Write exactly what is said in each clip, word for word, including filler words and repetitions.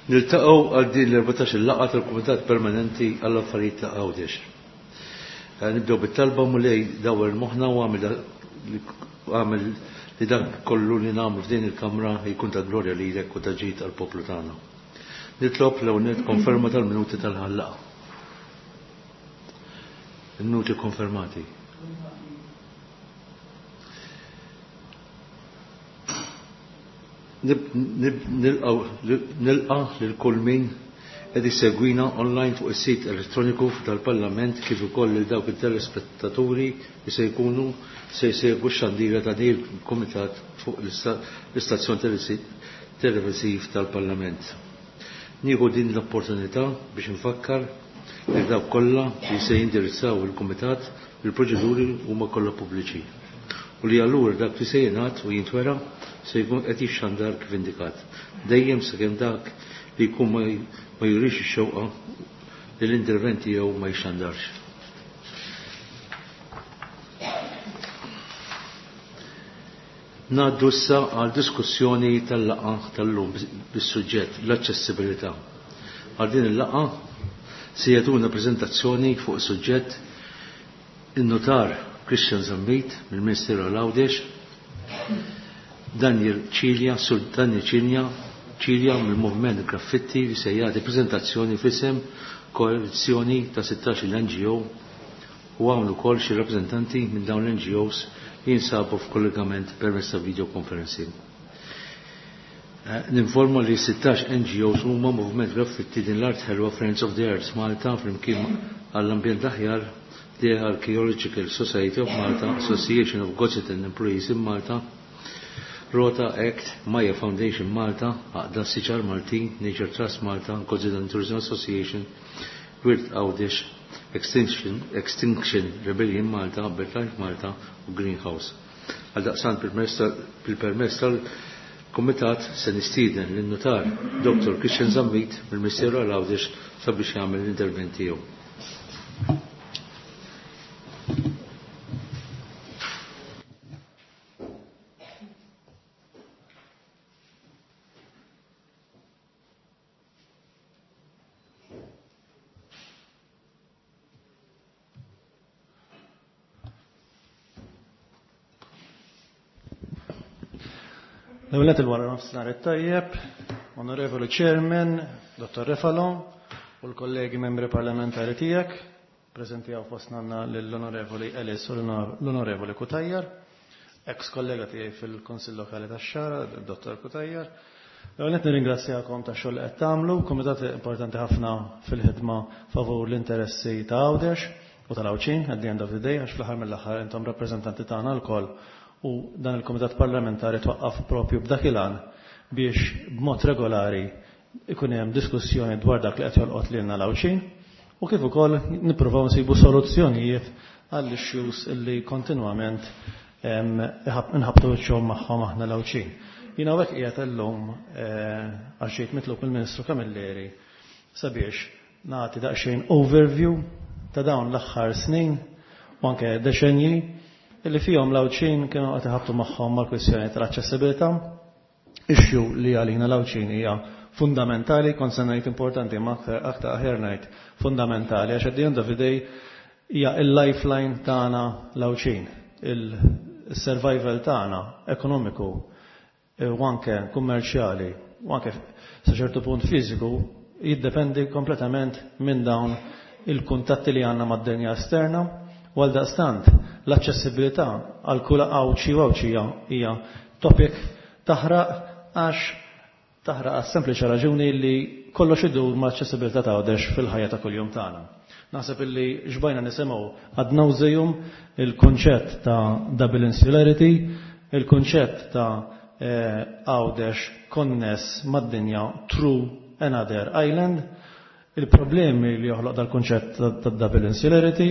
Niltaqgħu għal din l-erbatax-il laqgħa tal-Kumitat Permanenti għall-Affarijiet ta' Għawdex. Nibdew bit-talba Mulej dawwar moħħna u għamel li dak kollu li nagħmlu f'din il-kamra jkun ta' glorja lilek u ta' ġid għall-poplu tagħna. Nitlob l-ewwel konferma tal-minuti tal-ħallaqa. Il-minuti konfermati. Nilqa lil kull min qed isegwina online fuq is-sit elettroniku tal-Parlament kif ukoll lil dawk it-telespettaturi li se jkunu se jsegwu x-xandira ta' din il-Kumitat fuq l-istazzjon televisiv tal-Parlament. Nieħu din l-opportunità biex nfakkar lil dawk kollha li se jindirizzaw il-Kumitat li l-proċeduri huma kollha pubbliċi u li allura dak li se jingħad u jintwera se jkun qed jixxandar kif indikat. Dejjem sakemm dak li jkun ma jurix ix-xewqa li l-intervent tiegħu ma jixxandarx. Ngħaddu issa għal diskussjoni tal-laqgħa tal-lum bis-suġġett l-aċċessibilità. Għal din il-laqgħa se jagħtuna preżentazzjoni fuq is-suġġett in-notar Christian Zammit mill-Ministeru għal Għawdex, Daniel Cilia, Sur Daniel Cilia, Cilia mill-Moviment Graffitti li se jagħti preżentazzjoni f'isem koalizzjoni ta' sittax-il N G O u hawn ukoll xi rappreżentanti minn dawn l-N G Os li jinsabu f'kollegament permezz ta' videoconferencing. Ninforma li sittax N G Os huma Moviment Graffitti din l-Art Ħelwa Friends of the Earth Malta flimkien għall-Ambjent Aħjar, the Archaeological Society of Malta, Association of Gozitan Employees in Malta, Rota Act, Maya Foundation Malta, Għaqda Siċar Maltin, Nature Trust Malta, Gozitan Tourism Association, Wirt Għawdex, Extinction, Extinction Rebellion Malta, BirdLife Malta u Greenhouse. Għaldaqstant bil-permess tal-Kumitat se nistieden lin-notar Doctor Christian Zammit mill-Ministeru għal Għawdex sabiex jagħmel l-intervent tiegħu. L-ewwel il-wara nofsinhar it-tajjeb, Onorevoli Chairman, Dottor Refalo, u l-kollegi membri parlamentari tiegħek, preżenti hawn fostna għandna lill-Onorevoli Ellis u l-Onorevoli Cutajar, ex kollega tiegħi fil-Kunsill Lokali tax-Xagħra, Dottor Cutajar. L-ewwel nett nirringrazzjakom tax-xogħol li qed tagħmlu, kumitat importanti ħafna fil-ħidma favur l-interessi ta' Għawdex u tal-Għawdxin at the end of the day, għax fl-aħħar mill-aħħar intom rappreżentanti tagħna lkoll u dan il-Kumitat Parlamentari twaqqaf propju b'dak il-għan biex b'mod regolari ikun hemm diskussjoni dwar dak li qed jolqot lilna l-Għawdxin u kif ukoll nippruvaw nsibu soluzzjonijiet għall-issues illi kontinwament, em, nħabtu wiċċhom magħhom aħna l-Għawdxin. Jiena hawnhekk qiegħed illum, eh, għax ġejt mitlub mill-Ministru Camilleri sabiex nagħti daqsxejn overview ta' dawn l-aħħar snin u anke deċenji illi fihom l-Għawdxin kienu qed iħabtu magħhom mal-kwistjoni tal-aċċessibilità, issue li għalina l-Għawdxin hija fundamentali, kont se ngħid importanti, ma aktar, aktar aħjar ngħid fundamentali, għax at the end of the day hija il-lifeline tagħna l-Għawdxin, il-survival tagħna ekonomiku u anke kummerċjali u anke sa ċertu punt fiżiku jiddependi kompletament minn dawn il-kuntatti li għandna mad-dinja esterna. U għal daqstant l-aċċessibilità għal kull Għawdxi u Għawdxija hija topic taħraq għax taħraq għas sempliċi raġuni li kollox idur ma' aċċessibilità ta' Għawdex fil-ħajja ta' kuljum tagħna. Naħseb illi xbajna nisimgħu ad nauseum il-kunċett ta' double insularity, il-kunċett ta', eh, Għawdex konness mad-dinja through another island, il-problemi li joħloq dal-kunċett ta', ta' double insularity,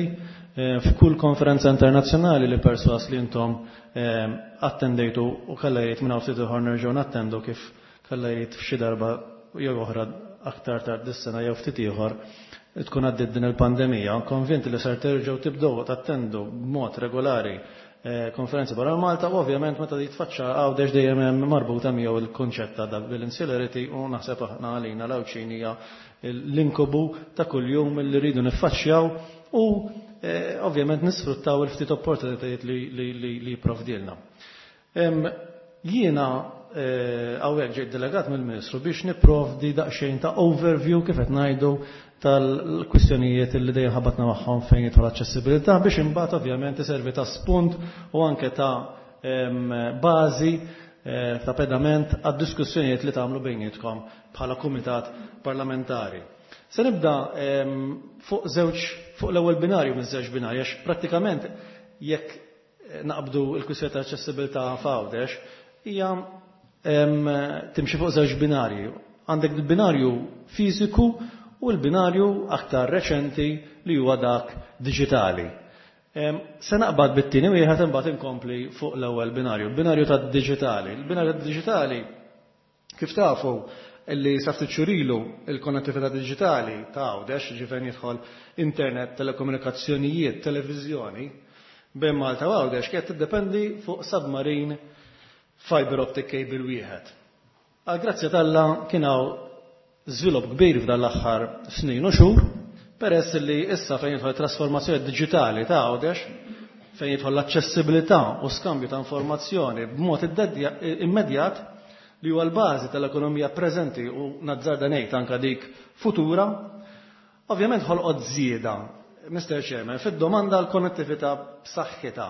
eh, f'kull konferenza internazzjonali li perswas li intom, eh, attendejtu u kalla jgħid minn hawn ftit ieħor nerġgħu nattendu kif kalla jgħid f'xi darba jew oħra aktar tard dis-sena jew ftit ieħor tkun għaddiet din il-pandemija, konvinti li ser terġgħu tibdew tattendu b'mod regolari konferenzi barra Malta, u ovvjament meta jitfaċċa Għawdex dejjem hemm marbuta miegħu il-konċett ta' double insularity, u naħseb aħna għalina l-Għawdxin hija l-inkubu ta' kuljum li rridu niffaċċjaw u ovvjament nisfruttaw il-ftit opportunitajiet li jipprovdilna. Jiena hawnhekk ġejt delegat mill-Ministru biex nipprovdi daqsxejn ta' overview, kif qed ngħidu, tal-kwistjonijiet li dejjem ħabatna magħhom fejn jidħol aċċessibilità, biex imbagħad ovvjament iservi ta' spunt u anke ta' bażi ta' pedament għad-diskussjonijiet li tagħmlu bejnietkom bħala kumitat parlamentari. Se nibda fuq żewġ fuq l-ewwel binarju minn żewġ binarji, għax prattikament jekk naqbdu l-kwistjoni ta' aċċessibilità f'Għawdex hija timxi fuq żewġ binarji. Għandek il-binarju fiżiku u l-binarju aktar reċenti li huwa dak diġitali. Se naqbad bit-tieni wieħed, imbagħad inkompli fuq l-ewwel binarju, binarju tad-diġitali. Il-binarju tad-diġitali, kif tafu, illi sa ftit xhur ilu il-konnettività diġitali ta' Għawdex, ġifieri jidħol internet, telekomunikazzjonijiet, televiżjoni, bejn Malta u Għawdex kienet tiddependi fuq submarine fiber optic cable wieħed. Għal grazzja t'Alla kien hawn żvilupp kbir f'dan l-aħħar snin u xhur, peress li issa fejn jidħol trasformazzjoni diġitali ta' Għawdex, fejn jidħol l-aċċessibilità u skambju ta' informazzjoni b'mod immedjat, li huwa l-bażi tal-ekonomija preżenti u nazzarda ngħid anke dik futura, ovvjament ħolqot żieda, Mister Chairman, fid-domanda għal konnettività b'saħħitha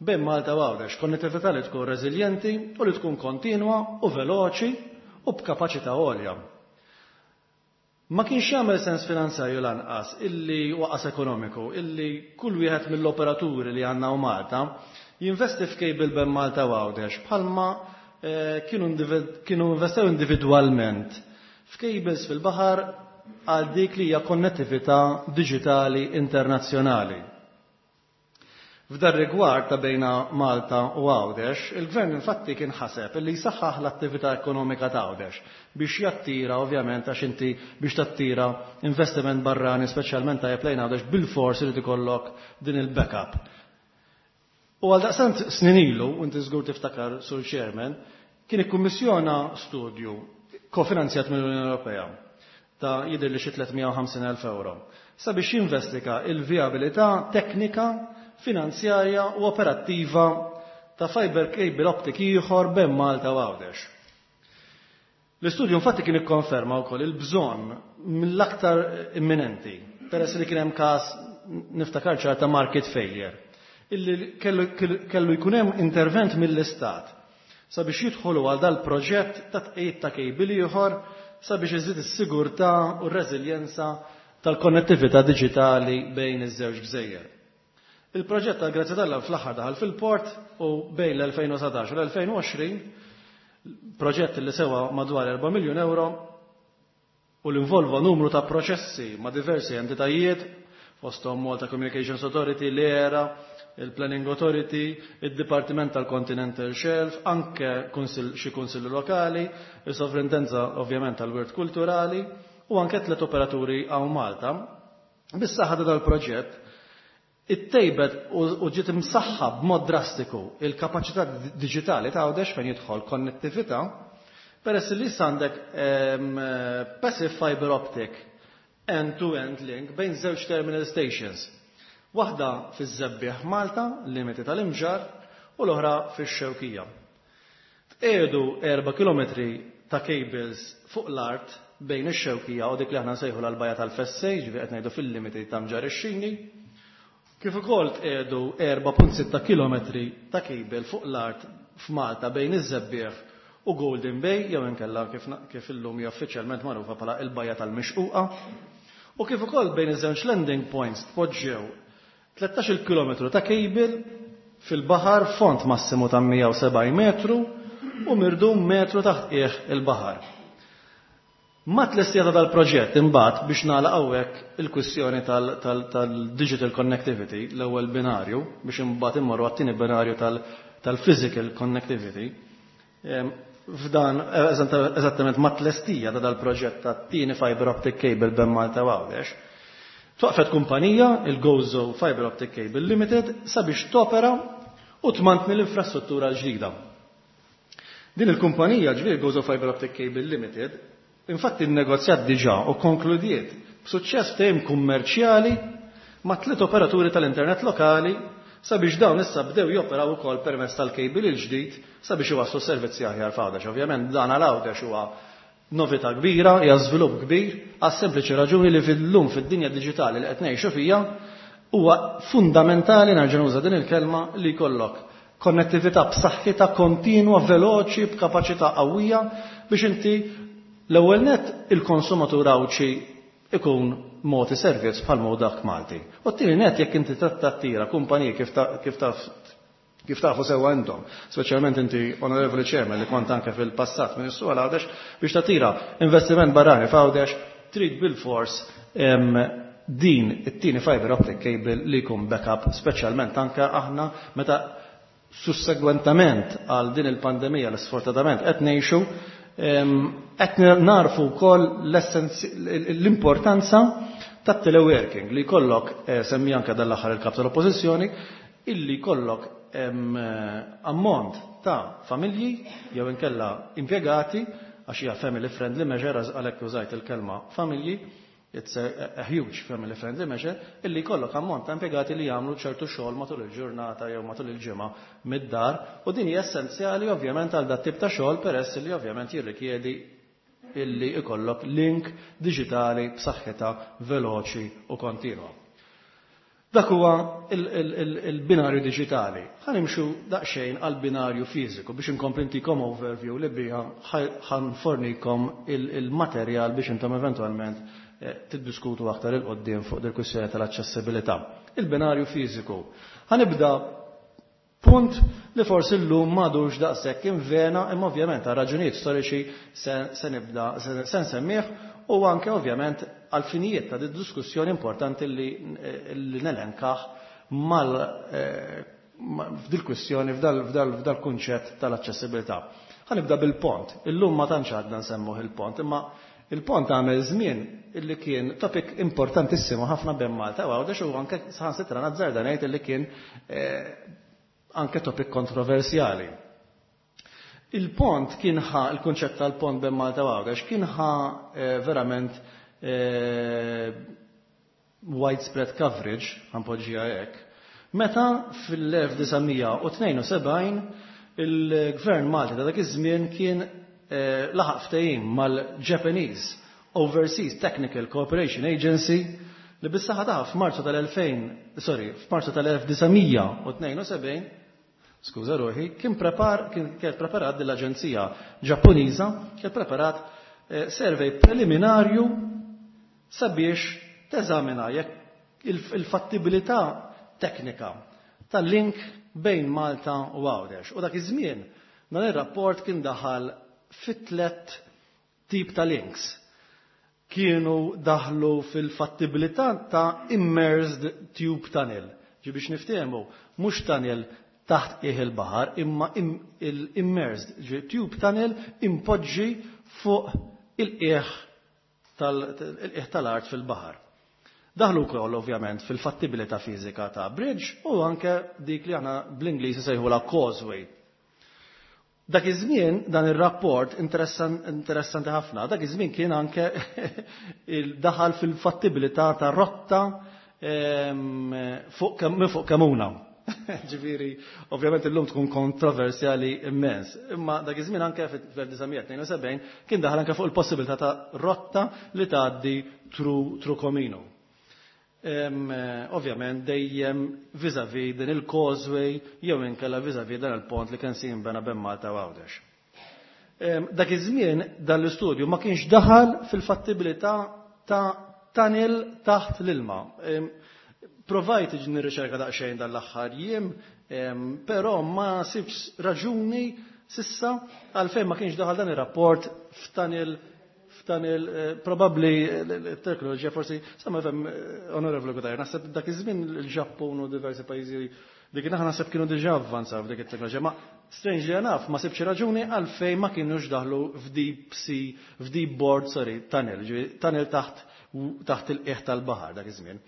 bejn Malta u Għawdex, konnettività li tkun reżiljenti u li tkun kontinwa u veloċi u b'kapaċità għolja. Ma kienx jagħmel sens finanzjarju lanqas illi waqas ekonomiku illi kull wieħed mill-operaturi li għandna u Malta jinvesti f'cable bejn Malta u Għawdex bħalma kienu kienu investew individwalment f'cables fil-baħar għal dik li hija konnettività diġitali internazzjonali. F'dar rigward ta' bejna Malta u Għawdex, il-Gvern infatti kien ħaseb li jsaħħaħ l-attività ekonomika ta' Għawdex biex jattira, ovvjament, għax inti biex tattira investiment barrani, speċjalment tajjeb lejn Għawdex, bil-fors irid ikollok din il-backup. U għal daqstant snin ilu, u inti żgur tiftakar, Sur Chairman, kien ikkummissjona studju kofinanzjat mill-Unjoni Ewropea ta' jidher li xi tliet mija u ħamsin elf euro sabiex jinvestiga il-viabilità teknika, finanzjarja u operattiva ta' fiber cable optic ieħor bejn Malta u Għawdex. L-istudju infatti kien ikkonferma wkoll il-bżonn mill-aktar imminenti, peress li kien hemm każ, niftakar ċar, ta' market failure, illi kellu, kellu jkun hemm intervent mill-Istat sabiex jidħolu għal dal-proġett ta' tqejjed ta' cable ieħor sabiex iżid is-sigurtà u r-reżiljenza tal-konnettività diġitali bejn iż-żewġ gżejjer. Il-proġett tal grazzja t'Alla fl-aħħar daħal fil-port u bejn l-elfejn u sbatax u l-elfejn u għoxrin, proġett li sewa madwar erba' miljun euro u l-involva numru ta' proċessi ma' diversi entitajiet, fosthom Malta Communications Authority, l-E R A, il-Planning Authority, il-Dipartiment tal-Continental Shelf, anke xi kunsilli lokali, il-Sovrintendenza ovvjament tal-Wirt Kulturali u anke tliet operaturi hawn Malta. Bis-saħħa ta' dal-proġett, ittejbet u ġiet imsaħħa b'mod drastiku il-kapaċità diġitali ta' Għawdex fejn jidħol konnettività, peress li issa għandek passive fiber optic end-to-end link bejn żewġ terminal stations. Waħda fiż-Żebbiegħ Malta, limiti tal-Imġarr, u l-oħra fix-Xewkija. Tqiegħdu erba' kilometri ta' cables fuq l-art bejn ix-Xewkija u dik li aħna nsejħu l-Bajja tal-Fessej, ġifieri qed ngħidu fil-limiti ta' Mġarr ix-Xini, kif ukoll tqiegħdu erba' punt sitta kilometri ta' cable fuq l-art f'Malta bejn iż-Żebbiegħ u Golden Bay, jew inkella kif, kif illum hija uffiċjalment magħrufa bħala il-Bajja tal-Mixquqa. U kif ukoll bejn iż-żewġ landing points tpoġġew tlettax-il kilometru ta' cable fil-baħar, fond massimu ta' mija u sebgħin metru u mirdum metru taħt qiegħ il-baħar. Ma tlestija ta' dal-proġett imbagħad, biex nagħlaq hawnhekk il-kwistjoni tal-digital connectivity, l-ewwel binarju, biex imbagħad immorru għat-tieni binarju tal-physical connectivity. F'dan eżattament ma tlestija ta' dal-proġett ta' tieni fiber optic cable bejn Malta u Għawdex, twaqfet kumpanija, il-Gozo Fiber Optic Cable Limited, sabiex topera u tmantni l-infrastruttura l-ġdida. Din il-kumpanija, ġifieri Gozo Fiber Optic Cable Limited, infatti nnegozjat diġà u konkludiet b'suċċess ftehim kummerċjali ma' tliet operaturi tal-internet lokali sabiex dawn issa bdew joperaw ukoll permezz tal-cable il-ġdid sabiex iwasslu servizzi aħjar f'Għawdex. Ovvjament dan għal Għawdex huwa novità kbira, hija żvilupp kbir, għas sempliċi raġuni li fil-lum fid-dinja diġitali li qed ngħixu fija huwa fundamentali, nerġa' nuża din il-kelma, li jkollok konnettività b'saħħitha, kontinwa, veloċi, b'kapaċità qawwija biex inti l-ewwel net il-konsumatur Għawdxi ikun mogħti servizz bħal mod dak Malti. U t-tieni net, jekk inti tattira kumpaniji, kif kif taf kif tafu sewwa intom, speċjalment inti, Onorevoli Chairman, li kont anke fil-passat Ministru għal Għawdex, biex tattira investiment barrani f'Għawdex, trid bil-fors din it-tieni fiber optic cable li jkun backup, speċjalment anke aħna meta sussegwentament għal din il-pandemija li sfortunatament qed ngħixu, qed narfu wkoll l-importanza tat-teleworking li jkollok, eh, semmi anke dal-aħħar il-kap tal-Oppożizzjoni, illi jkollok ammont ta' familji jew inkella impjegati, għax hija family friendly measure, għalhekk użajt il-kelma familji, it's a, a huge family friendly measure, illi jkollok ammont ta' impjegati li jagħmlu ċertu xogħol matul il-ġurnata jew matul il-ġimgħa mid-dar, u din hija essenzjali ovvjament għal dat tip ta' xogħol, peress li ovvjament jirrikjedi illi ikollok link diġitali b'saħħitha, veloċi u kontinwa. Dak huwa il-binarju diġitali. Ħa nimxu daqsxejn għal binarju fiżiku biex inkompli ntikom overview li biha ħa nfornikom il-materjal biex intom eventwalment eh, tiddiskutu aktar 'il quddiem fuq dil-kwistjoni tal-aċċessibilità. Il-binarju fiżiku. Ħa nibda punt li forsi llum m'għadux daqshekk invena, imma ovvjament għal raġunijiet storiċi se nibda se nsemmih u anke ovvjament għal finijiet ta' diskussjoni importanti li, li nelenkaħ mal eh, f'dil kwistjoni f'dal kunċett tal-aċċessibilità. Ħa nibda bil-pont. Illum ma tantx għadna nsemmuh il-pont, imma il-pont għamel żmien illi kien topic importantissimu ħafna bejn Malta u Għawdex, u anke saħansitra nazzarda ngħid illi kien eh, anke topic kontroversjali. Il-pont kien ħa, il-kunċett tal-pont bejn Malta u Għawdex kien ħa eh, verament eh, widespread coverage, ħa npoġġiha hekk, meta fil-elf disa' mija u tnejn u sebgħin il-Gvern Malti ta' dak iż-żmien kien eh, laħaq ftehim mal-Japanese Overseas Technical Cooperation Agency li bis-saħħa ta' f'Marzu tal-elfejn, sorry, f'Marzu tal-elf disa' mija u tnejn u sebgħin, skuża ruħi, kien prepar kien kien preparat dell-Aġenzija Ġappuniża, kien preparat eh, survey preliminarju sabiex teżamina jekk il-fattibilità teknika tal-link bejn Malta u Għawdex. U dak iż-żmien dan ir-rapport kien daħal fit tlet tip ta' links. Kienu daħlu fil-fattibilità ta' immersed tube tunnel. Ġi biex niftehmu, mhux tunnel taħt qiegħ il-baħar, imma il-immersed tube tunnel impoġġi fuq il-qiegħ tal-art fil-baħar. Daħlu wkoll ovvjament fil-fattibilità fiżika ta' bridge u anke dik li aħna bl-Ingliż sejħula causeway. Dak iż-żmien dan ir-rapport interessanti ħafna, dak iż-żmien kien anke daħal fil-fattibilità ta' rotta fuq minn fuq Kemmuna. Ġifieri, ovvjament illum tkun kontroversjali immens. Imma dak iż-żmien anke fil-elf disa' mija u tnejn u sebgħin kien daħal anke fuq il-possibilità ta' rotta li tgħaddi through Comino. Ovvjament dejjem vis-a-vis din il-causeway jew inkella vis-a-vis dan il-pont li kien jinbena bejn Malta u Għawdex. Dak iż-żmien dan l-istudju ma kienx daħal fil-fattibilità ta' tunnel taħt l-ilma. Provajt nirriċerka daqsxejn dan l-aħħar jiem, però ma sibx raġuni s'issa għalfejn ma kienx daħal dan ir-rapport f'tunnel f'tunnel eh, Probabbli il-teknoloġija forsi, sama fem, eh, Onorevoli Cutajar, naħseb dak iż-żmien il-Ġappun u diversi pajjiżi dik naħa naħseb kienu diġà avvanzaw f'dik it-teknoloġija, ma strangely enough ma sibx raġuni għalfejn ma kienux daħlu f'deep sea, f'deep bored, sorry, tunnel, tunnel taħt taħt il-qiegħ tal-baħar dak iż-żmien.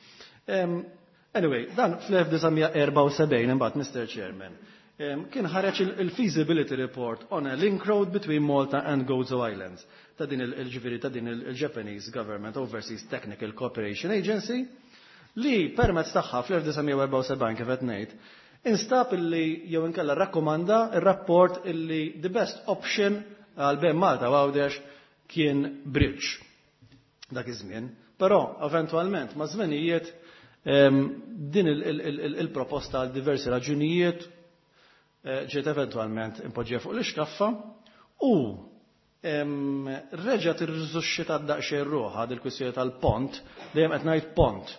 Anyway, dan fl-elf disa' mija u erbgħa u sebgħin imbagħad, Mister Chairman, kien ħareġ il-feasibility report on a link road between Malta and Gozo Islands ta' din il-ġifieri ta' din il-Japanese Government Overseas Technical Cooperation Agency, li permezz tagħha fl-elf disa' mija u erbgħa u sebgħin, kif qed ngħid, instab illi jew inkella rakkomanda ir-rapport illi the best option għal bejn Malta u Għawdex kien bridge dak iż-żmien. Però eventwalment ma' żmenijiet din il-proposta għal diversi raġunijiet eh, ġiet eventwalment impoġġija fuq l-iskaffa u reġgħet irrisusxitat daqsxejn ruħha dil-kwistjoni tal-pont, dejjem qed ngħid pont.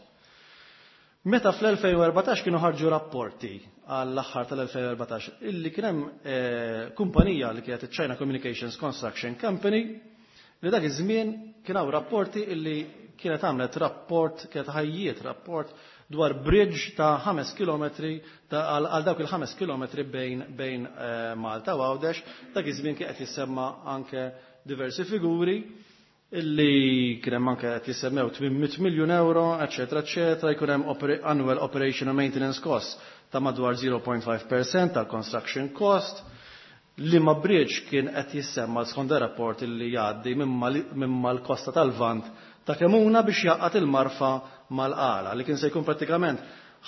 Meta fl-elfejn u erbatax kienu ħarġu rapporti għall-aħħar tal-elfejn u erbatax illi kien hemm eh, kumpanija li kienet China Communications Construction Company, li dak iż-żmien kien hawn rapporti illi kienet għamlet rapport, kienet ħajjiet rapport dwar bridge ta' ħames kilometri għal dawk il-ħames kilometri bejn, bejn eh, Malta u Għawdex. Dak iż-żmien kien qed jissemma anke diversi figuri illi kien hemm anke qed jissemmew tmien mitt miljun euro, eċetera, eċetera, jkun hemm annual operation and maintenance cost ta' madwar zero punt ħamsa fil-mija tal-construction cost, li ma bridge kien qed jissemma skont rapport illi jgħaddi minn mal-kosta tal-Vant ta' Kemuna biex jgħaqqad il-Marfa mal-Qala, li kien se jkun pratikament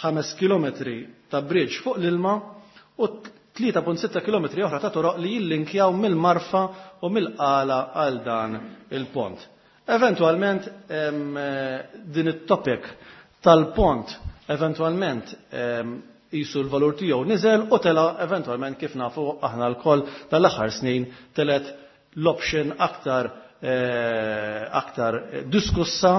ħames kilometri ta' bridge fuq l-ilma u tlieta punt sitta kilometri oħra ta' toroq li jillinkjaw mill-Marfa u mill-Qala għal dan il-pont. Eventualment din it-topic tal-pont eventualment jisu l-valur tiegħu niżel u tela eventualment, kif nafu aħna lkoll, tal-aħħar snin telet l-option aktar eh, aktar diskussa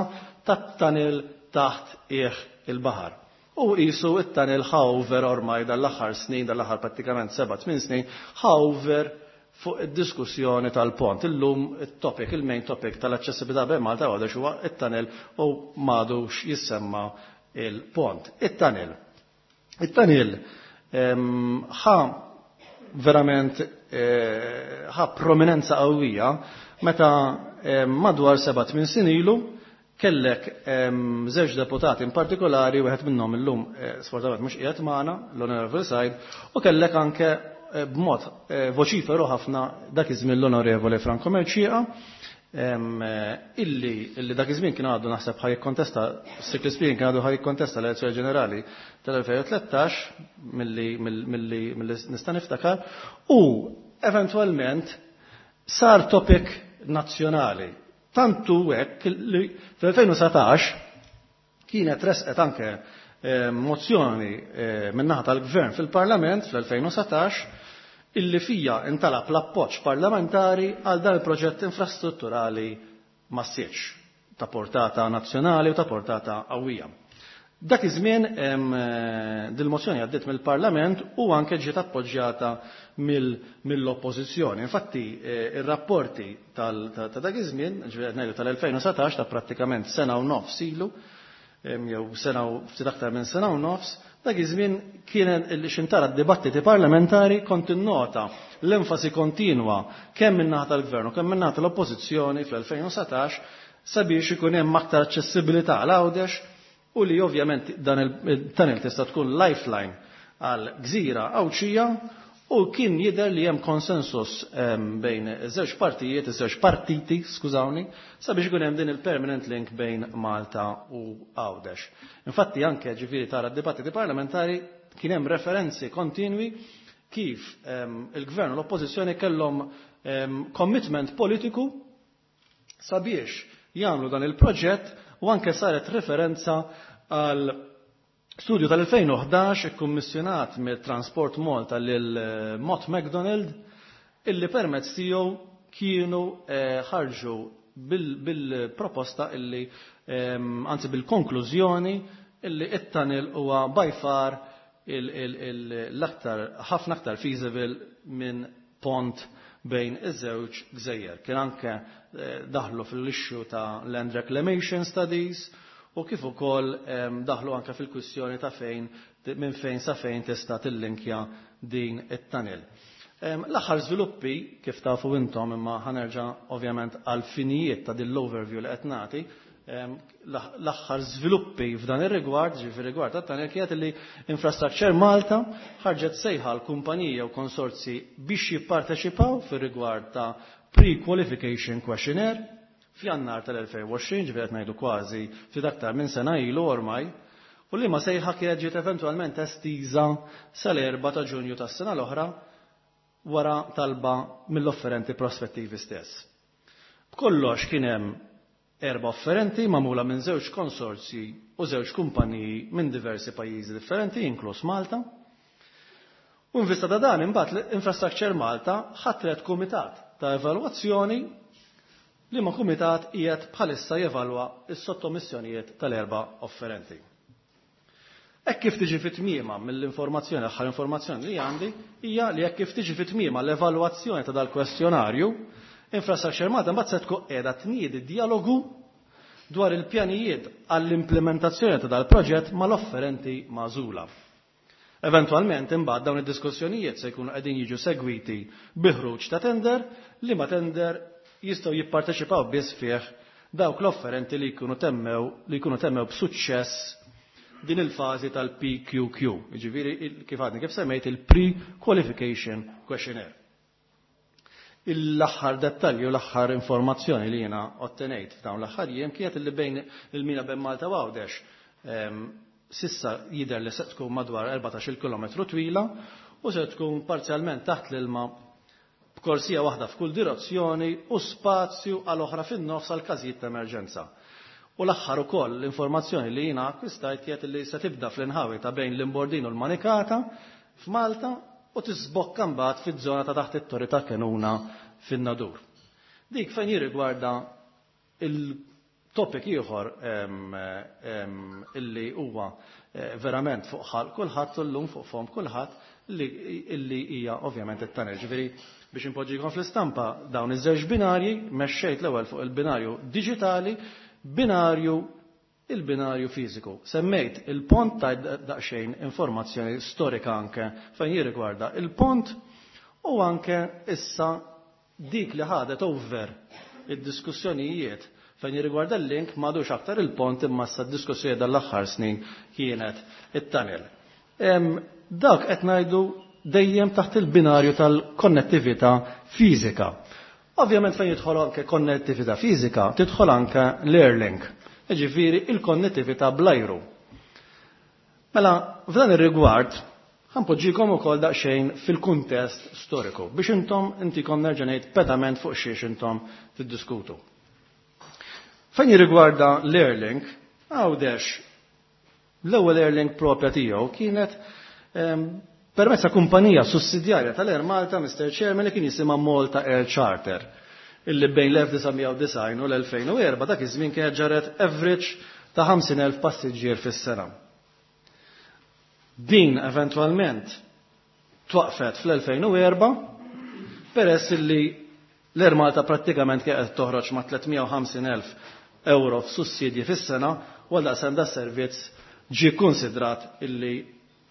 tat-tunnel taħt qiegħ il-baħar. U jisu it-tunnel hover ormai dal-aħħar snin, dal-aħħar prattikament seba' tmien snin, hover fuq id-diskussjoni tal-pont. Illum il-topic, il-main topic tal-aċċessibilità bejn Malta u Għawdex huwa it-tunnel u m'għadux jissemma il-pont. It-tunnel. It-tunnel ħa verament eh, ħa prominenza qawwija meta madwar seba' tmien snin ilu kellek żewġ deputati in partikolari, wieħed minnhom illum eh, sfortunatament mhux qiegħed magħna, l-Onorevoli Said, u kellek anke eh, b'mod eh, voċiferu ħafna dak iż-żmien l-Onorevoli Franco Mercieca, illi illi dak iż-żmien kien għadu naħseb ħa jikkontesta, strictly speaking, kien għadu ħa jikkontesta l-elezzjoni ġenerali tal-elfejn u tlettax milli milli nista' niftakar, u eventwalment sar topic nazzjonali. Tantu hekk li fl-elfejn u sbatax kienet resqet anke eh, mozzjoni eh, min-naħa tal-Gvern fil-Parlament fl-elfejn u sbatax illi fija intalab l-appoġġ parlamentari għal dan il-proġett infrastrutturali massiċ ta' portata nazzjonali u ta' portata qawwija. Dak iż-żmien eh, dil-mozzjoni għaddiet mill-Parlament u anke ġiet appoġġjata mill-oppożizzjoni. Infatti eh, ir-rapporti ta' dak iż-żmien, ġifieri ngħidu tal-elfejn u sbatax, ta' prattikament sena u nofs ilu, jew sena u ftit aktar minn sena u nofs, dak iż-żmien kien xintara d-dibattiti parlamentari kont innota l-enfasi kontinwa kemm min-naħa tal-Gvern u kemm min-naħa tal-Oppożizzjoni fl-elfejn u sbatax sabiex ikun hemm aktar aċċessibilità għal Għawdex u li ovvjament dan il-tunnel tista' tkun lifeline għal gżira Għawdxija, u kien jidher li hemm konsensus bejn iż-żewġ partijiet, iż-żewġ partiti, skużawni, sabiex ikun hemm din il-permanent link bejn Malta u Għawdex. Infatti anke ġifieri tara d-dibattiti parlamentari kien hemm referenzi kontinwi kif il-gvern u l-oppożizzjoni kellhom commitment politiku sabiex jagħmlu dan il-proġett, u anke saret referenza għal studju tal-elfejn u ħdax ikkummissjonat mill-Transport Malta lil eh, Mott MacDonald, illi permezz tiegħu kienu eh, ħarġu bil-proposta illi, anzi bil-konklużjoni illi it-tunnel huwa by far l-aktar, ħafna aktar feasible minn pont bejn iż-żewġ gżejjer. Kien anke eh, daħlu fil-issue ta' land reclamation studies u kif ukoll daħlu anke fil-kwistjoni ta' fejn, minn fejn sa fejn tista' tillinkja din it-tunnel. L-aħħar żviluppi, kif tafu intom, imma ħa nerġa' ovvjament għal finijiet ta' din l-overview li qed nagħti, L-aħħar żviluppi f'dan ir-rigward, ġifieri rigward tat-tunnel, kienet li Infrastructure Malta ħarġet sejħa l-kumpanija u konsorzi biex jipparteċipaw fir-rigward ta' pre-qualification questionnaire f'Jannar tal-elfejn u għoxrin, ġifieri qed ngħidu kważi ftit aktar minn sena ilu ormai, u li ma sejħa kienet ġiet eventwalment estiża sal-erbgħa ta' Ġunju tas-sena l-oħra wara talba mill-offerenti prospettivi stess. B'kollox kien hemm erba' offerenti magħmula minn żewġ konsorzji u żewġ kumpaniji minn diversi pajjiżi differenti, inkluż Malta. U in vista ta' dan, imbagħad l-Infrastructure Malta ħatret kumitat ta' evalwazzjoni, li ma kumitat qiegħed bħalissa jevalwa s-sottomissjonijiet tal-erba' offerenti. Hekk kif tiġi fit-tmiema mill-informazzjoni, l-aħħar informazzjoni li għandi hija li hekk kif tiġi fit-tmiema l-evalwazzjoni ta' dal-kwestjonarju, Infrastructure Malta mbagħad se tkun qiegħda tniedi dialogu dwar il-pjanijiet għall-implementazzjoni ta' dal-proġett mal-offerenti magħżula. Eventwalment, imbagħad, dawn id-diskussjonijiet se jkunu qegħdin jiġu segwiti bi ħruġ ta' tender, li ma tender jistgħu jipparteċipaw biss fih dawk l-offerenti li jkunu temmew li jkunu temmew b'suċċess din il-fażi tal-P Q Q, jiġifieri kif għadni kif semmejt, il-Pre-Qualification Questionnaire. L-aħħar dettalji u l-aħħar informazzjoni li jiena ottenejt f'dawn l-aħħar jiem kienet li bejn il-mina bejn Malta u Għawdex s'issa jidher li se tkun madwar erbatax-il kilometru twila u se tkun parzjalment taħt l-ilma, b'korsija waħda f'kull direzzjoni u spazju għal oħra fin-nofs għal każijiet ta' emerġenza. U l-aħħar ukoll l-informazzjoni li jiena akkwistajt kienet li se tibda fl-inħawi ta' bejn l-Imbordin u l-Manikata f'Malta u tisbokka mbagħad fiż-żona ta' taħt it-Torri ta' Kenuna fin-Nadur. Dik fejn jirrigwarda il-topic ieħor illi huwa eh, verament fuq ħalq kulħadd illum, fuq fom kulħadd, illi hija ovvjament it-tunnel. Ġifieri biex inpoġġikom fl-istampa dawn iż-żewġ binarji, mexxejt l-ewwel fuq il-binarju diġitali, binarju il-binarju fiżiku. Semmejt il-pont, ta' daqsxejn informazzjoni storika anke fejn jirrigwarda il-pont u anke issa dik li ħadet over id-diskussjonijiet fejn jirrigwarda l-link m'għadux aktar il-pont, imma issa d-diskussjoni dal-aħħar snin kienet it-tunnel. Dak qed ngħidu dejjem taħt il-binarju tal-konnettività fiżika. Ovvjament, fejn jidħol anke konnettività fiżika, tidħol anke l-Airlink, ġifieri il-konnettività bl-ajru. Mela, f'dan ir-rigward, ħa npoġġikom ukoll daqsxejn fil-kuntest storiku biex intom intikom nerġa' ngħid pedament fuq xiex intom tiddiskutu. Fejn jirrigwarda l-Airlink, Għawdex l-ewwel Airlink propja tiegħu kienet permezz ta' kumpanija sussidjarja tal-Air Malta, Mister Chairman, li kien jisimha Malta Air Charter, illi bejn l-elf disa' mija u disgħin u l-elfejn u erbgħa dak iż-żmien kienet ġarret average ta' ħamsin elf passiġġier fis-sena. Din eventwalment twaqfet fl-elfejn u erbgħa peress illi l-Air Malta prattikament kienet toħroġ ma' tliet mija u ħamsin elf euro f'sussidji fis-sena, u għal daqstant da servizz ġie konsidrat illi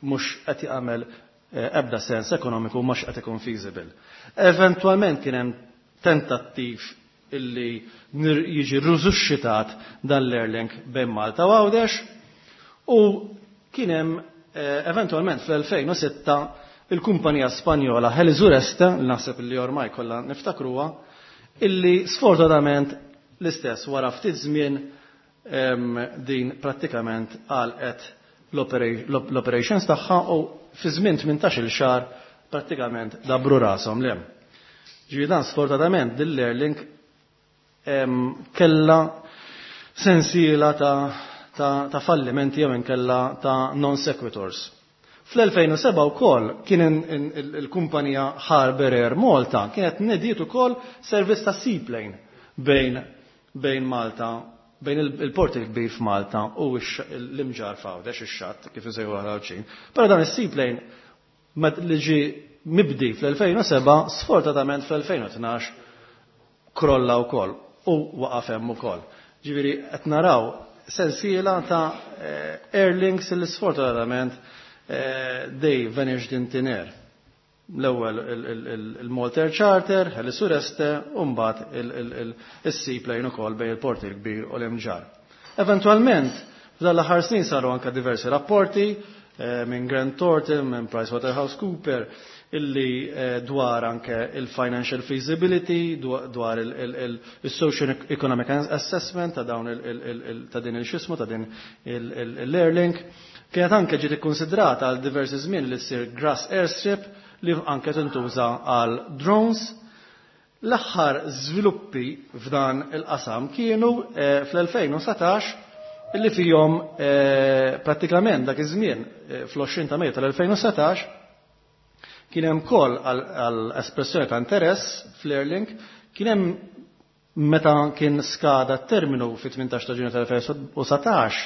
mhux qed jagħmel eh, ebda sens ekonomiku, mhux qed ikun feasible. Eventwalment kien hemm tentattiv illi jiġi risuscitat dan l-Airlink bejn Malta u Għawdex u kien hemm eh, eventwalment fl-elfejn u sitta il-kumpanija Spanjola Helisureste, li naħseb li ormai kollha niftakruha, illi sfortunatament l-istess wara ftit żmien din prattikament għalqet l-operations tagħha u fi żmien tmintax-il xahar prattikament dabru rashom lem. Ġifieri dan sfortunatament din l-Airlink kella sensiela ta', ta, ta fallimenti jew inkella ta' non sequiturs. Fl-elfejn u sebgħa wkoll kien il-kumpanija Harbour Air Malta kienet nediet ukoll servizz ta' seaplane bejn bejn Malta, bejn il-port il-kbir f'Malta u l-Imġarr f'Għawdex, ix-xatt kif isejħu għal. Però dan is-seaplane li ġi mibdi fl-elfejn u sebgħa sfortunatament fl-elfejn u tnax krolla wkoll u waqaf hemm ukoll. Ġifieri qed naraw sensiela ta' eh, airlinks li sfortunatament eh, they vanished in thin air. L-ewwel il-Malta Air Charter, Helisureste, u mbagħad il-seaplane ukoll bejn il-port il-kbir u l-Imġarr. Eventualment, f'dan l-aħħar snin saru anka diversi rapporti eh, minn Grant Thornton, minn PricewaterhouseCooper, illi eh, dwar anke il-financial feasibility, dwar il-social economic assessment ta' dawn ta' din il-xismu, ta' din l-Airlink. Kienet anke ġiet ikkonsidrata għal diversi żmien li ssir grass airstrip li anke tintuża għal drones. L-aħħar żviluppi f'dan il-qasam kienu eh, fl-elfejn u satax illi fihom eh, prattikament dak iż-żmien fl-għoxrin ta' Mejju tal-elfejn u satax kien hemm call għal espressjoni ta' interess fl-Airlink, kien hemm meta kien skada t-terminu fit-tmintax ta' Ġunju tal-elfejn u satax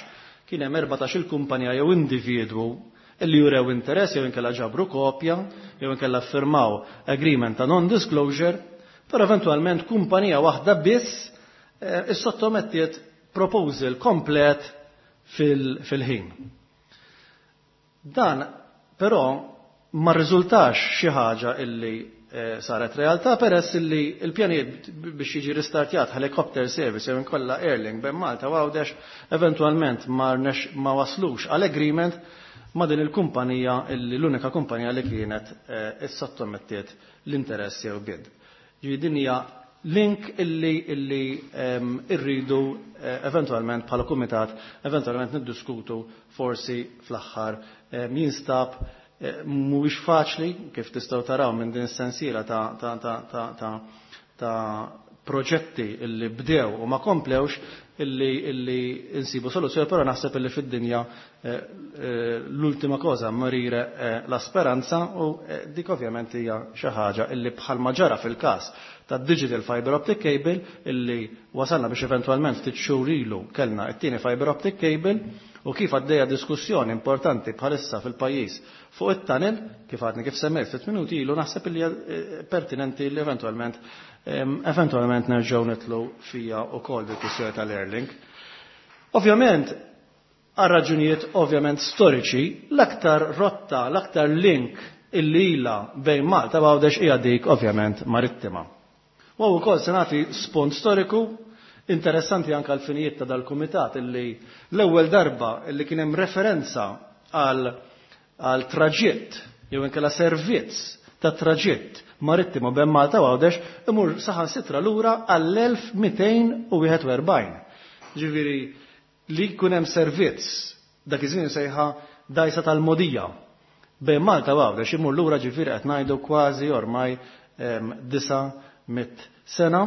kien hemm erbatax il-kumpanija jew individwu illi jurew interess jew inkella ġabru kopja jew inkella firmaw agreement ta' non-disclosure, però eventwalment kumpanija waħda biss, eh, issottomettiet proposal komplet fil-ħin. Fil Dan però ma rriżultax xi ħaġa illi, eh, saret realtà peress illi il-pjanijiet biex jiġi ristartjat helicopter service jew inkolla Airlink bejn Malta u Għawdex eventwalment ma rnex, ma waslux għal agreement ma' din il-kumpanija illi l-unika kumpanija li kienet, eh, issottomettiet l-interess jew bid. Ġifieri din hija link illi, illi, ehm, irridu, eh, eventwalment bħala kumitat eventwalment niddiskutu forsi fl-aħħar, ehm, jinstab, eh, mhuwiex faċli kif tistgħu taraw minn din is-sensiela ta', ta', ta', ta', ta', ta' proġetti illi bdew u ma komplewx illi, illi insibu soluzzjoni, però naħseb illi fid-dinja, eh, eh, l-ultima cosa morire, eh, la speranza u, eh, dik ovvjament hija xi ħaġa illi bħalma ġara fil-każ ta' digital fiber optic cable illi wasalna biex eventwalment ftit xhur ilu kellna t-tieni fiber optic cable u kif għaddejja diskussjoni importanti bħalissa fil-pajjiż fuq it-tunnel, kif għadni kif semmejt ftit minuti ilu, naħseb illi hija, eh, pertinenti li eventwalment, ehm, eventwalment nerġgħu nitlu fija wkoll bil-kwistjoni tal-Airlink. Ovvjament, għal raġunijiet ovvjament storiċi, l-aktar rotta, l-aktar link illi ilha bejn Malta u Għawdex hija dik ovvjament marittima. U wkoll se nagħti spont storiku interessanti anke għal finijiet ta' dal-kumitat illi l-ewwel darba illi kien hemm referenza għal, għal traġitt jew inkella servizz ta' traġitt marittimu bejn Malta u Għawdex imur saħansitra lura għall-elf mitejn u wieħed u erbgħin. Ġifieri li jkun hemm servizz dak iż-żmien sejħa dajsa tal-modija bejn Malta u Għawdex imur lura ġifieri qed ngħidu kważi ormai, ehm, disa' mit sena.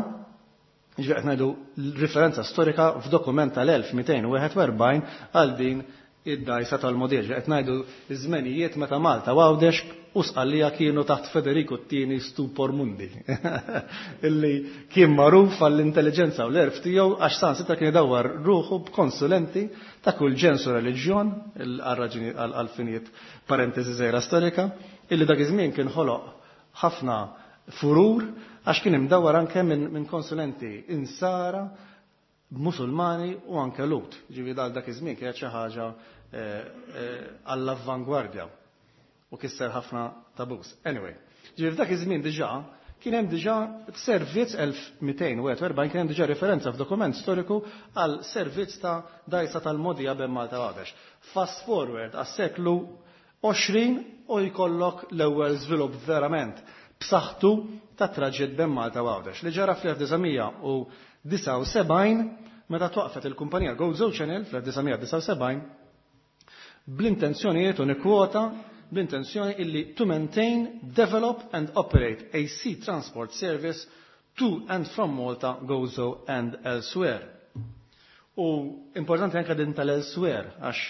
Ġifieri qed ngħidu referenza storika f'dokument tal-elf mitejn u wieħed u erbgħin għal din id-dajsa tal-modija. Ġifieri qed ngħidu iż-żmenijiet meta Malta u Għawdex u Sqallija kienu taħt Federico t-tieni Stupor Mundi, illi kien magħruf għall-intelligenza u l-erf tiegħu għax sansitra kien idawwar ruħu b'konsulenti ta' kull ġens u reliġjon, għal-raġuni għal-finijiet parentesi żgħira storika, illi dak iż-żmien kien ħoloq ħafna furur għax kien imdawwar anke minn, minn konsulenti insara, musulmani u anke Lut. Ġifieri dal dak iż-żmien kienet xi ħaġa, eh, eh, għall-avvangwardja u kisser ħafna tabus. Anyway, ġifieri f'dak iż-żmien diġà kien hemm diġà servizz elf mitejn u wieħed u erbgħin kien hemm diġà referenza f'dokument storiku għal servizz ta' dajsa tal-modija bejn Malta u Għawdex. Fast forward għas-seklu għoxrin u jkollok l-ewwel żvilupp verament b'saħħtu ta' traġitt bejn Malta u Għawdex li ġara fl-elf disa' u disgħa u sebgħin meta twaqfet il-kumpanija Gozo Channel fl-elf disa' disgħa u sebgħin bl-intenzjonijiet u nikkwota bl-intenzjoni illi to maintain, develop and operate a sea transport service to and from Malta, Gozo and elsewhere. U importanti anke din tal-elsewhere għax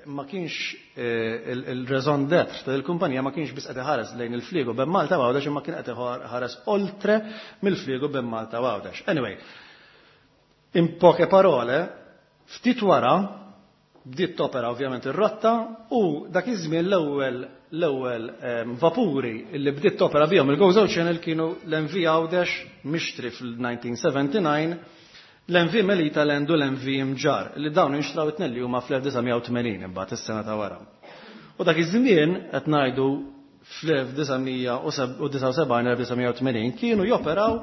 ma kienx, eh, il-, il-raison d'être tal-kumpanija ma kienx biss qed iħares lejn il-fliegu bejn Malta u Għawdex, imma kien qed iħares oltre mill-fliegu bejn Malta u Għawdex. Anyway, in poche parole, ftit wara bdiet topera ovvjament ir-rotta u dak iż-żmien l-ewwel, l-ewwel, ehm, vapuri li bdiet topera bihom il-Gozo Channel kienu l-M V Għawdex mixtri fil-nineteen seventy-nine, l-M V Melita Land u l-M V Mġarr li dawn inxtraw it-tnejn li huma fl-elf disa' u tmenin imbagħad is-sena ta' wara. U dak iż-żmien qed ngħidu fl-elf disa' u disgħa u sebgħin, elf disa' u tmenin kienu joperaw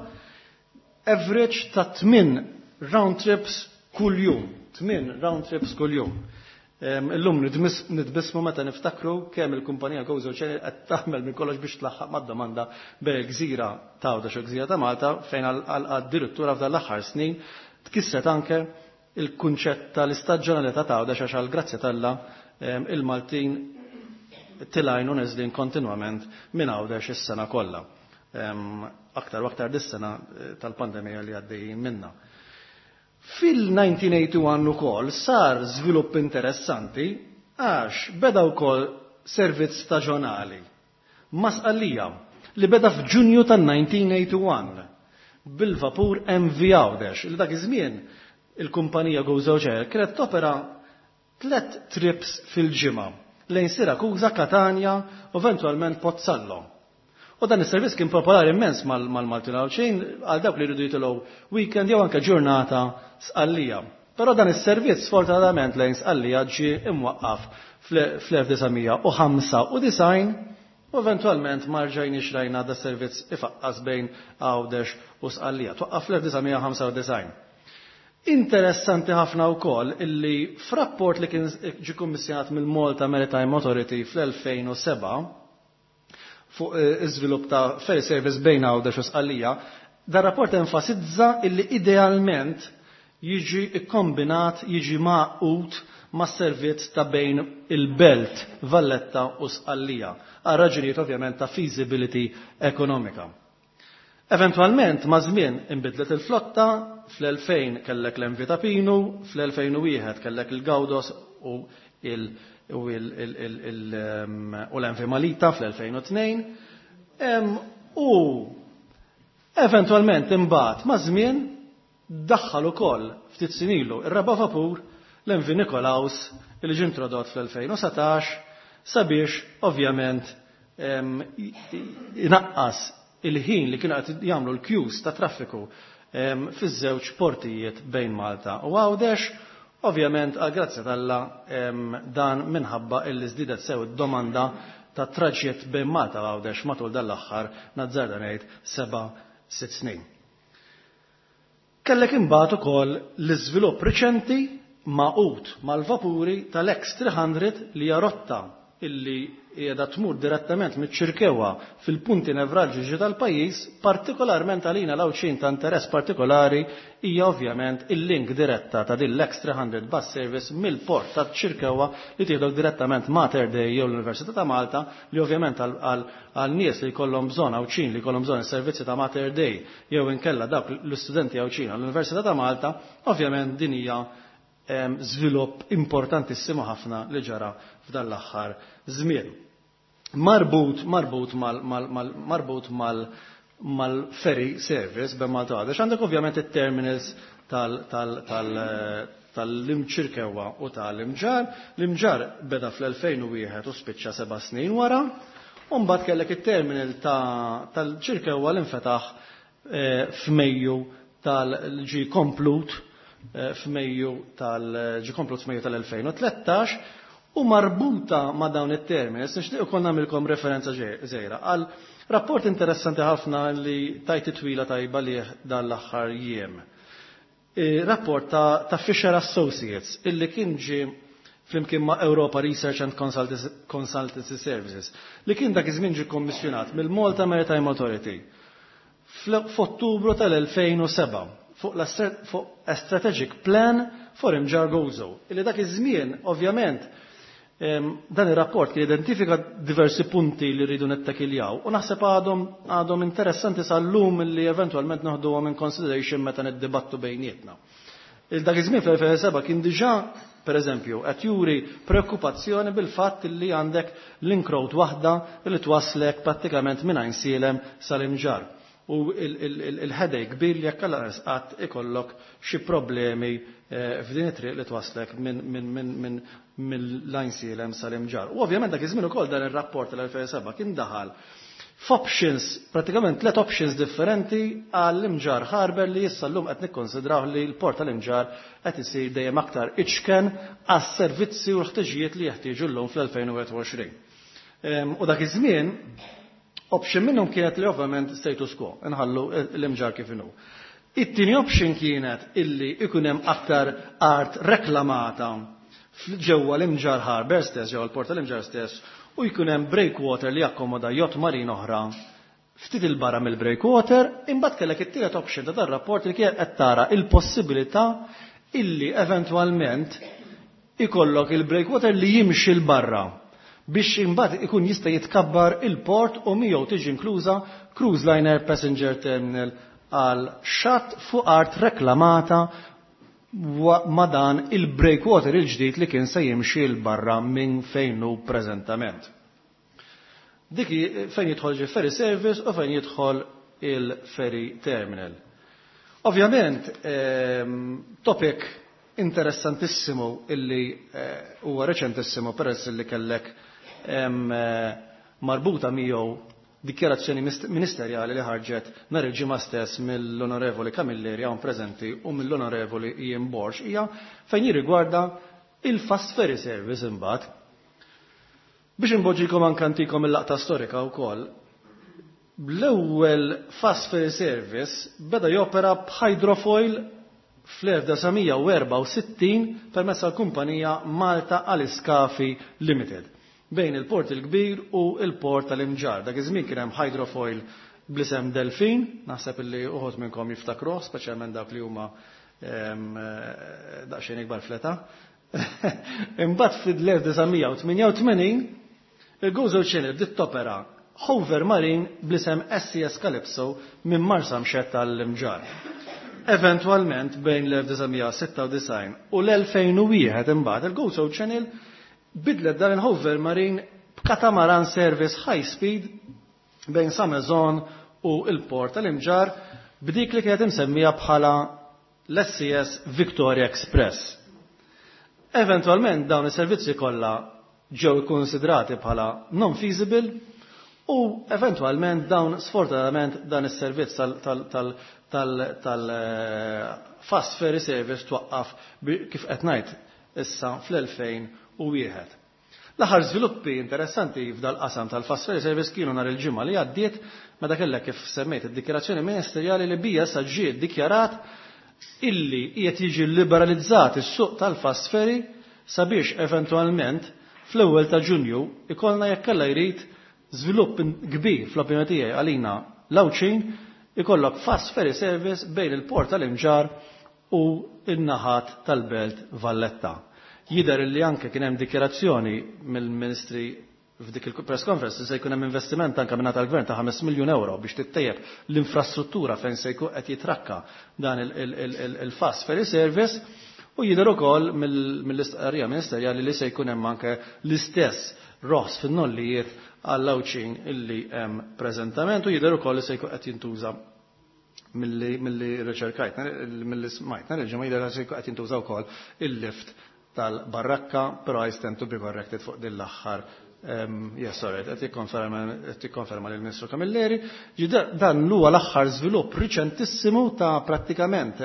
average ta' tmien round trips kuljum. Tmien round trips kuljum. Illum nitbismu meta niftakru kemm il-kumpanija Gozo Channel qed tagħmel minn kollox biex tlaħħaq mad-domanda bejn il-gżira ta' Għawdex u l-gżira ta' Malta, fejn għad-direttura f'dan l-aħħar snin tkisset anke il-kunċett tal-istaġjonalità ta' Għawdex, għax għall-grazzja t'Alla il-Maltin tilajn u neżlin kontinwament minn Għawdex is-sena kollha. Aktar u aktar dis-sena tal-pandemija li għaddejjin minna. Fil-elf disa' mija u wieħed u tmenin ukoll sar żvilupp interessanti, għax beda wkoll servizz staġjonali ma' Sqallija li beda f'Ġunju tal-elf disa' mija u wieħed u tmenin bil-vapur M V Għawdex, li dak iż-żmien il-kumpanija Gozo Channel kienet topera tlet trips fil-ġimgħa lejn Sirakuza, Katania u eventualment Pozzallo. U dan is-servizz kien popolari immens mal-Maltin Għawdxin, għal dawk li jridu jitilgħu weekend jew anke ġurnata Sqallija. Però dan is-servizz sfortunatament lejn Sqallija ġie imwaqqaf fl-elf disa' mija u ħamsa u disgħin u eventualment ma rġajniex rajna da servizz ifaqqas bejn Għawdex u Sqallija. Twaqqaf fl-elf disa' mija u ħamsa u disgħin. Interessanti ħafna wkoll illi f'rapport li kien ġie kummissjonat mill-Malta Maritime Authority fl-elfejn u sebgħa fuq iżvilupp ta' ferry service bejn Għawdex u Sqallija, dar rapport enfasizza illi idealment jiġi kombinat, jiġi magħqud ma' servizz ta' bejn il-Belt, Valletta u Sqallija, għal raġunijiet ovvjament ta' feasibility ekonomika. Eventualment, ma' żmien inbidlet il-flotta, fl-elfejn kellek l-M V Ta' Pinu, fl-elfejn u wieħed kellek il-Gaudos u il- u l-M V Malita fl-elfejn u tnejn. U eventualment imbagħad ma' żmien daħħal ukoll ftit sinilu ir-raba' vapur, l-M V Nikolaus, li ġie introdott fl-elfejn u sbatax sabiex ovvjament inaqqas il-ħin li kienu qed jagħmlu l-queues ta' traffiku fiż-żewġ portijiet bejn Malta u Għawdex. Ovvjament, għal grazzja t'Alla, dan minħabba illi żdiedet sew id-domanda ta' traġitt bejn Malta u Għawdex matul dan l-aħħar, nazzarda ngħid, seba' sitt snin. Kellek imbagħad ukoll l-iżvilupp riċenti magħqud mal-vapuri tal-X tliet mija li hija rotta illi qiegħda tmur direttament miċ-Ċirkewwa fil-punti nevralġiċi tal-pajjiż, partikolarment għalina l-Għawdxin ta' interess partikolari hija ovvjament il-link diretta ta' din l-X tliet mija bus service mill-port ta' Ċirkewwa li tieħdok direttament Mater Dei jew l-Università ta' Malta, li ovvjament għal nies li jkollhom bżonn, Għawdxin li jkollhom bżonn is-servizzi ta' Mater Dei jew inkella dawk l-istudenti Għawdxin għall-Università ta' Malta, ovvjament din hija żvilupp importantissimu ħafna li ġara f'dan l-aħħar żmien. Marbut, marbut mal, mal, mal, marbut mal, mal-ferry service bejn Malta u Għawdex, għandek ovvjament it-terminals tal, tal, tal, tal-Imċirkewa u tal-Imġarr. L-Imġarr beda fl-elfejn u wieħed u spiċċa seba' snin wara, u mbagħad kellek it-terminal tal-Ċirkewa li nfetaħ f'Mejju tal-ġi komplut f'Mejju tal-ġi komplut f'Mejju tal-elfejn u tlettax. U marbuta ma' dawn it-terminals nixtieq ukoll nagħmilkom referenza żgħira għal rapport interessanti ħafna li tajt twila tajba li dan l-aħħar jiem. Rapport ta', ta' Fisher Associates illi kien ġie flimkien ma' Europa Research and Consultancy Services, li kien dak iż-żmien ġie kommissjonat mill-Malta Maritime Authority f'Ottubru tal-elfejn u sebgħa fuq fuq a strategic plan for Imġarr Gozo. Illi dak iż-żmien ovvjament dan ir-rapport kien identifika diversi punti li rridu nettakiljaw u naħseb għadhom għadhom interessanti sal-lum li eventualment noħduhom in consideration meta niddibattu bejnietna. Il dak iż-żmien fl-elfejn u sebgħa kien diġà, per eżempju, qed juri preokkupazzjoni bil-fatt li għandek link road waħda li twaslek prattikament minn Għajnsielem sal-Imġarr. U il-headache kbir li jekk qatt ikollok xi problemi f'din it-triq li twaslek minn mill-Għajnsielem sal-Imġarr. U ovvjament dak iż-żmien ukoll dan ir-rapport tal-elfejn u sebgħa kien daħal f'options, pratikament tliet options differenti għall-Imġarr Harbor, li issa llum qed nikkonsidraw li l-port tal-Imġarr qed isir dejjem aktar iċken għas-servizzi u l-ħtiġijiet li jeħtieġu llum fl-elfejn u wieħed u għoxrin. U dak iż-żmien option minnhom kienet li ovvjament status quo, nħallu l-Imġarr kif inhu. It-tieni option kienet illi ikun hemm aktar art reklamata ġewwa l-Imġarr Harbor stess, ġewwa l-port tal-Imġarr stess, u jkun hemm breakwater li jakkomoda yacht marine oħra ftit il-barra mill-breakwater. Imbagħad kellek it-tielet option ta' dar-rapport li kien qed tara il-possibilità illi eventwalment ikollok il-breakwater li jimxi 'l barra biex imbagħad ikun jista' jitkabbar il-port u miegħu tiġi inkluża cruise liner passenger terminal għal xatt fuq art reklamata ma' dan il-breakwater il-ġdid li kien se jimxi 'l barra minn fejn hu preżentament. Dik fejn jidħol ġi ferry service u fejn jidħol il-ferry terminal. Ovvjament, ehm, topic interessantissimu illi eh, huwa reċentissimu, peress illi kellek ehm, eh, marbuta miegħu dikjarazzjoni ministerjali li ħarġet nhar il-ġimgħa stess mill-Onorevoli Camilleri hawn preżenti u mill-Onorevoli Ian Borg, hija fejn jirrigwarda il-fast ferry service imbagħad. Biex inpoġġikom anke ntikom il-laqta storika wkoll, l-ewwel fast ferry service beda jopera b'hydrofoil fl-elf disa' mija u erbgħa u sittin permezz tal-kumpanija Malta Aliscafi Limited bejn il-Port il-Kbir u il-Port tal-Imġarr. Dak iż-żmien kien hemm hydrofoil bl-isem Delfin, naħseb illi uħud minnkom jiftakruh, speċjalment dawk li huma daqsxejn ikbar fl-età. Imbagħad fil-elf disa' mija u tmienja u tmenin il-Gozo Channel bdiet topera Hover Marine bl-isem S E S Calypso minn Marsamxett tal-Imġarr. Eventualment bejn l-elf disa' mija u sitta u disgħin u l-elfejn u wieħed imbagħad il-Gozo Channel bidlet dan il-Hover Marine b'katamaran service high speed bejn Sa Maison u il-port tal-Imġarr b'dik li kienet imsemmija bħala l-S E S Victoria Express. Eventualment dawn is-servizzi kollha ġew ikkonsidrati bħala non-feasible u eventualment dawn, sfortunatament, dan is-servizz tal-fast ferry service twaqqaf, kif qed ngħid issa, fl-elfejn u wieħed. L-aħħar żviluppi interessanti f'dal qasam tal-fast ferry service kienu nhar il-ġimgħa li għaddiet, meta kellek, kif semmejt, id-dikjarazzjoni ministerjali li bija sa ġie ddikjarat illi qiegħed jiġi liberalizzat is-suq tal-fast ferry sabiex eventwalment fl-ewwel ta' Ġunju ikollna, jekk Alla jrid, żvilupp kbir fl-opinjoni tiegħi għalina l-Għawdxin, ikollok fast ferry service bejn il-port tal-Imġarr u n-naħat tal-Belt Valletta. Jidher li anke kien hemm dikjarazzjoni mill-Ministri f'dik il-press conference se jkun hemm investiment anke minn tal-gvern ta' ħames miljun euro biex tittejjeb l-infrastruttura fejn se jkun qed jitrakka dan il-fast ferry service, u jidher ukoll mill-istqarrija ministerjali li se jkun hemm anke l-istess roħs fin-nollijiet għall-Għawdxin illi hemm preżentament, u jidher ukoll li se jkun qed jintuża, milli milli riċerkajt, milli smajt, il-ġimgħa, jidher se jkun qed jintuża wkoll il-lift tal-Barrakka, però I stand to be corrected fuq din l-aħħar. Yes, sorry, qed jikkonferma lill-Ministru Camilleri. Dan huwa l-aħħar żvilupp riċentissimu ta' prattikament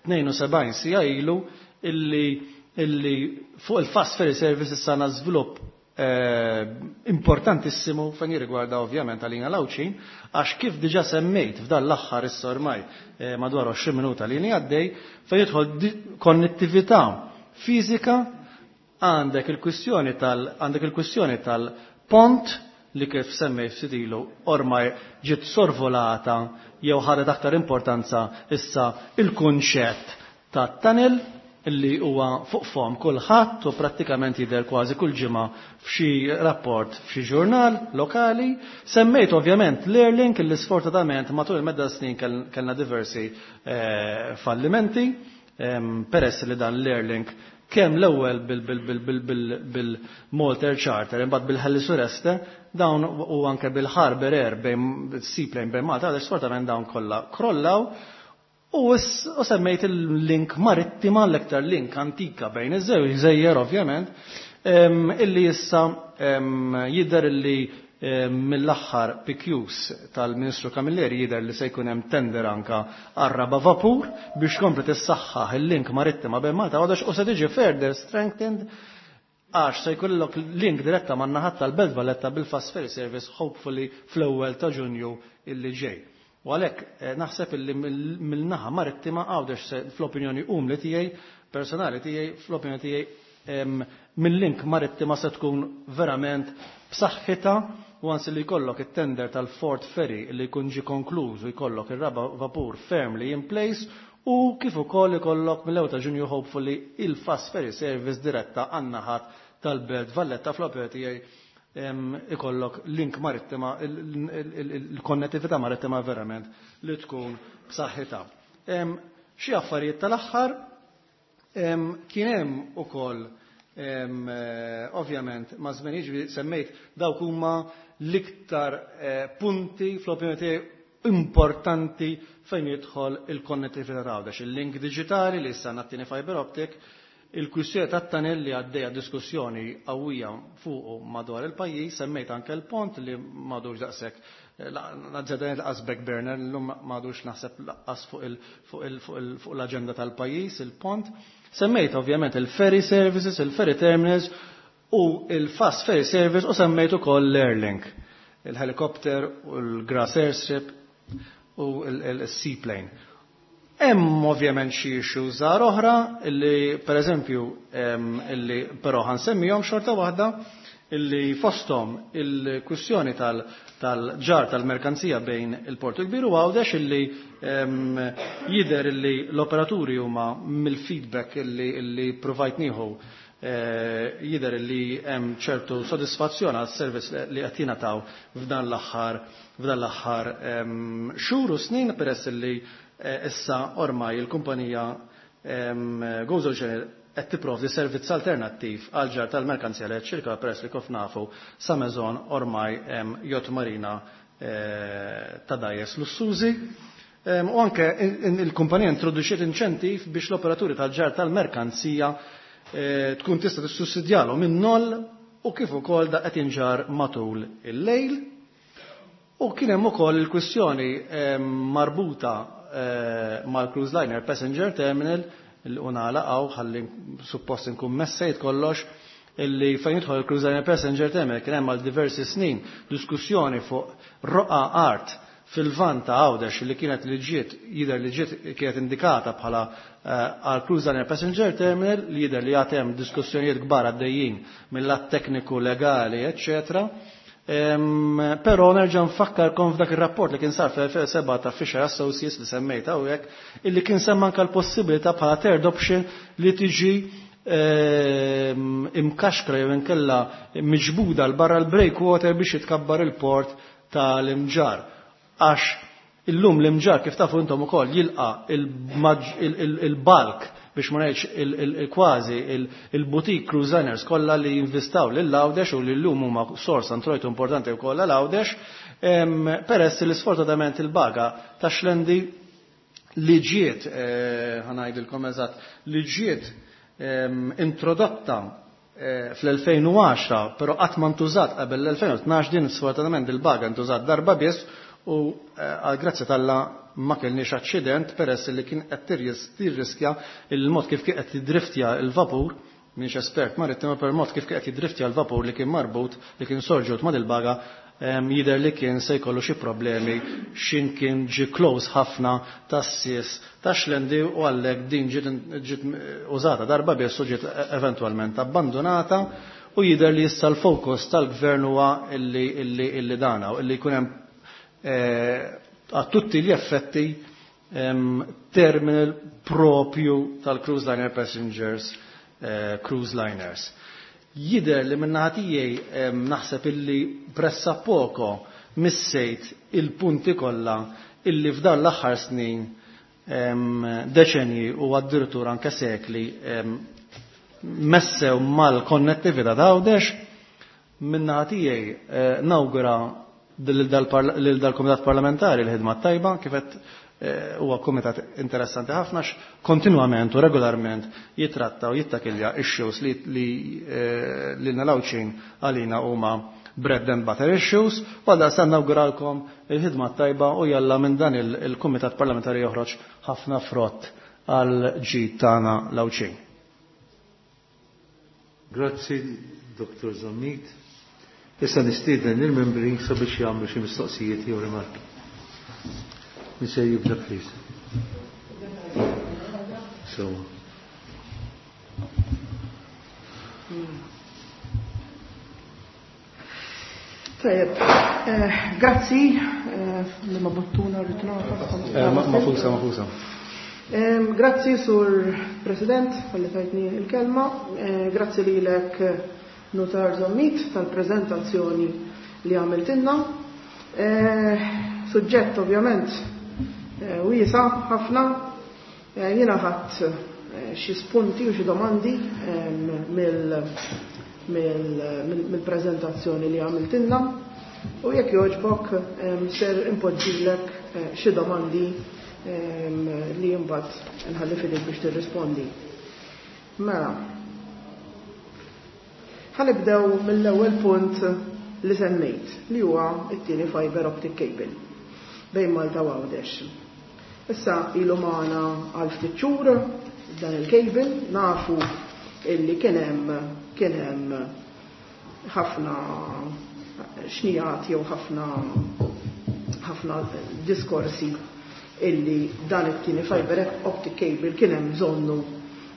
tnejn u sebgħin siegħa ilu illi illi fuq il-fast ferry service issa żvilupp eh, importantissimu fejn jirrigwarda ovvjament għalina l-Għawdxin, għax kif diġa semmejt f'dan l-aħħar issa ormai eh, madwar għoxrin minuta li għaddej, fejn jidħol konnettività fiżika, għandek il-kwistjoni tal għandek il-kwistjoni tal-pont li, kif semmejt ftit ilu, ormai ġiet sorvolata jew ħadet aktar importanza issa il-kunċett ta' tunnel illi huwa fuq fom kulħadd u prattikament jidher kważi kull ġimgħa f'xi rapport f'xi ġurnal lokali. Semmejt ovvjament l-Airlink illi sfortunatament matul il-medda snin kellna diversi eh, fallimenti, peress li dan l-Airlink kemm l-ewwel bil-Malta Air Charter, imbagħad bil-Heli Sureste, dawn u anke bil-Harbour Air bejn seaplane bejn Malta, sfortunatament dawn kollha krollaw. U semmejt il-link marittima, l-ektar link antika bejn iż-żewġ gżejjer ovvjament, illi issa jidher illi mill-aħħar P Qs tal-Ministru Camilleri jidher li se jkun hemm tender anka għar-raba' vapur biex kompli tissaħħaħ il-link marittima bejn Malta Għawdex u se tiġi further strengthened għax se jkollok link diretta man naħat tal-Belt Valletta bil-Fast Ferry Service, hopefully fl-ewwel ta' Ġunju illi ġej. U għalhekk eh, naħseb illi mill-naħa marittima Għawdex fl-opinjoni umli tiegħi, personali tiegħi, fl-opinjoni tiegħi mill-link marittima se tkun verament b'saħħitha u għansi li jkollok it-tender tal-Fort Ferry li jkun ġi konkluż u jkollok ir-raba vapur firmly in place u kif ukoll ikollok mill-ewwel ta' Ġunju hopefully il-fast ferry service diretta għan-naħat tal-Belt Valletta. Fl-opinjoni tiegħi ikollok link marittima, il-konnettività marittima verament li tkun b'saħħitha. Xi affarijiet tal-aħħar, kien hemm ukoll eh, ovvjament ma' żmien, jiġri semmejt dawk huma l-iktar eh, punti fl-opinjoni tiegħi importanti fejn jidħol il-konnettività ta' Għawdex. Il-link digitali li issa għandna fiber optic, il-kwistjoni tat-tunnel li għaddejja diskussjoni qawwija fuq madwar il-pajjiż, semmejt anke l-pont li m'għadux daqshekk naġġedan lanqas back burner, llum m'għadux naħseb lanqas fuq l-aġenda tal-pajjiż il-pont. Semmejt ovvjament il-ferry services, il-ferry terminals u il-fast ferry service u semmejt ukoll l-Airlink, il-helicopter u l-grass airstrip u il-seaplane. Hemm ovvjament xi issues żgħar oħra illi pereżempju illi però ħansemmihom xorta waħda, illi fosthom il-kwistjoni tal-ġarr tal-merkanzija bejn il-Portu Kbir u Għawdex, illi jidher illi l-operaturi huma mill-feedback illi, illi provajt nieħu eh, jidher illi hemm ċertu sodisfazzjon għas servizz li qed jingħataw f'dan l-aħħar f'dan l-aħħar xhur u snin, peress illi eh, issa ormai il-kumpanija Gozo Channel qed tipprovdi servizz alternattiv għal ġarr tal-merkanzija li ċirka, peress li kif nafu sa Mezon ormai hemm yacht marina eh, ta' dgħajjes lussużi. U anke il-kumpanija introduċiet inċentiv biex l-operaturi tal-ġarr tal-merkanzija eh, tkun tista' tissussidjalhom minn noll u kif ukoll da qed jinġar matul il-lejl. U kien hemm ukoll il-kwistjoni marbuta eh, mal-Cruise Liner Passenger Terminal il unala għaw ħalli suppost nkun messejt kollox, illi fejn jidħol il-Cruise Liner Passenger Terminal kien hemm għal diversi snin diskussjoni fuq roqa art fil-lvant ta' Għawdex li kienet li ġiet jidher li ġiet kienet indikata bħala eh, għal Cruise Liner Passenger Terminal, li jidher li għad hemm diskussjonijiet kbar għaddejjin mill-lat tekniku, legali, eccetera. Però nerġa' nfakkarkom f'dak ir-rapport li kien sar fl-elfejn u sebgħa ta' Fisher Associates li semmejt hawnhekk, illi kien semma anke l-possibilità bħala third option li tiġi imkaxkra jew inkella miġbuda l barra l-breakwater biex jitkabbar il-port tal-Imġarr. Għax illum l-Imġarr, kif tafu intom ukoll, jilqa il-bulk, biex ma ngħidx il-kważi il-boutique cruise liners kollha li jinvestaw lil Għawdex u li llum huma sors introjtu importanti wkoll għal Għawdex, peress li sfortunatament il-baga ta' Xlendi li ġiet, eh, ħa ngħidilkom eżatt, li ġiet introdotta eh, fl-elfejn u għaxra, però qatt ma ntużat qabel l-elfejn u tnax, din sfortunatament il-baga ntużat darba biss u eh, għal grazzja t'Alla ma kellniex aċċident, peress li kien qed tirriskja il-mod kif kien qed jiddriftja il-vapur, minix espert marittima, per mod kif qed jiddriftja l-vapur li kien marbut, li kien sorġut ma' il-baga, jidher li kien se jkollu xi problemi xin kien ġi close ħafna tas-sis ta' Xlendi u għalhekk din ġiet użata darba biss u ġiet eventwalment abbandonata. U jidher li issa l-fokus tal-gvern huwa illi illi illi dana u illi jkun hemm eh, a tutti gli effetti terminal propju tal-cruise liner passengers, eh, cruise liners. Jidher li min-naħa tiegħi naħseb illi pressappoco missejt il-punti kollha illi f'dan l-aħħar snin, deċenji u addirittura anke sekli messew mal-konnettività ta' Għawdex. Min-naħa tiegħi eh, nawgura lil dal-Kumitat Parlamentari l-ħidma tajba, kif eh, huwa kumitat interessanti ħafna, kontinwament u regolarment jitratta u jittakilja issues li li eh, lilna l-Għawdxin għalina huma bread and butter issues, u għalda sa nawguralkom il-ħidma tajba u jalla minn dan il-Kumitat Parlamentari joħroġ ħafna frott għal ġid tagħna l-Għawdxin. Grazzi, Doktor Zammit. Issa nistieden il-membri sabiex jagħmlu xi mistoqsijiet jew rimarki. Min se jibda please. So. Tajjeb, grazzi li ma buttuna rritnata. Mafusa, mafusa. Grazzi sur President għalli tajtni il-kelma, grazzi lilek Notar Zammit tal-prezentazzjoni li għamiltinna. Suġġett ovvjament wiesa ħafna, jiena ħadd xi spunti u xi domandi mill-prezentazzjoni li għamiltinna u jekk jogħġbok ser impoġġilek xi domandi li mbagħad nħalli f'idejk biex tirrispondi. Mela, ħanibdew mill-ewwel punt li semmejt li huwa t-tieni fiber optic cable bejn Malta u Għawdex. Issa ilu magħna għal ftit xhur dan il-cable, nafu illi kien hemm kien hemm ħafna xnijat jew ħafna ħafna diskorsi illi dan it-tieni fiber optic cable kien hemm bżonnu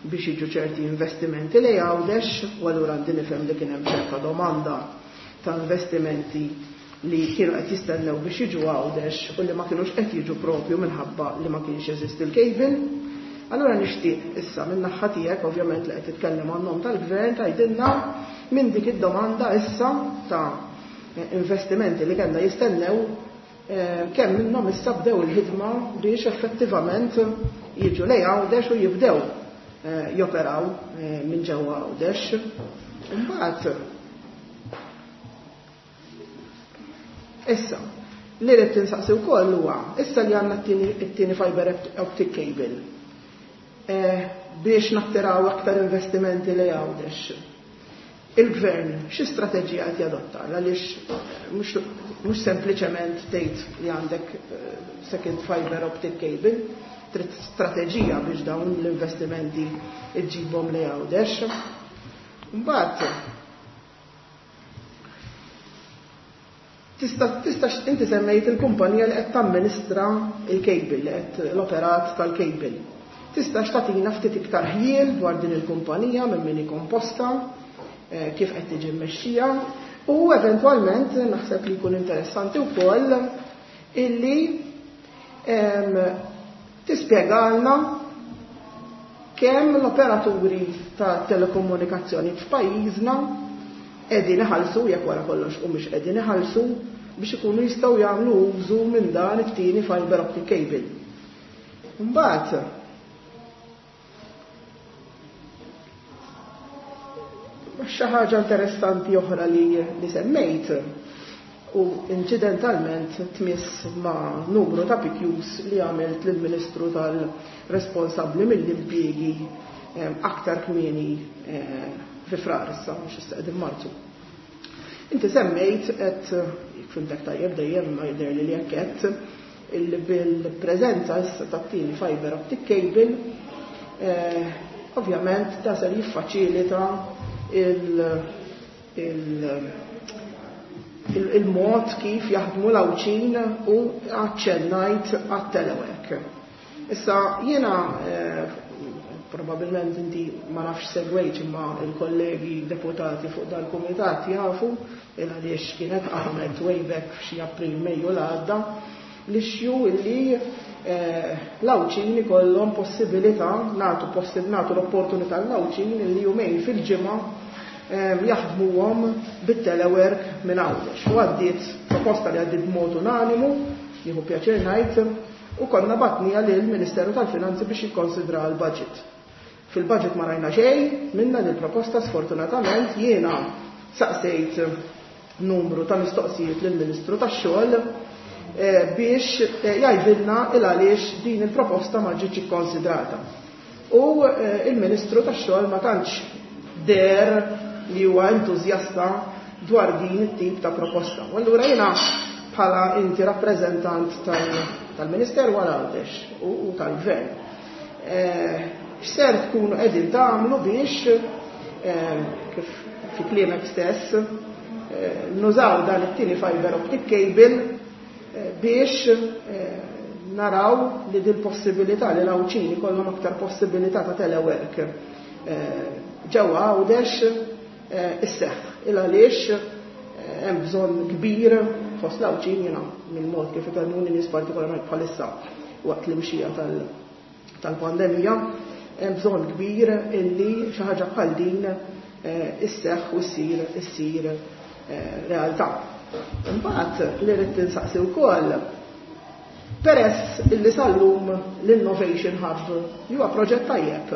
biex jiġu ċerti investimenti li Għawdex, u allura għandi nifhem li kien hemm ċerta domanda ta' investimenti li kienu qed jistennew biex jiġu Għawdex u li ma kinux qed jiġu propju minħabba li ma kienx jeżisti l-cable. Allura nixtieq issa minn naħa tiegħek ovvjament li qed titkellem għan-nom tal-gvern tgħidilna minn dik id-domanda issa ta' investimenti li kellna jistennew kemm minnhom issa bdew il-ħidma biex effettivament jiġu lejn Għawdex u jibdew joperaw minn ġewwa Għawdex. Imbagħad issa li rrid tinsaqsi wkoll huwa issa li għandna t-tieni fiber optic cable biex nattiraw aktar investimenti li Għawdex. Il-gvern xi strateġija qed jadotta għaliex mhux sempliċement tgħid li għandek second fiber optic cable, trid strateġija biex dawn l-investimenti iġġibhom li Għawdex. Mbagħad tista' tista' inti semmejt il-kumpanija li qed tamministra il-cable, li qed l-operat tal-cable. Tista' x'tagħtina ftit iktar ħjiel dwar din il-kumpanija minn min hi komposta, kif qed tiġi mmexxija, u eventwalment naħseb li jkun interessanti wkoll illi tispjegalna kemm l-operaturi ta' telekomunikazzjoni f'pajjiżna qegħdin iħallsu, jekk wara kollox u mhux qegħdin iħallsu, biex ikunu jistgħu jagħmlu użu minn dan it-tieni fiber optic cable. Mbagħad xi ħaġa interessanti oħra li, li semmejt u incidentalment tmiss ma' numru ta' P Qs li għamilt lill-Ministru tal-responsabbli mill-impjiegi aktar kmieni fi Frar issa, mhux issa qegħdin Marzu. Inti semmejt qed jekk fimtek tajjeb dejjem ma jidher li jekk qed illi bil-preżenza issa tat-tieni fiber optic cable ovvjament da ser jiffaċilita il-mod kif jaħdmu l-Għawdxin u aċċennajt għat-telework. Issa jiena probabilment inti ma nafx segwejt imma il-kollegi deputati fuq dal-kumitat jafu il għaliex kienet qamet way back f'xi April Mejju l-għadda l-issue illi l-Għawdxin ikollhom possibilità, nagħtu nagħtu l-opportunità l-Għawdxin illi jumejn fil-ġimgħa jaħdmuhom bit-telework minn Għawdex. U għaddiet proposta li għaddiet b'mod unanimu, jieħu pjaċir ngħid, u konna batnija lill-Ministeru tal-Finanzi biex jikkonsidra l-budget. Fil-budget ma rajna xejn minna din proposta, sfortunatament jiena saqsejt numru ta' mistoqsijiet lill-Ministru tax-xogħol biex jgħidilna il għaliex din il-proposta ma ġietx ikkonsidrata. U il-Ministru tax-xogħol ma tantx der li huwa entużjasta dwar din it-tip ta' proposta. U allura jiena bħala inti rappreżentant tal-Ministeru għal Għawdex u tal-Gvern. X'ser tkunu qegħdin tagħmlu biex kif fi kliemek stess nużaw dan it-tieni fiber optic cable biex naraw li dil-possibilità li l-Għawdxin ikollhom aktar possibilità ta' telework ġewwa Għawdex isseħħ. Il għaliex hemm bżonn kbir fost l-Għawdxin, jiena mill-mod kif ikellmuni nies partikolarment bħalissa waqt l-imxija tal-pandemija, hemm bżonn kbir illi xi ħaġa bħal din isseħħ u ssir issir realtà. Imbagħad li rrid tinsaqsi wkoll, peress illi sal-lum l-Innovation Hub huwa proġett tajjeb,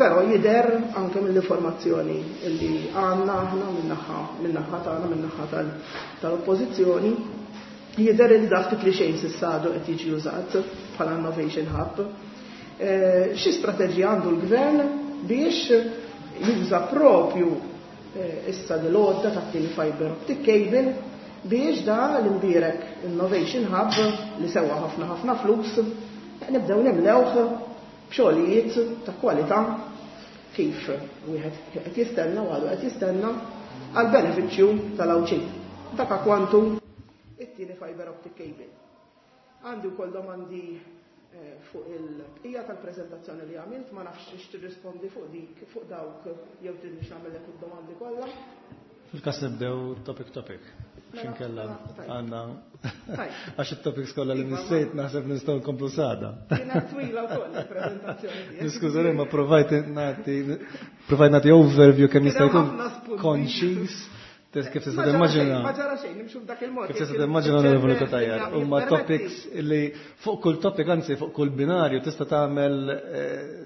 però jidher anke mill-informazzjoni illi għandna aħna min-naħa min-naħa tagħna, min-naħa tal-oppożizzjoni, jidher li dak ftit li xejn s'issa għadu qed jiġi użat bħala Innovation Hub. Xi strateġija għandu l-gvern biex juża propju issa l-għodda tat-tieni fiber optic cable biex da l-imbierek Innovation Hub li sewa ħafna ħafna flus nibdew nimlewh b'xogħlijiet ta' kwalità kif wieħed qed jistenna u għadu qed jistenna għal benefiċċju tal-Għawdxin. Dak kwantu it-tieni fiber optic cable. Għandi wkoll domandi fuq il-bqija tal-preżentazzjoni li għamilt, ma nafx x tirrispondi fuq dik, fuq dawk, jew tridni nagħmellek id-domandi kollha. Fil-każ nibdew topic topic. X'inkella għandna għax it-topics kollha li nissejt naħseb nistgħu nkomplu sada. Kienet twila wkoll il-preżentazzjoni tiegħek. Niskużani ma provajt nagħti provajt nagħti overview kemm jista' jkun konċis. Kif tista' timmaġina? Ma ġara xejn, nimxu b'dak il-mod. Kif tista' timmaġina, Onorevoli Cutajar, huma topics li fuq kull topic, anzi fuq kull binarju tista' tagħmel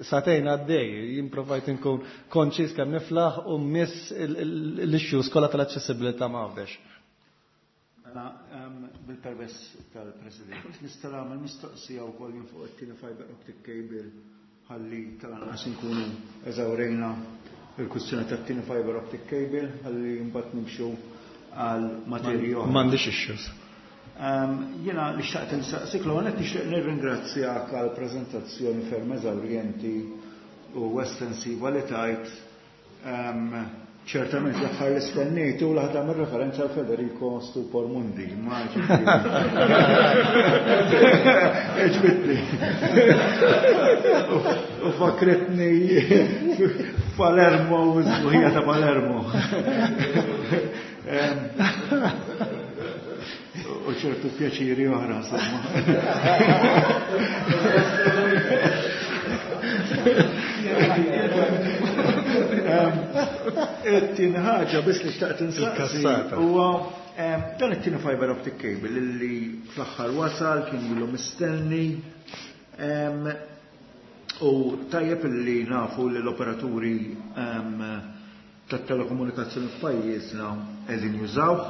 sagħtejn għaddej. Jien provajt inkun konċis kemm niflaħ u miss l-issues kollha tal-aċċessibilità ma' Għawdex. Mela, bil-permess tal-President, nista' nagħmel mistoqsija wkoll jien fuq it-tieni fiber optic cable ħalli tal-anqas inkunu eżawrejna il-kwistjoni tat-tieni fiber optic cable ħalli mbagħad nimxu għal materji oħra. M'għandix issues. Jiena li xtaqt insaqsik, l qed nixtieq nirringrazzjak għal preżentazzjoni ferm eżawrjenti u estensiva li tajt. Ċertament l-aħħar li stennejt u l-aħħar tagħmel referenza għal Federico Stupor Mundi, ma ġibitni. U fakretni Palermo u z-zuħija ta' Palermo. U ċertu pjaċiri oħra, insomma. It-tieni ħaġa biss li xtaqt insaqsi huwa dan it-tieni fiber optic cable li fl-aħħar wasal kien ilu mistenni, u tajjeb li nafu li l-operaturi tat-telekomunikazzjoni f'pajjiżna qegħdin jużawh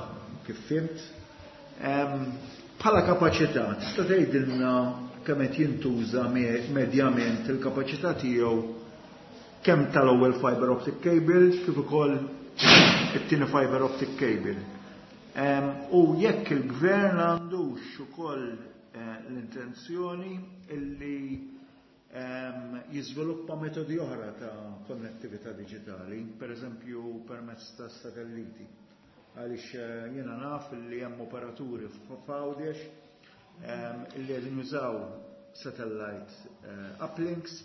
kif fimt. Bħala kapaċità tista' tgħidilna kemm qed jintuża medjament il-kapaċità tiegħu kemm tal-ewwel fiber optic cable kif ukoll it-tieni fiber optic cable. U jekk il-gvern għandux ukoll l-intenzjoni illi jiżviluppa metodi oħra ta' konnettività diġitali, per eżempju permezz ta' satelliti. Għaliex jiena naf li hemm operaturi f'Għawdex illi qegħdin jużaw satellite uplinks,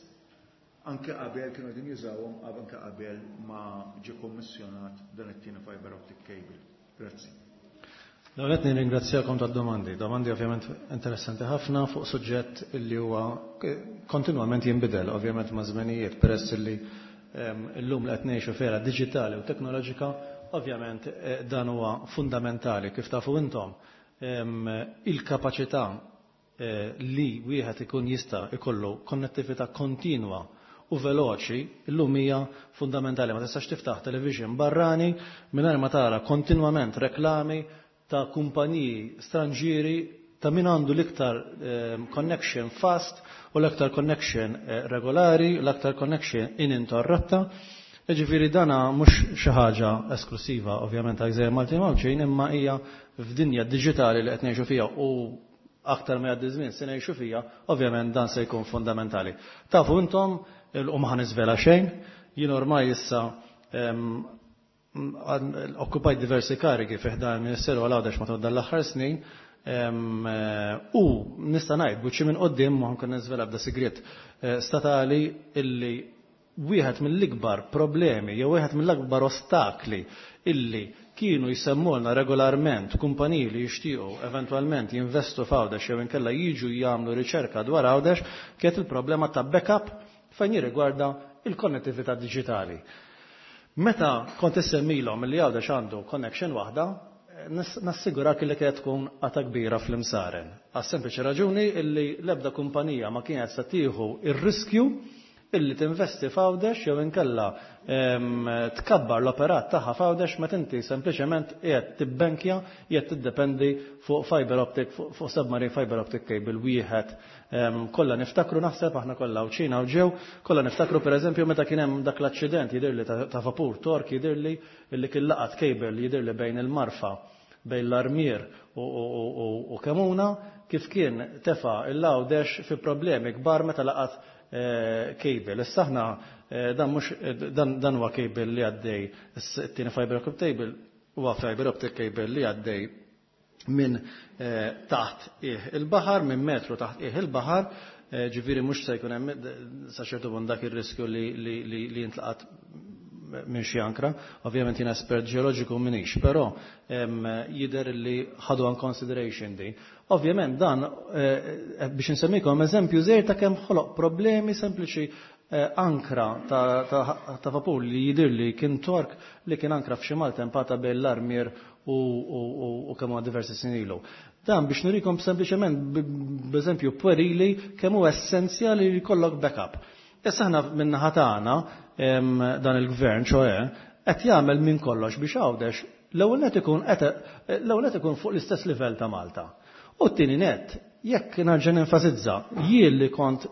anke qabel kienu qegħdin jużawhom anke qabel ma ġie kommissjonat dan it-tieni fiber optic cable. Grazzi. L-ewwel nirringrazzjakom tad-domandi. Domandi ovvjament interessanti ħafna fuq suġġett li huwa kontinwament jinbidel ovvjament ma' żmenijiet, peress li llum li qed ngħixu f'era diġitali u teknoloġika, ovvjament dan huwa fundamentali. Kif tafu intom, il-kapaċità li wieħed ikun jista' ikollu konnettività kontinwa u veloċi illum hija fundamentali. Ma tistax tiftaħ television barrani mingħajr ma tara kontinwament reklami ta' kumpaniji stranġieri ta' min għandu l-iktar connection fast u l-iktar connection regolari, l-iktar connection ininterrotta. Ġifieri dana mhux xi ħaġa esklusiva ovvjament għal Gżejjer Maltin Għawdxin, imma hija f'dinja diġitali li qed ngħixu fiha u aktar ma jgħaddi żmien se ngħixu fiha, ovvjament dan se jkun fundamentali. Tafu intom, u ma ħaniżvela xejn, jien ormai issa okkupajt diversi karigi fi ħdan il-Ministeru għal Għawdex matul dan l-aħħar snin, U nista' ngħid buċċi minn quddiem, ma nkun niżvela bda sigriet statali, illi wieħed mill-ikbar problemi jew wieħed mill-akbar ostakli illi kienu jsemmulna regolarment kumpaniji li jixtiequ eventwalment jinvestu f'Għawdex jew inkella jiġu jagħmlu riċerka dwar Għawdex kienet il-problema ta' backup fejn jirrigwarda il-konnettività diġitali. Meta kont issemmilhom li Għawdex għandu connection waħda, nassigurak li kienet tkun qata kbira fl-imsaren. Għas sempliċi raġuni illi l-ebda kumpanija ma kienet se tieħu ir-riskju illi tinvesti f'Għawdex jew inkella tkabbar l-operat tagħha f'Għawdex meta inti sempliċement qiegħed tibbenkja, qiegħed tiddependi fuq fiber optic, fuq submarine fiber optic cable wieħed. Kollha niftakru, naħseb aħna kollha Għawdxin u ġew, kollha niftakru, pereżempju, meta kien hemm dak l-aċċident, jidhirli ta' vapur Tork, jidhirli illi kien laqat cable, jidhirli bejn il-Marfa, bejn l-Armier u Kemuna, kif kien tefa' l-Għawdex fi problemi kbar meta laqat cable. Issa aħna dan mhux dan huwa cable li għaddej, it-tieni fiber optic cable huwa fiber optic cable li għaddej minn taħt il-baħar, minn metru taħt il-baħar, ġifieri mhux se jkun hemm sa ċertu punt dak ir-riskju li jintlaqat minn xi ankra. Ovvjament jien espert ġeoloġiku minix, però jidher li ħadu in consideration din. Ovvjament dan biex insemmikom eżempju żgħir ta' kemm ħoloq problemi sempliċi ankra ta' vapur li jidher li kien Tork li kien ankra f'xi maltempata bejn l-Armier u kemm huwa diversi snin ilu. Dan biex nurikom sempliċement b'eżempju puerili kemm huwa essenzjali li jkollok backup. Issa aħna min-naħa tagħna, dan il-gvern ċoe qed jagħmel minn kollox biex Għawdex l-ewwel net ikun l-ewwel net ikun fuq l-istess livell ta' Malta. U t-tieni net, jekk nerġa' nenfasizza, jien li kont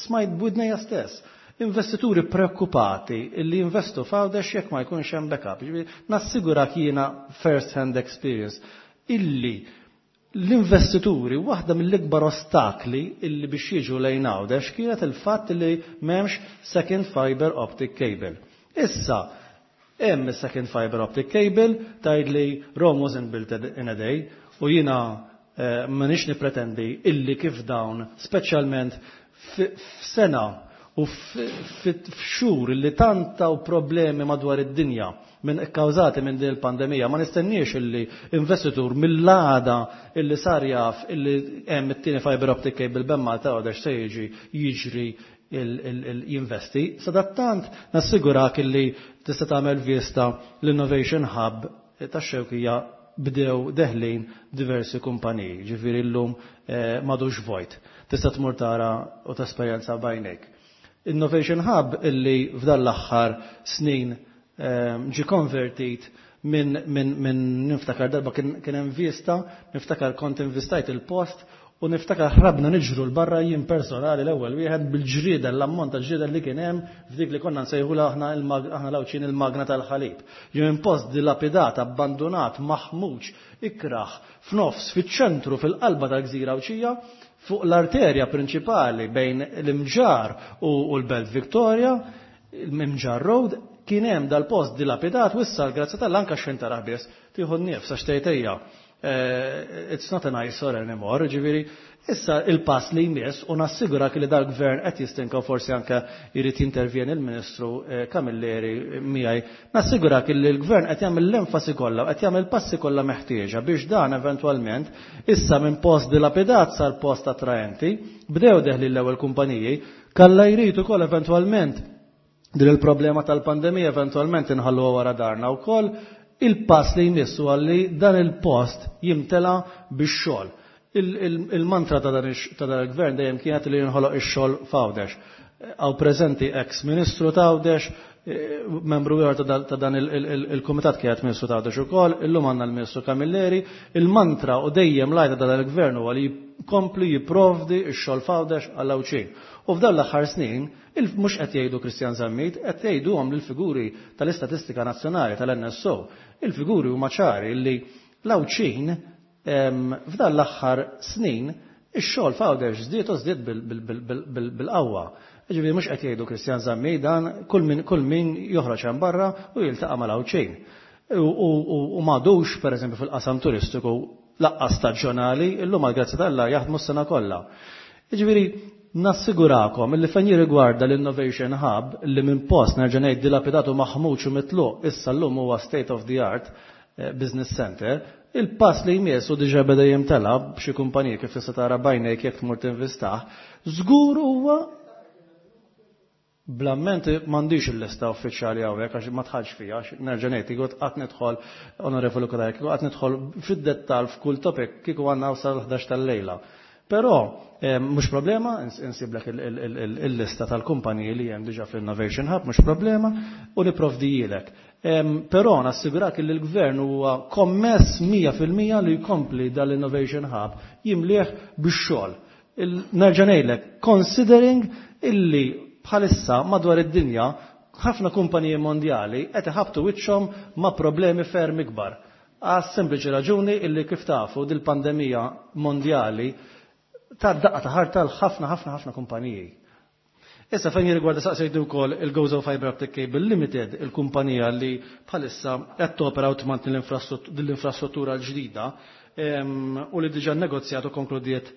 smajt b'widnejja stess investituri preokkupati illi jinvestu f'Għawdex jekk ma jkunx hemm backup. Nassigurak jiena first hand experience illi l-investituri, waħda mill-ikbar ostakli illi biex jiġu lejn Għawdex kienet il-fatt li m'hemmx second fiber optic cable. Issa, hemm second fiber optic cable, tgħid li Rome wasn't built in a day, u jiena eh, m'inix nipretendi illi kif dawn, speċjalment f'sena u f'xhur li tantaw problemi madwar id-dinja minn kkawżati minn din il-pandemija, ma nistenniex illi investitur mill-għada illi sar jaf illi hemm it-tieni fiber optic cable bejn Malta Għawdex se jiġi jiġri jinvesti. Sadattant nassigurak illi tista' tagħmel vista l-Innovation Hub tax-Xewkija, bdew deħlin diversi kumpaniji, ġifieri llum eh, m'għadux vojt. Tista' tmur tara u tesperjenza b'għajnejk. Innovation Hub illi f'dan l-aħħar snin ehm, ġi konvertit minn min, min niftakar darba kien hemm vista, niftakar kont invistajt il-post u niftakar ħrabna niġru 'l barra, jien personali l-ewwel wieħed, bil-ġrieden, l-ammont ta' ġrieden li kien hemm f'dik li konna nsejħula aħna aħna l-Għawdxin il-magna tal-ħalib. Ġie minn post dilapidat, abbandonat, maħmuġ, ikraħ, f'nofs, fiċ-ċentru, fil-qalba tal-Gżira Għawdxija, fuq l-arterja prinċipali bejn l-Imġar u l-Belt Victoria, l-Imġar Road, kien hemm dal-post dilapidat u issa l-grazzja t'Alla anka xejn taraħ biss, tieħu n-nifs għax tgħid, eh, it's not an eyesore anymore, ġifieri, issa il-pass li jmiss, u nassigurak li dal-gvern qed jistinka, forsi anke jrid jintervjeni il-Ministru eh, Camilleri miegħi, nassigurak li l-gvern qed jagħmel l-enfasi kollha, qed jagħmel passi kollha meħtieġa biex dan eventwalment issa minn post dilapidat sar post attraenti, bdew deħli l-ewwel kumpaniji, kalla jrid ukoll eventwalment din il-problema tal-pandemija eventwalment inħallu wara daharna wkoll, il-pass li jmissu għalli dan il-post jimtela bix-xogħol. Il-mantra ta' dan il-gvern dejjem kienet li jinħoloq ix-xogħol f'Għawdex. Hawn preżenti ex-ministru ta' Għawdex, eh, membru ieħor ta' dan il-kumitat kienet ministru ta' Għawdex ukoll, illum għandna l-Ministru Camilleri, il-mantra u dejjem l-għajta ta' dan il-gvern huwa li jkompli jipprovdi x-xogħol f'Għawdex għall-Għawdxin. U f'dan l-aħħar snin, mhux qed jgħidu Kristjan Zammit, qed jgħiduhom l-figuri tal-Istatistika Nazzjonali tal-N S O. Il-figuri huma ċari li l-Għawdxin f'dan l-aħħar snin ix-xogħol f'Għawdex żdied u żdied bil-qawwa. Ġifieri mhux qed jgħidu Kristjan Zammit dan, kull min kull min joħroġ hemm barra u jiltaqa' mal-Għawdxin. U m'għadux, pereżempju, fil-qasam turistiku laqqas staġjonali, illum għal-grazzja t'Alla jaħdmu s-sena kollha. Jiġifieri nassigurakom illi fejn jirrigwarda l-Innovation Hub li minn post nerġa' ngħid dilapidatu maħmuġ u mitluq issa llum huwa state of the art eh, business center, il-pass li jmiss u diġà beda jimtela b'xi kumpaniji kif tista' tara bajnejk jekk tmur tinvistah, żgur huwa blamment m'għandix il-lista uffiċjali hawnhekk għax ma tħallx fiha, għax nerġa' ngħid kieku qatt nidħol onorevoli Kodaj, kieku qatt nidħol fid-dettall f'kull topic kieku għandna sal ħdax tal-lejla. Però eh, mhux problema, insiblek il-lista tal-kumpaniji li hemm diġà fl-Innovation Hub, mhux problema, u nipprovdijilek. Però nassigurak li l-gvern huwa kommess mija fil-mija li jkompli dal-Innovation Hub jimlieh bix-xogħol. Nerġa' ngħidlek, considering illi bħalissa madwar id-dinja ħafna kumpaniji mondjali qed iħabtu wiċċhom ma' problemi ferm ikbar. Għas sempliċi raġuni illi kif tafu dil-pandemija mondjali ta' daqqa ta' ħarta l-ħafna ħafna ħafna kumpaniji. Issa fejn jirrigwarda saqsejtu wkoll il-Gozo Fiber Optic Cable Limited, il-kumpanija li bħalissa qed topera u tmantni l-infrastruttura l-ġdida u li diġà negozjat u konkludiet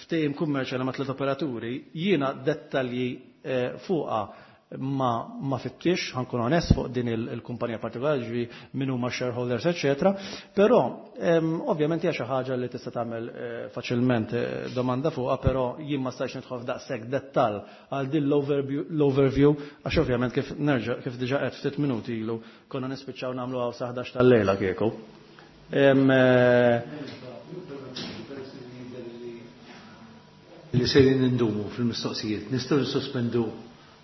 ftehim kummerċjali ma' tliet operaturi, jiena dettalji fuqha ma ma fittix, ħankun onest fuq din il-kumpanija partikolari, ġifieri min huma shareholders, eċetera. Però ovvjament hija xi ħaġa li tista' tagħmel faċilment domanda fuqha, però jien ma stajtx nidħol f'daqshekk dettall għal din l-overview għax ovvjament kif nerġa' kif diġà qed ftit minuti ilu konna nispiċċaw nagħmlu hawn sa ħdax tal-lejla kieku. Li sejrin nindumu fil-mistoqsijiet, nistgħu nisospendu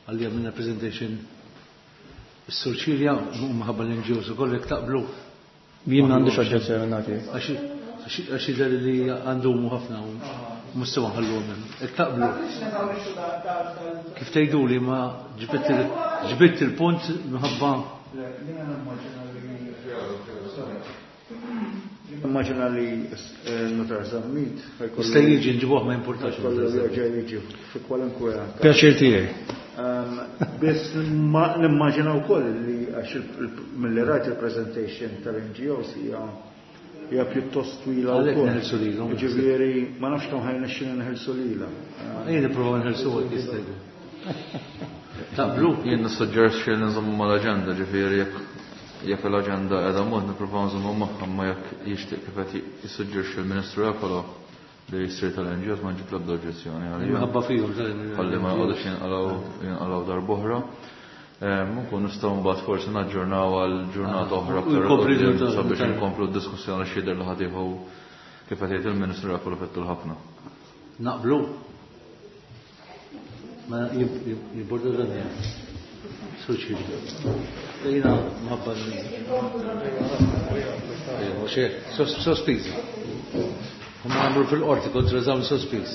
għalli għamilna presentation s-Sur Cilia u maħabba l-N G Os u kollek taqblu. Jien m'għandix oġġezzjoni nagħti. Għax jidher li għandumu ħafna u mhux nħallu hemm. Jekk taqblu. Kif tgħidu li ma ġbitt il-punt minħabba. Immaġina li n-notar Zammit ħajkollu. Jista' jiġi nġibuh ma jimpurtax. Ħajkollu jerġa' jiġi fi kwalunkwe. Pjaċir tiegħi. Biss nimmaġina wkoll li għax mill-li rajt il-presentation tal-N G Os hija hija pjuttost twila Għalhekk wkoll. neħelsu lilhom. Jiġifieri ma nafx kemm ħajnexxina neħelsu lilha. Ejja nipprovaw nħelsu għal jista' jkun. Taqblu? Jien nissuġġerixxi li nżommu mal-aġenda, ġifieri jekk jekk l-aġenda qiegħda mod nippruvaw nżommu magħha, ma jekk jixtieq kif qed jissuġġerixxi l-Ministru Refalo li jsir tal-N G Os ma nġib l-ebda oġġezzjoni għalija. Minħabba fihom tal-N G Os. Ħalli ma jqogħdux jinqalgħu jinqalgħu darb'oħra. Nkun nistgħu mbagħad forsi naġġornaw għal ġurnata oħra U aktar jkopri quddiem ġurnata sabiex oħra. inkomplu d-diskussjoni x'jidher li ħadd jieħu kif qed jgħid il-Ministru Refalo fettul ħafna. Naqblu? Ma jibbordu dan Suċi. Jina mħabba sospiż. Huma għamlu fil-qorti kontra żamm sospiż.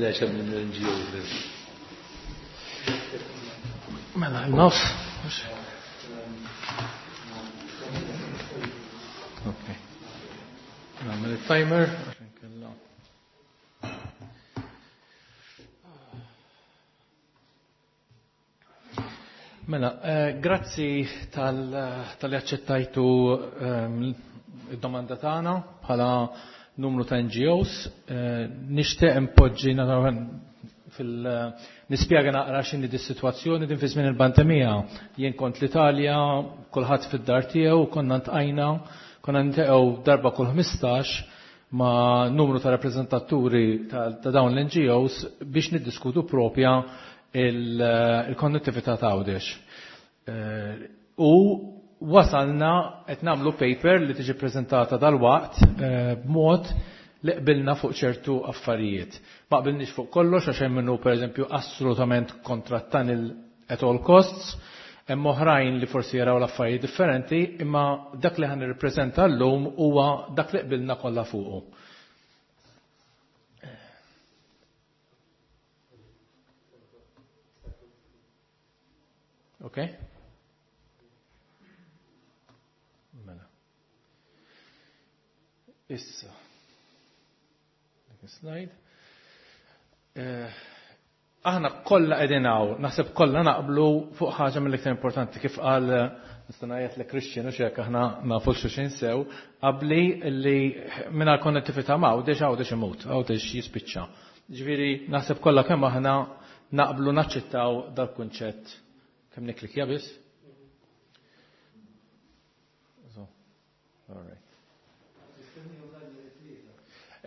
Le, xem minn N G O. Mela, il-nofs. Ok. Nagħmel il-timer. Mela, eh, grazzi tal-li aċċettajtu, ehm, id-domanda tagħna bħala numru ta' N G Os. Eh, nixtieq impoġġi naturalment fil-, nispjega naqra x'inhi dis-sitwazzjoni din fi żmien il-pandemija. Jien kont l-Italja, kulħadd fid-dar tiegħu, konna ntqajna, konna nteqgħu darba kull ħmistax ma' numru ta' rappreżentaturi ta', ta' dawn l-N G Os biex niddiskutu propja il-konnettività ta' Għawdex. Eh, u wasalna qed nagħmlu paper li tiġi preżentata dal-waqt, eh, b'mod li qbilna fuq ċertu affarijiet. Ma qbilniex fuq kollox għax hemm minnu pereżempju assolutament kontra tunnel at all costs, hemm oħrajn li forsi jaraw l-affarijiet differenti, imma dak li ħan nirrippreżenta llum huwa dak li qbilna kollha fuqu. Ok? Mela. Issa. Dik slide. Eh, Aħna kollha qegħdin hawn, naħseb kollha naqblu fuq ħaġa mill-iktar importanti kif qal nista' ngħid li Christian u xek aħna nafu xulxin sew, qabli li mingħajr konnettività ma' Għawdex Għawdex imut, Għawdex jispiċċa. Ġifieri naħseb kollha kemm aħna naqblu naċċettaw dal-kunċett. Kemm niklikja biss? All right.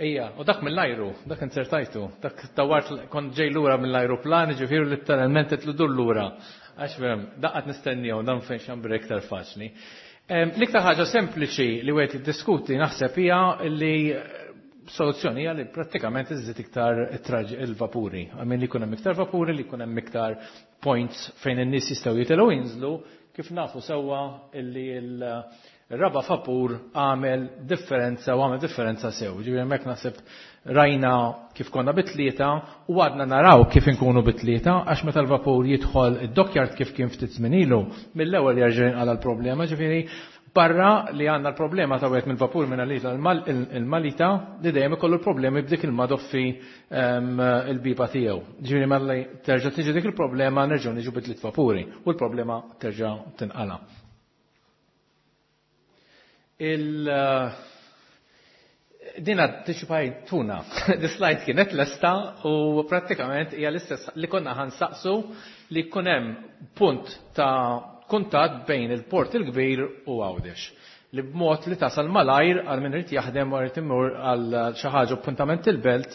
Ija, u dak mill-ajru, dak inzertajtu, dak dawart kont ġej lura mill-ajruplan, ġifieri letteralment qed lura. Għax fem, daqqat nistennijaw, dan fejn xambri iktar faċli. L-iktar ħaġa sempliċi li wieħed jiddiskuti naħseb hija li soluzzjoni hija li prattikament iżżid iktar il-vapuri. Għamin li jkun hemm iktar vapuri, li jkun hemm iktar points fejn in-nies jistgħu jitilgħu jinżlu, kif nafu sewwa illi l Ir-raba' vapur għamel differenza u għamel differenza sew. Ġifieri hemmhekk naħseb rajna kif konna bit-tlieta u għadna naraw kif inkunu bit-tlieta għax meta l-vapur jidħol id-dockyard kif kien ftit żmien ilu, mill-ewwel jerġa' jinqala l-problema, ġifieri barra li għandna l-problema ta' wieħed mill-vapur minn għalita il-Malita li dejjem ikollu l-problemi b'dik il-madoffi il-biba tiegħu. Ġifieri mela terġa' tiġi dik il-problema nerġgħu niġu bit-tliet vapuri u l-problema terġa' tinqala. Il dina tuna, di slide kienet lesta u prattikament hija l-istess li konna ħansaqsu li jkun hemm punt ta' kuntatt bejn il-port il-kbir u Għawdex. Li b'mod li tasal malajr għal min irid jaħdem u irid imur għal xi ħaġa appuntament il-belt,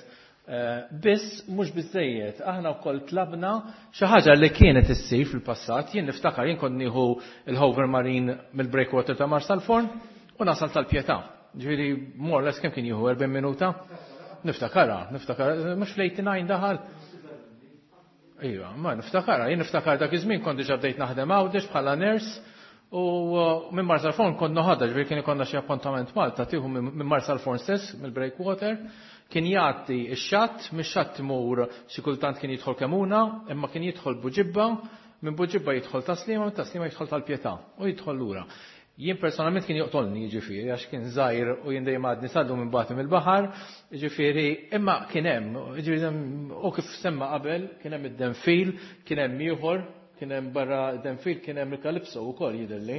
biss mhux biżejjed. Aħna wkoll tlabna xi ħaġa li kienet issir fil-passat, jien niftakar jien kont nieħu il-Hover Marine mill-breakwater ta' Marsalforn u nasal tal-Pietà. Ġifieri more or less kemm kien jieħu erbgħin minuta? Niftakara, niftakara, mhux fl-eighty-nine daħal. Iva, ma niftakara, jien niftakar dak iż-żmien kont diġà bdejt naħdem Għawdex bħala nurse u minn Marsalforn kont noħodha, ġifieri kien ikollna xi appuntament Malta tieħu minn Marsalforn stess, mill-breakwater, kien jgħaddi x-xatt, mix-xatt imur xi kultant kien jidħol Kemuna, imma kien jidħol Buġibba, minn Buġibba jidħol Taslima, minn Taslima jidħol tal-Pietà u jidħol lura. Jien personalment kien joqtolni jiġifieri għax kien żgħir u jien dejjem għadni sallu minn bagħti mill-baħar, jiġifieri imma kien hemm, jiġifieri u kif semma qabel kien hemm id-denfil, kien hemm ieħor, kien hemm barra d-denfil kien hemm il-Kalipso wkoll jidhirli.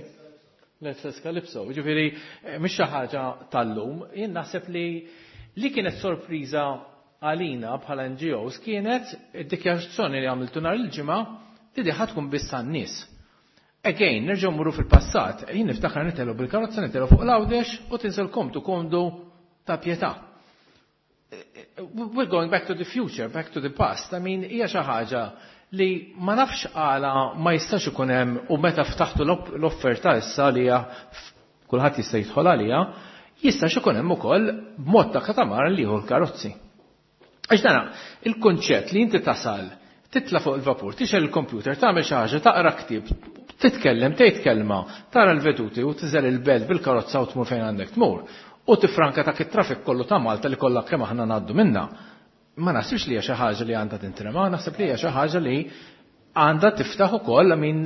L-istess Kalipso, jiġifieri mhix xi ħaġa tal-lum, jien naħseb li li kienet sorpriża għalina bħala N G Os kienet id-dikjarazzjoni li għamiltu nhar il-ġimgħa li di ħa tkun biss għan-nies. Again, nerġgħu mmorru fil-passat, jien niftakar nitelgħu bil-karozza, nitelgħu fuq l-Għawdex u tinżel komdu komdu ta' Pietà. We're going back to the future, back to the past. I mean, hija xi ħaġa li ma nafx għala ma jistax ikun hemm u meta ftaħtu l-offerta issa li hija kulħadd jista' jidħol għaliha, jistax ikun hemm ukoll b'mod ta' katamaran li jieħu l-karozzi. Għax dana, il-kunċett li inti tasal, titla' fuq il-vapur, tixgħel il-computer, tagħmel xi ħaġa, taqra ktieb, titkellem, tgħid kelma, tara l-veduti u tiżel il-belt bil-karozza u tmur fejn għandek tmur. U tifranka ta' it-traffic kollu ta' Malta li kollha kemm aħna ngħaddu minna. Ma naħsibx li hija xi ħaġa li għandha tintrema, naħseb li hija xi ħaġa li għandha tiftaħ ukoll, I mean,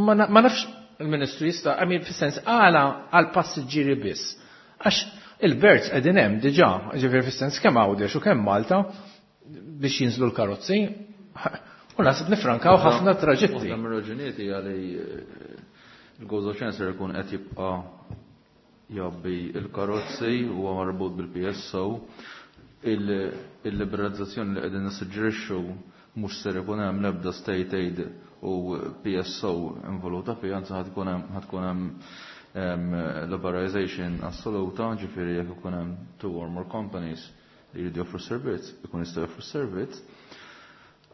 ma nafx il-Ministru jista', I mean, fis-sens għala għal passiġġieri biss. Għax il-birds qegħdin hemm diġà, ġifieri fis-sens kemm Għawdex u kemm Malta biex jinżlu l-karozzi. U naħseb nifrankaw ħafna traġitti. Waħda mir-raġunijiet hija li l-Gozo Channel ikun qed jibqa' jabbi l-karozzi huwa marbut bil-P S O. Il-liberalizzazzjoni li qegħdin nissuġġerixxu mhux ser ikun hemm l-ebda state aid u P S O involuta fiha, anzi ħad tkun hemm, ħad tkun hemm, em, liberalization assoluta, ġifieri jekk ikun hemm two or more companies li jridu joffru servizz, ikun jistgħu joffru servizz.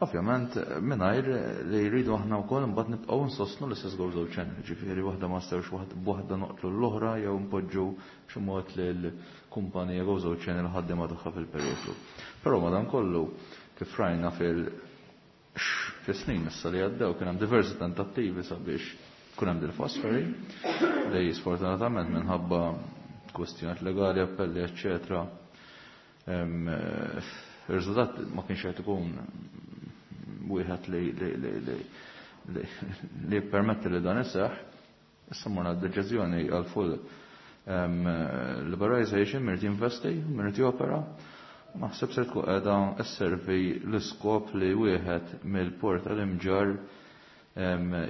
Ovvjament, mingħajr li jridu aħna wkoll imbagħad nibqgħu nsostnu l-istess Gozo Channel, ġifieri waħda ma stewx waħda noqtlu l-oħra jew npoġġu b'xi mod lil kumpanija Gozo Channel ħaddiema tagħha fil-periklu. Però madankollu kif rajna fil fis-snin issa li għaddew kien hemm diversi tentattivi sabiex kun hemm dil-fast ferry li sfortunatament minħabba kwestjonijiet legali, appelli, eċċetera. Em, ir-riżultat ma kienx qed ikun wieħed li, li, li, li, li, li jippermetti li dan iseħħ. Issa morna d-deċiżjoni għal full, em, liberalization, mirid jinvesti, mirid jopera, Naħseb se tkun qiegħda sservi l-iskop li wieħed mill-port tal-Imġarr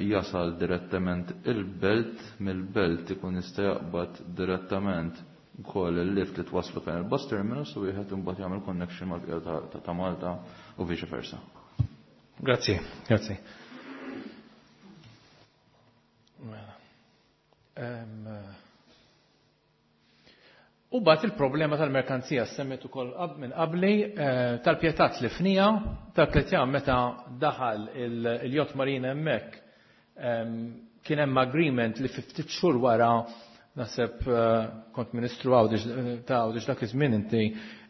jasal direttament il-belt, mill-belt ikun jista' jaqbad direttament ukoll il-lift li twaslu fejn il-bus terminus u wieħed imbagħad jagħmel connection mal-bqija ta' Malta u vice versa. Grazzi, grazzi. U bat il-problema tal-merkanzija semmet ukoll minn qabli, tal-pjetat li fnija, tal-pjetà meta daħal il-Yacht Marina hemmhekk kien hemm agreement li fi ftit xhur wara, naħseb kont Ministru Għawdex ta' Għawdex dak iż-żmien inti,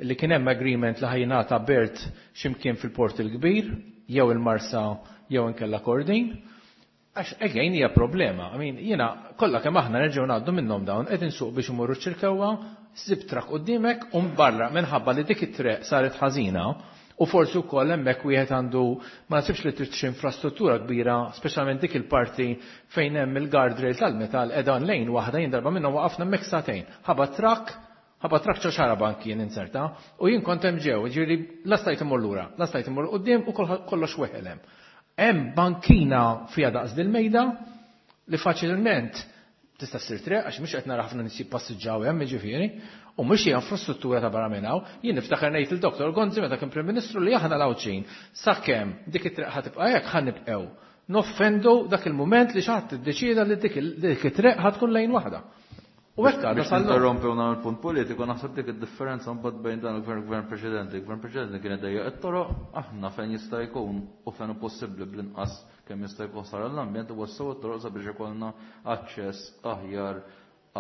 li kien hemm agreement li ħajnata bert x'imkien fil-Port il-Kbir, jew il-Marsa jew inkella Kordin. Għax again hija problema. I mean, jiena kollha kemm aħna nerġgħu ngħaddu minnhom dawn qed insuq biex imorru ċ-Ċirkewwa, sib trak quddiemek u barra minħabba li dik it-triq saret ħażina u forsi wkoll hemmhekk wieħed għandu ma nasibx li trid xi infrastruttura kbira, speċjalment dik il-parti fejn hemm il-guardrail tal-metal qiegħda lejn waħda, jien darba minnhom waqafna hemmhekk sagħtejn. Ħaba trak, ħaba trak ċo xarabank kien inserta u jien kont hemm ġew, ġifieri la stajt immur lura, la stajt immur quddiem u kollox weħel hemm. Hemm bankina fiha daqs dil-mejda li faċilment tista' ssir triq għax mhux qed nara ħafna nies jippassiġġaw hemm jiġifieri, u mhux hija infrastruttura ta' barra minn hawn. Jien niftakar ngħid il-Doktor Gonzi meta kien Prim Ministru li aħna l-Għawdxin sakemm dik it-triq ħa tibqa' hekk ħa nibqgħu noffendu dak il-mument li xi ħadd iddeċieda li dik it-triq ħa tkun lejn waħda. U hekk għadha Biex sal-lum. ninterrompi u nagħmel punt politiku, naħseb dik id-differenza mbagħad bejn dan il-gvern u gvern preċedenti. Il-gvern preċedenti kien idejjaq it-toroq, aħna fejn jista' jkun u fejn hu possibbli bl-inqas kemm jista' jkun sar l-ambjent u wassew it-toroq sabiex ikollna aċċess aħjar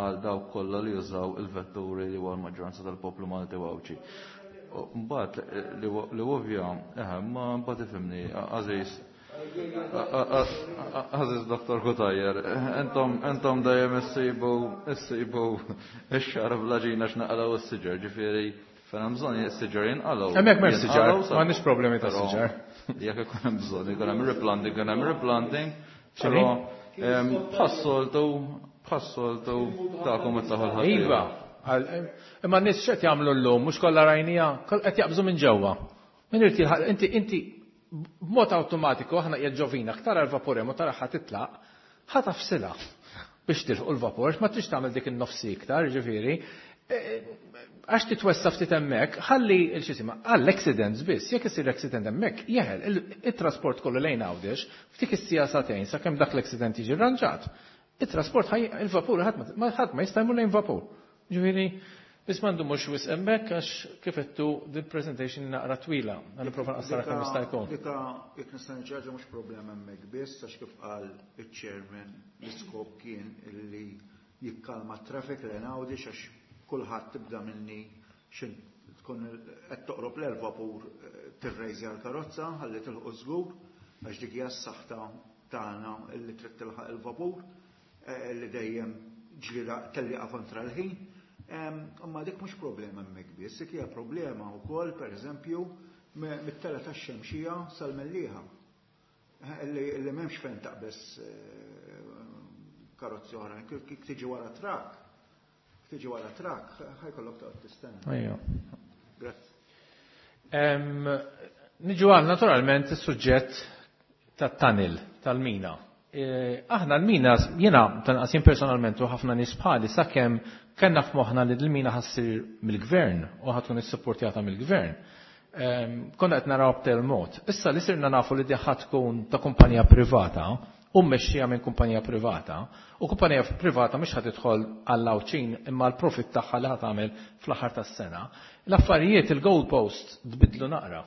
għal dawk kollha li jużaw il-vetturi li huwa l-maġġoranza tal-poplu Malti u Għawdxi. Mbagħad li ovvja, eħe, ma mbagħad ifhimni, Aziz, Aziz Doktor Cutajar, entom, entom dejjem issibu, issibu ix-xar bl-aġina x'naqalgħu s-siġar, ġifieri fejn hemm bżonn is-siġar jinqalgħu. Hemmhekk m'hemmx siġar, Jinqalgħu sa- m'għandniex problemi ta' Però siġar. Jekk ikun hemm bżonn, ikun hemm replanting, ikun hemm replanting, X'inhi? però ehm, bħas-soltu, bħas-soltu tagħkom it-taħol ħadd. Iva, għal-, imma n-nies x'qed jagħmlu llum, mhux kollha rajnija, qed jaqbżu minn ġewwa. Min irid jilħaq, inti, inti b'mod awtomatiku aħna qiegħed ġovina, tara l-vapur hemm u tara ħa titlaq, ħa tafsilha biex tilħu l-vapur, ma trix tagħmel dik in-nofsi iktar, ġifieri. Għax titwessa ftit hemmhekk, ħalli l-xisima, għall-accidents biss, jekk isir accident hemmhekk, jeħel il-trasport kollu lejn Għawdex, ftik is-sija sagħtejn sakemm dak l-accident jiġi rranġat. Il-trasport ħaj, il-vapur ħadd ma, ħadd ma jista' jmur lejn vapur. Ġifieri, biss m'għandu mhux wisq hemmhekk għax kif għedtu din presentation naqra twila, għal nipprova nqassarha kemm jista' jkun. Dika, jekk nista' niċċarġa mhux problema hemmhekk biss, għax kif qal iċ-chairman l-iskop kien illi jikkalma t-traffic lejn Għawdex għax kulħadd tibda minni xin tkun qed toqrob l-vapur tirrejżi għall-karozza ħalli tilħu żgur għax dik hija s-saħta tagħna illi trid tilħaq il-vapur li dejjem ġlieda tellieqa kontra l-ħin. Imma dik mhux problema hemmhekk biss, dik hija problema wkoll pereżempju mit-tela tax-Xemxija sal-Mellieħa. Illi, illi m'hemmx fejn taqbeż karozzi oħra, kif tiġi wara trak, tiġi wara trak, ħajkollok toqgħod tistenna. Ejja. Grazzi. Niġu għal naturalment is-suġġett tat-tunnel tal-mina. Aħna l-mina, jiena tanqas jien personalment u ħafna nies bħali sakemm kellna f'moħħna li l-mina ħassir mill-gvern u ħadd tkun issupportjata mill-gvern. Konna qed naraw b'tel mod. Issa li sirna nafu li di ħadd tkun ta' kumpanija privata u mmexxija minn kumpanija privata, u kumpanija privata mhux ħadd tidħol għall-Għawdxin imma l-profit tagħha li ħadd tagħmel fl-aħħar tas-sena. L-affarijiet il-goalpost tbidlu naqra.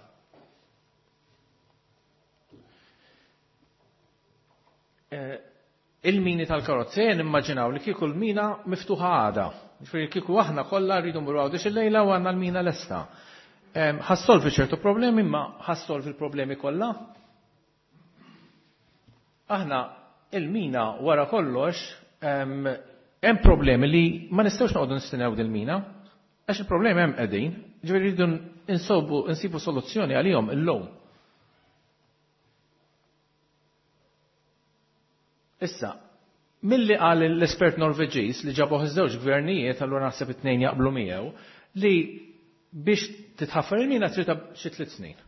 Il-mini tal-karozzi, ejja nimmaġinaw li kieku l-mina miftuħa għada. Ġifieri kieku aħna kollha rridu mmorru Għawdex il-lejla u għandna l-mina lesta. Ħassolvi ċertu problemi, imma ħassolvi l-problemi kollha? Aħna il-mina wara kollox hemm problemi li ma nistgħux noqogħdu nistennew dil-mina, għax il-problemi hemm qegħdin, ġifieri rridu insobu, insibu soluzzjoni għalihom illum. Issa, milli qal l-espert Norveġiż li ġabuh iż-żewġ gvernijiet, allura naħseb it-tnejn jaqblu miegħu, li Biex titħaffer il-mina trid xi tliet snin.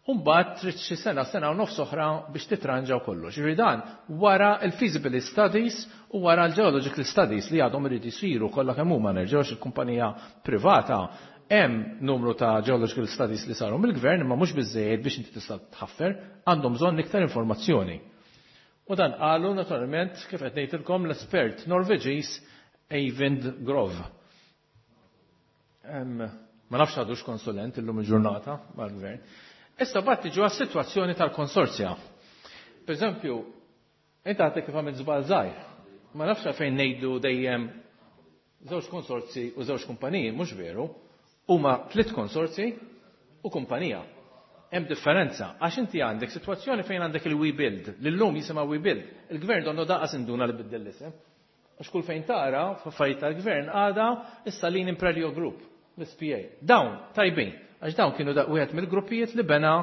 U mbagħad trid xi sena, sena u nofs oħra biex titranġaw kollox. Ġifieri dan wara l-feasibility studies u wara l-geological studies li għadhom irid isiru kollha kemm huma, nerġgħux il-kumpanija privata hemm numru ta' geological studies li saru mill-gvern, imma mhux biżejjed biex inti tista' tħaffer, għandhom bżonn iktar informazzjoni. U dan qalu naturalment, kif qed ngħidilkom, l-espert Norveġiż Eivind Grov. Ma nafx għadux konsulent illum il-ġurnata mal-gvern. Issa bat tiġu għas-sitwazzjoni tal-konsorzja. Per eżempju, inti għadek kif għamilt żball żgħir. Ma nafx fejn ngħidu dejjem żewġ konsorzi u żewġ kumpaniji, mhux veru. Huma tliet konsorzi u kumpanija. Hemm differenza, għax inti għandek sitwazzjoni fejn għandek il-WeBuild, l-lum jisimha WeBuild. Il-gvern donnu daqas induna li biddel l-isem. Għax kull fejn tara, f'affarijiet tal-gvern għada issa Salini Imperial Group, l-S P A. Dawn tajbin, għax dawn kienu da wieħed mill-gruppijiet li bena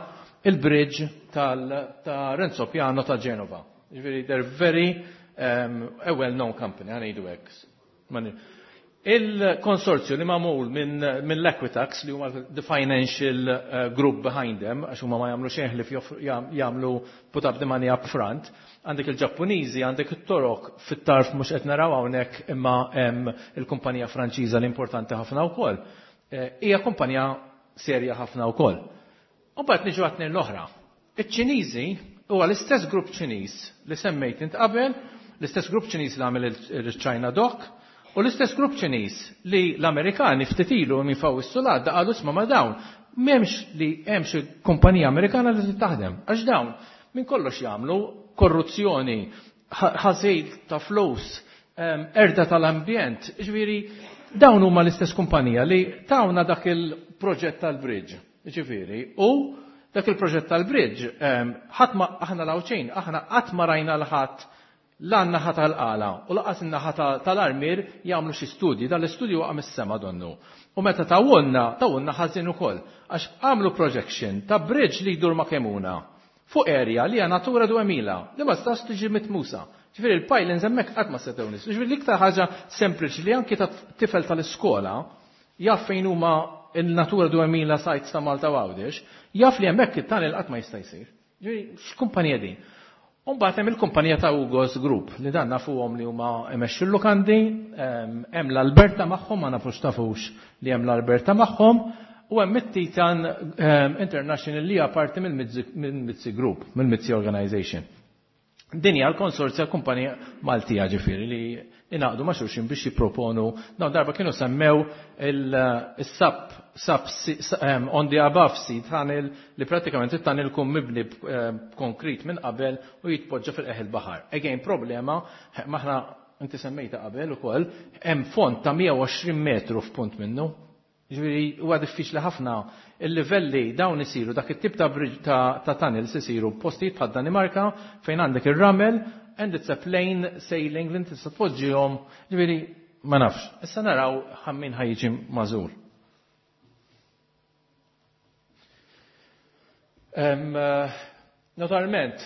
il-bridge tal-, ta' Renzo Piano ta' Genova. Ġifieri, they're very, um, a well-known company, għanejdu hekk. Il-konsorzju li magħmul minn, minn l-Equitax, li huma the financial, uh, group behind them, għax huma ma jagħmlu xejn li fjof-, jam-, jagħmlu put up the money up front, għandek il-Ġappuniżi, għandek it-Torok, fit-tarf mhux qed naraw hawnhekk imma hemm il-kumpanija Franċiża li importanti ħafna wkoll. Eh, hija kumpanija serja ħafna wkoll. U mbagħad niġu għat-tnejn l-oħra. Iċ-Ċiniżi huwa l-istess grupp Ċiniż li semmejt int qabel, l-istess grupp Ċiniż li għamel il-China Dock, u l-istess grupp Ċiniż li l-Amerikani ftit ilu minn faw is-sulat qalu isma' ma' dawn m'hemmx li hemm xi kumpanija Amerikana li taħdem, għax dawn minn kollox jagħmlu korruzzjoni, ħa-, ħażil ta' flus, em, erda tal-ambjent, ġifieri dawn huma l-istess kumpanija li tawna dak il-proġett tal-bridge, ġifieri, u dak il-proġett tal-bridge, em, ħadd ma aħna l-Għawdxin, aħna qatt ma rajna l-ħadd la n-naħa tal-qala u laqas in-naħa ta-, tal-armir jagħmlu xi studji, dan l-istudju waqa' mis-sema donnu. U meta tawunna, tawunna ħażin ukoll, għax għamlu projection ta' bridge li jdur ma' Kemuna fuq area li hija Natura duemila li ma tistax tiġi mitmusa. Ġifieri il-pylons hemmhekk qatt ma setgħu nies. Ġifieri l-iktar ħaġa sempliċi li anki ta' tifel tal-iskola jaf fejn huma il-Natura duemila sites ta' Malta u Għawdex, jaf li hemmhekk it-tunnel qatt ma jista' jsir. Ġifieri x'kumpanija din? U mbagħad hemm il-kumpanija ta' Hugo's Group li dan nafuhom li huma imexxu l-lukandi, ehm, hemm l-Alberta magħhom, ma nafux tafux li hemm l-Alberta magħhom, u hemm it-Titan, ehm, International li hija parti mill-Mizzi, mill-Mizzi Group, mill-Mizzi Organization. Din hija l-konsorzja kumpanija Maltija ġifieri li ingħaqdu ma' xulxin biex jipproponu. Dawn darba kienu semmew il-sub, sub, ehm, on the above sea tunnel li pratikament it-tunnel kun mibni b'konkrit minn qabel u jitpoġġa fil-qeħ il-baħar. Again, problema, maħna inti semmejta qabel ukoll, hemm font ta' mija u għoxrin metru f'punt minnu. Ġifieri huwa diffiċli ħafna il-livelli dawn isiru dak it-tip ta' bridge ta', ta' tunnels isiru postijiet bħad Danimarka fejn għandek ir-ramel and it's a plain sailing li inti tista' tpoġġihom, ġifieri ma nafx. Issa naraw ħammin ħajġi magħżul. Em, eh, naturalment,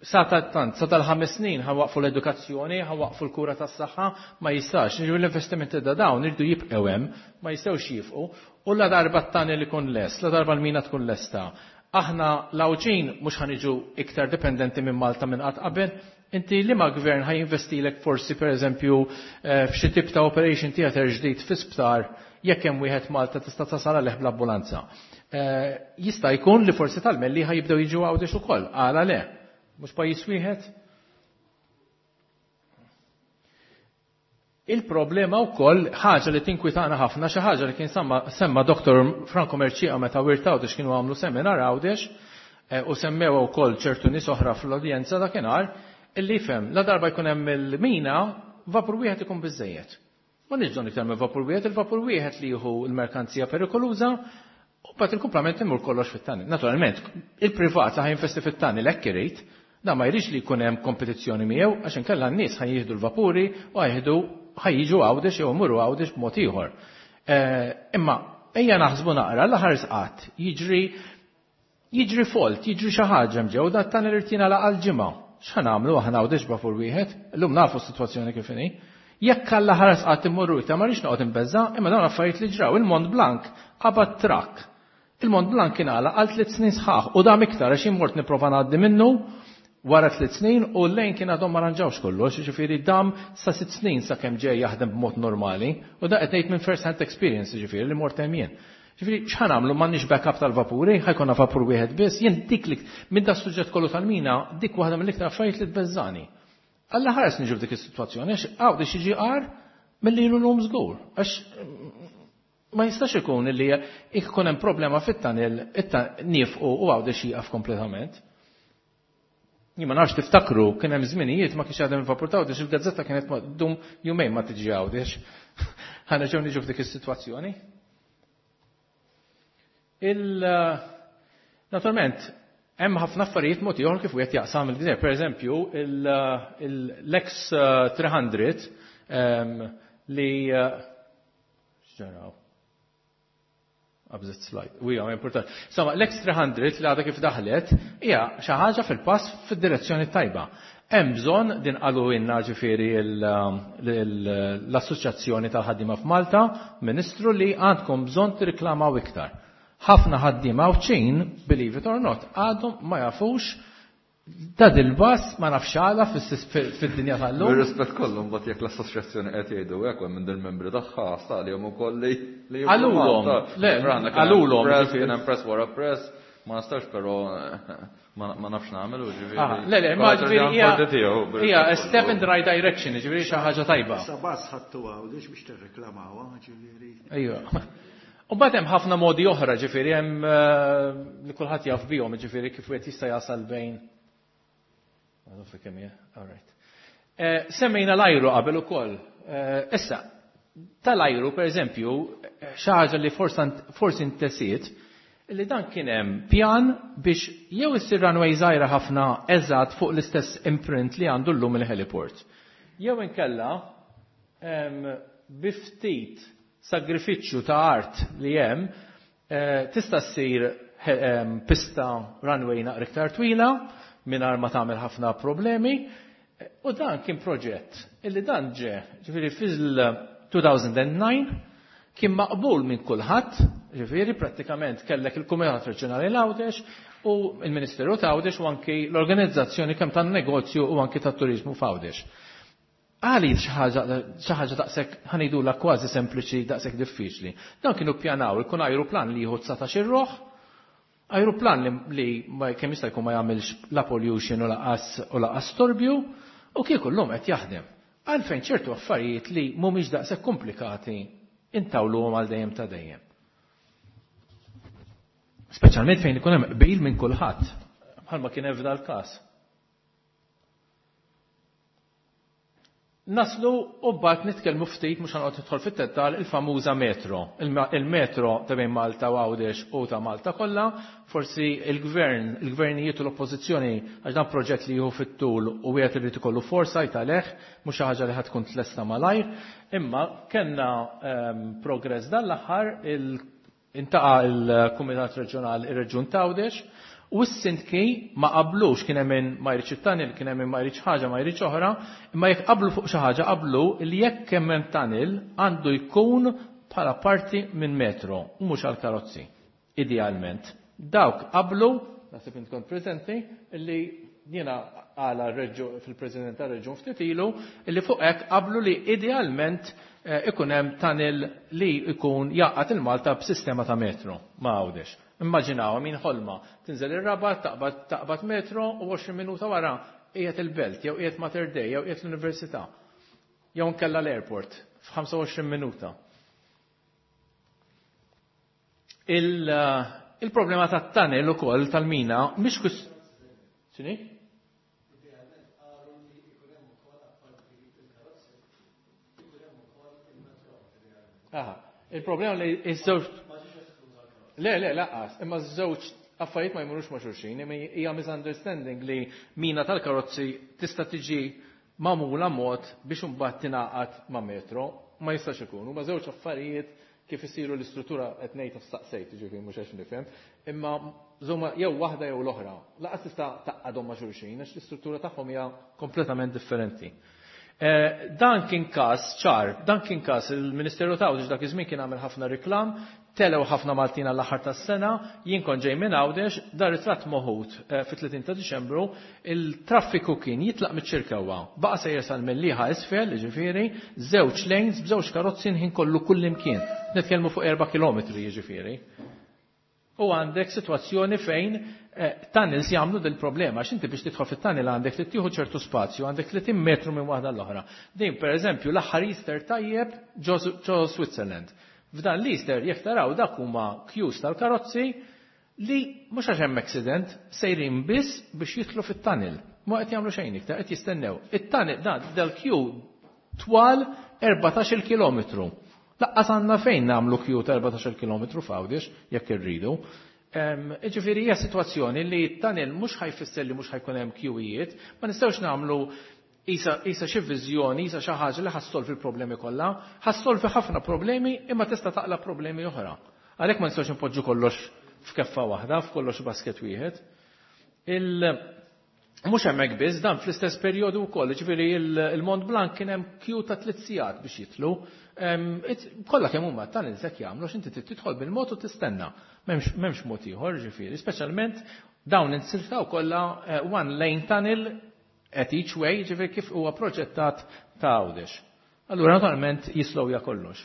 sa tant, sa tal-ħames snin ħawaqfu l-edukazzjoni, ħawaqfu l-kura tas-saħħa, ma jistax. Ġifieri l-investimenti ta' dawn irdu jibqgħu hemm, ma jistgħux jifqu, u la darba t-tunnel ikun lest, la darba l-mina tkun lesta. Aħna l-Għawdxin mhux ħaniġu iktar dipendenti minn Malta minn qatt qabel. Inti li ma gvern ħajinvestilek forsi pereżempju, eh, f'xi tip ta' operation theater ġdid fi sptar, jekk hemm wieħed Malta tista' tasal għalih bl-ambulanza. Eh, jista' jkun li forsi tal-Melli ħajibdew jiġu Għawdex ukoll, għala le. Mhux pajjiż wieħed? Il-problema wkoll ħaġa li tinkwitana ħafna, xi ħaġa li kien semma, semma Doktor Franco Mercieca meta Wirt Għawdex kienu għamlu seminar Għawdex, eh, u semmew ukoll ċertu nies oħra fl-udjenza dakinhar, illi jifhem la darba jkun hemm il-mina, vapur wieħed ikun biżejjed. Ma nix bżonn iktar minn vapur wieħed, il-vapur wieħed li jieħu l-merkanzija perikoluża, u mbagħad il-kumplament imur kollox fit-tunnel. Naturalment, il-privat li ħajinvesti fit-tunnel hekk irid, da ma jridx li jkun hemm kompetizzjoni miegħu għax inkella n-nies ħajjieħdu l-vapuri u ħajjieħdu ħajjiġu Għawdex jew imorru Għawdex b'mod ieħor. Eh, imma ejja naħsbu naqra l-aħħar sqatt jiġri, jiġri fault, jiġri xi ħaġa mġew da t-tunnel irid jingħalaq għal ġimgħa. X'ħa nagħmlu aħna Għawdex b'vapur wieħed? Illum nafu s-sitwazzjoni kif inhi. Jekk Alla ħares qatt immorru iktar ma rridx noqgħod inbeżza, imma dawn affarijiet li ġraw. Il-Mont Blanc qabad trakk. Il-Mont Blanc kien għalaq għal tliet snin sħaħ u dam iktar għax jien mort nipprova ngħaddi minnu wara tliet snin u l-lejn kien għadhom ma ranġawx kollox, jiġifieri dam sa sitt snin sakemm ġej jaħdem b'mod normali u da qed ngħid minn first hand experience, jiġifieri li mort hemm jien. Ġifieri x'ħa nagħmlu, m'għandniex backup tal-vapuri, ħa jkollna vapur wieħed biss, jien dik li minn da suġġett kollu tal-mina, dik waħda mill-iktar affarijiet li tbeżżani. Alla ħares niġu f'dik is-sitwazzjoni għax Għawdex jiġi qar milli ilu llum żgur. Għax ma jistax ikun li jkun hemm problema fit-tunnel niefqu u Għawdex jieqaf kompletament. Jien ma nafx tiftakru kien hemm żminijiet ma kienx għadhem il-vapur ta' Għawdex, il-gazzetta kienet dum jumejn ma tiġi Għawdex. Ħa nerġgħu niġu f'dik is-sitwazzjoni. Il naturalment hemm ħafna affarijiet mod ieħor kif wieħed jaqsam il-gżejjer. Per eżempju, l-X tliet mija li x'ġaraw? Qabżet slide. U hija importanti. Insomma, l-X tliet mija li għadha kif daħlet hija xi ħaġa fil-pass fid-direzzjoni tajba. Hemm bżonn din qalu inna ġifieri l-Assoċjazzjoni tal-Ħaddiema f'Malta, Ministru, li għandkom bżonn tirriklamaw iktar. Ħafna ħaddiema Għawdxin, believe it or not, għadhom ma jafux ta' dil-bus, ma nafx għala fid-dinja tal-lum. Bir-rispett kollu, mbagħad jekk l-assoċjazzjoni qed jgħidu hekk hemm minn dil-membri tagħha staqlihom ukoll li li Qalulhom, le, qalulhom. Press, kien hemm press wara press, ma nistax però ma nafx nagħmel u ġifieri. Le, le, ma ġifieri hija a step in the right direction, ġifieri xi ħaġa tajba. Sa bus ħadtu Għawdex biex tirreklamawha, ġifieri. Ejja. U mbagħad hemm ħafna modi oħra, ġifieri hemm li kulħadd jaf bihom, ġifieri kif wieħed jista' jasal bejn. All right. Semmejna l-ajru qabel ukoll. Issa, tal-ajru, per eżempju, xi ħaġa li forsi intesiet, li dan kien hemm pjan biex jew issir runway żgħira ħafna eżatt fuq l-istess imprint li għandu llum il-heliport. Jew inkella bi ftit sagrifiċċju ta' art li hemm tista' ssir pista runway naqra iktar twila mingħajr ma tagħmel ħafna problemi. U dan kien proġett illi dan ġe, ġifieri fil-elfejn u disgħa kien maqbul minn kulħadd, ġifieri prattikament kellek il-Kumitat Reġjonali l-Għawdex u il-Ministeru ta' Għawdex u anki l-organizzazzjoni kemm tan-negozju u anki tat-turizmu f'Għawdex. Għali xi ħaġa daqshekk ħa ngħidulha kważi sempliċi daqshekk diffiċli. Dan kienu ppjanaw ikun ajruplan li jieħu dsatax ruħ, ajruplan li kemm jista' jkun ma jagħmilx la pollution u laqas u laqas storbju, u kieku llum qed jaħdem. Għalfejn ċertu affarijiet li mhumiex daqshekk komplikati intawluhom għal dejjem ta' dejjem? Speċjalment fejn ikun hemm qbil minn kulħadd, bħalma kien hemm f'dal każ. Naslu u mbagħad nitkellmu ftit, mhux ħa noqgħod nidħol fit-dettal, il-famuża metro. Il-metro ta' bejn Malta u Għawdex u ta' Malta kollha, forsi il-gvern, il-gvernijiet u l-oppożizzjoni, għax dan proġett li jieħu fit-tul u wieħed irid ikollu foresight għalih, mhux xi ħaġa li ħa tkun tlesta malajr, imma kellna progress dan l-aħħar, iltaqa' il-Kumitat Reġjonali, ir-Reġjun t'Għawdex, u s-sindki ma qablux, kien hemm min ma jridx it-tunnel, kien hemm min ma jridx ħaġa, ma jridx oħra, imma jekk qablu fuq xi ħaġa qablu li jekk hemm hemm tunnel għandu jkun bħala parti minn metro u mhux għal karozzi. Idealment. Dawk qablu, naħseb int kont preżenti, li jiena għala fil-President tar-Reġjun ftit ilu, li fuq hekk qablu li idealment ikun hemm tunnel li jkun jaqgħad il-Malta b'sistema ta' metro ma' Għawdex. Immaġinaw min ħolma, tinżel ir-Rabat, taqbad taqbad metro u għoxrin minuta wara qiegħed il-Belt, jew qiegħed Mater Dei, jew qiegħed l-Università. Jew nkella l-airport f'ħamsa u għoxrin minuta. Il-problema tat-tunnel ukoll tal-mina mhix kus. X'inhi? Aha, il-problema li iż-żewġ. Le, le, laqas, imma ż-żewġ affarijiet ma jmurux ma' xulxin, imma hija misunderstanding li mina tal-karozzi tista' tiġi magħmula mod biex imbagħad tingħaqad ma' metro, ma jistax ikun. Huma żewġ affarijiet kif isiru l-istruttura qed ngħid staqsejt, ġifieri mhux għax nifhem, imma żomma jew waħda jew l-oħra. Laqas tista' taqgħadhom ma' xulxin għax l-istruttura tagħhom hija kompletament differenti. Eh, dan kien każ ċar, dan kien każ il-Ministeru ta' Għawdex dak iż-żmien kien għamel ħafna reklam, telew ħafna Maltin għall-aħħar tas-sena, jien kont ġej minn Għawdex, dar ritratt moħut eh, fit-tletin ta' Diċembru, il-traffiku kien jitlaq miċ-Ċirkewwa, baqa' sejjer sal-Mellieħa isfel, jiġifieri, żewġ lanes b'żewġ karozzi ħin kollu kullimkien. Nitkellmu fuq erba' kilometri jiġifieri. U għandek sitwazzjoni fejn eh, tunnels jagħmlu dil problema għax inti biex tidħol fit-tunnel għandek li tieħu ċertu spazju, għandek tletin metru minn waħda l-oħra. Din pereżempju l-aħħar Easter tajjeb ġo Switzerland. F'dan l-Easter jekk taraw dak huma queues tal-karozzi li mhux għax hemm accident sejrin biss biex jidħlu fit-tunnel. Ma qed jagħmlu xejn iktar, qed jistennew. It-tunnel dan dal-queue twal erbatax-il kilometru. Laqqas għandna fejn nagħmlu queue ta' erbatax-il kilometru f'Għawdex jekk irridu. Ġifieri hija sitwazzjoni li t-tunnel mhux ħajfisser li mhux ħajkun hemm queuejiet, ma nistgħux nagħmlu isa xi viżjoni, isa xi ħaġa li ħassolvi l-problemi kollha, ħassolvi ħafna problemi imma tista' taqla' problemi oħra. Għalhekk ma nistgħux npoġġu kollox f'keffa waħda, f'kollox basket wieħed. Il Mhux hemmhekk biss, dan fl-istess perjodu wkoll, ġifieri il-Mont Blanc kien hemm queue ta' tliet sigħat biex jitlu. Kollha kemm huma tunnels hekk jagħmlu x'inti trid tidħol bil-mod u tistenna. M'hemmx mod ieħor, ġifieri, speċjalment dawn insiltaw kollha one lane tunnel at each way, ġifieri kif huwa proġettat ta' Għawdex. Allura naturalment jislowja kollox.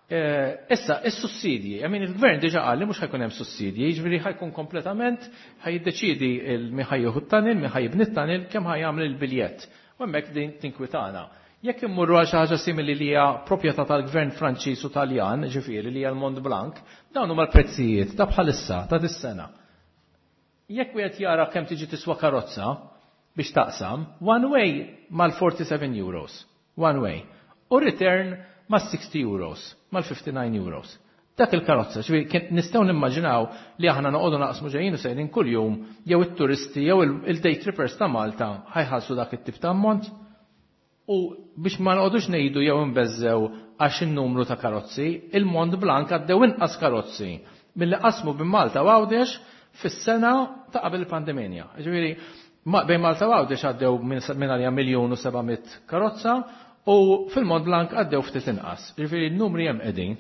Issa, is-sussidji, I mean, il-gvern diġa qal li mhux ħajkun hemm sussidji, jiġifieri ħajkun kompletament ħajiddeċiedi min ħa jieħu t-tunnel, min ħa jibni t-tunnel, kemm ħajjagħmel il-biljett. U hemmhekk din tinkwitana. Jekk immorru għal xi ħaġa simili li hija proprjetà tal-gvern Franċiż u Taljan, ġifieri li hija l-Mont Blanc, dawn huma l-prezzijiet ta' bħalissa ta' dis-sena. Jekk wieħed jara kemm tiġi tiswa karozza biex taqsam, one way mal-forty-seven euros, one way. U return ma' sixty euros, mal-fifty-nine euros. Dak il-karozza, ġifieri kien nistgħu nimmaġinaw li aħna noqogħdu naqsmu ġejjin u sejrin kuljum jew it-turisti jew il-day trippers ta' Malta ħajħallsu dak it-tip ta' ammont. U biex ma noqogħdux ngħidu jew nbeżżew għax in-numru ta' karozzi, il-Mont Blanc għaddew inqas karozzi milli qasmu bejn Malta u Għawdex fis-sena ta' qabel il-pandemija. Ġifieri bejn Malta u Għawdex għaddew minn għalija miljun u seba' mitt karozza u fil-Mont Blanc għaddew ftit inqas. Ġifieri n-numri hemm qegħdin.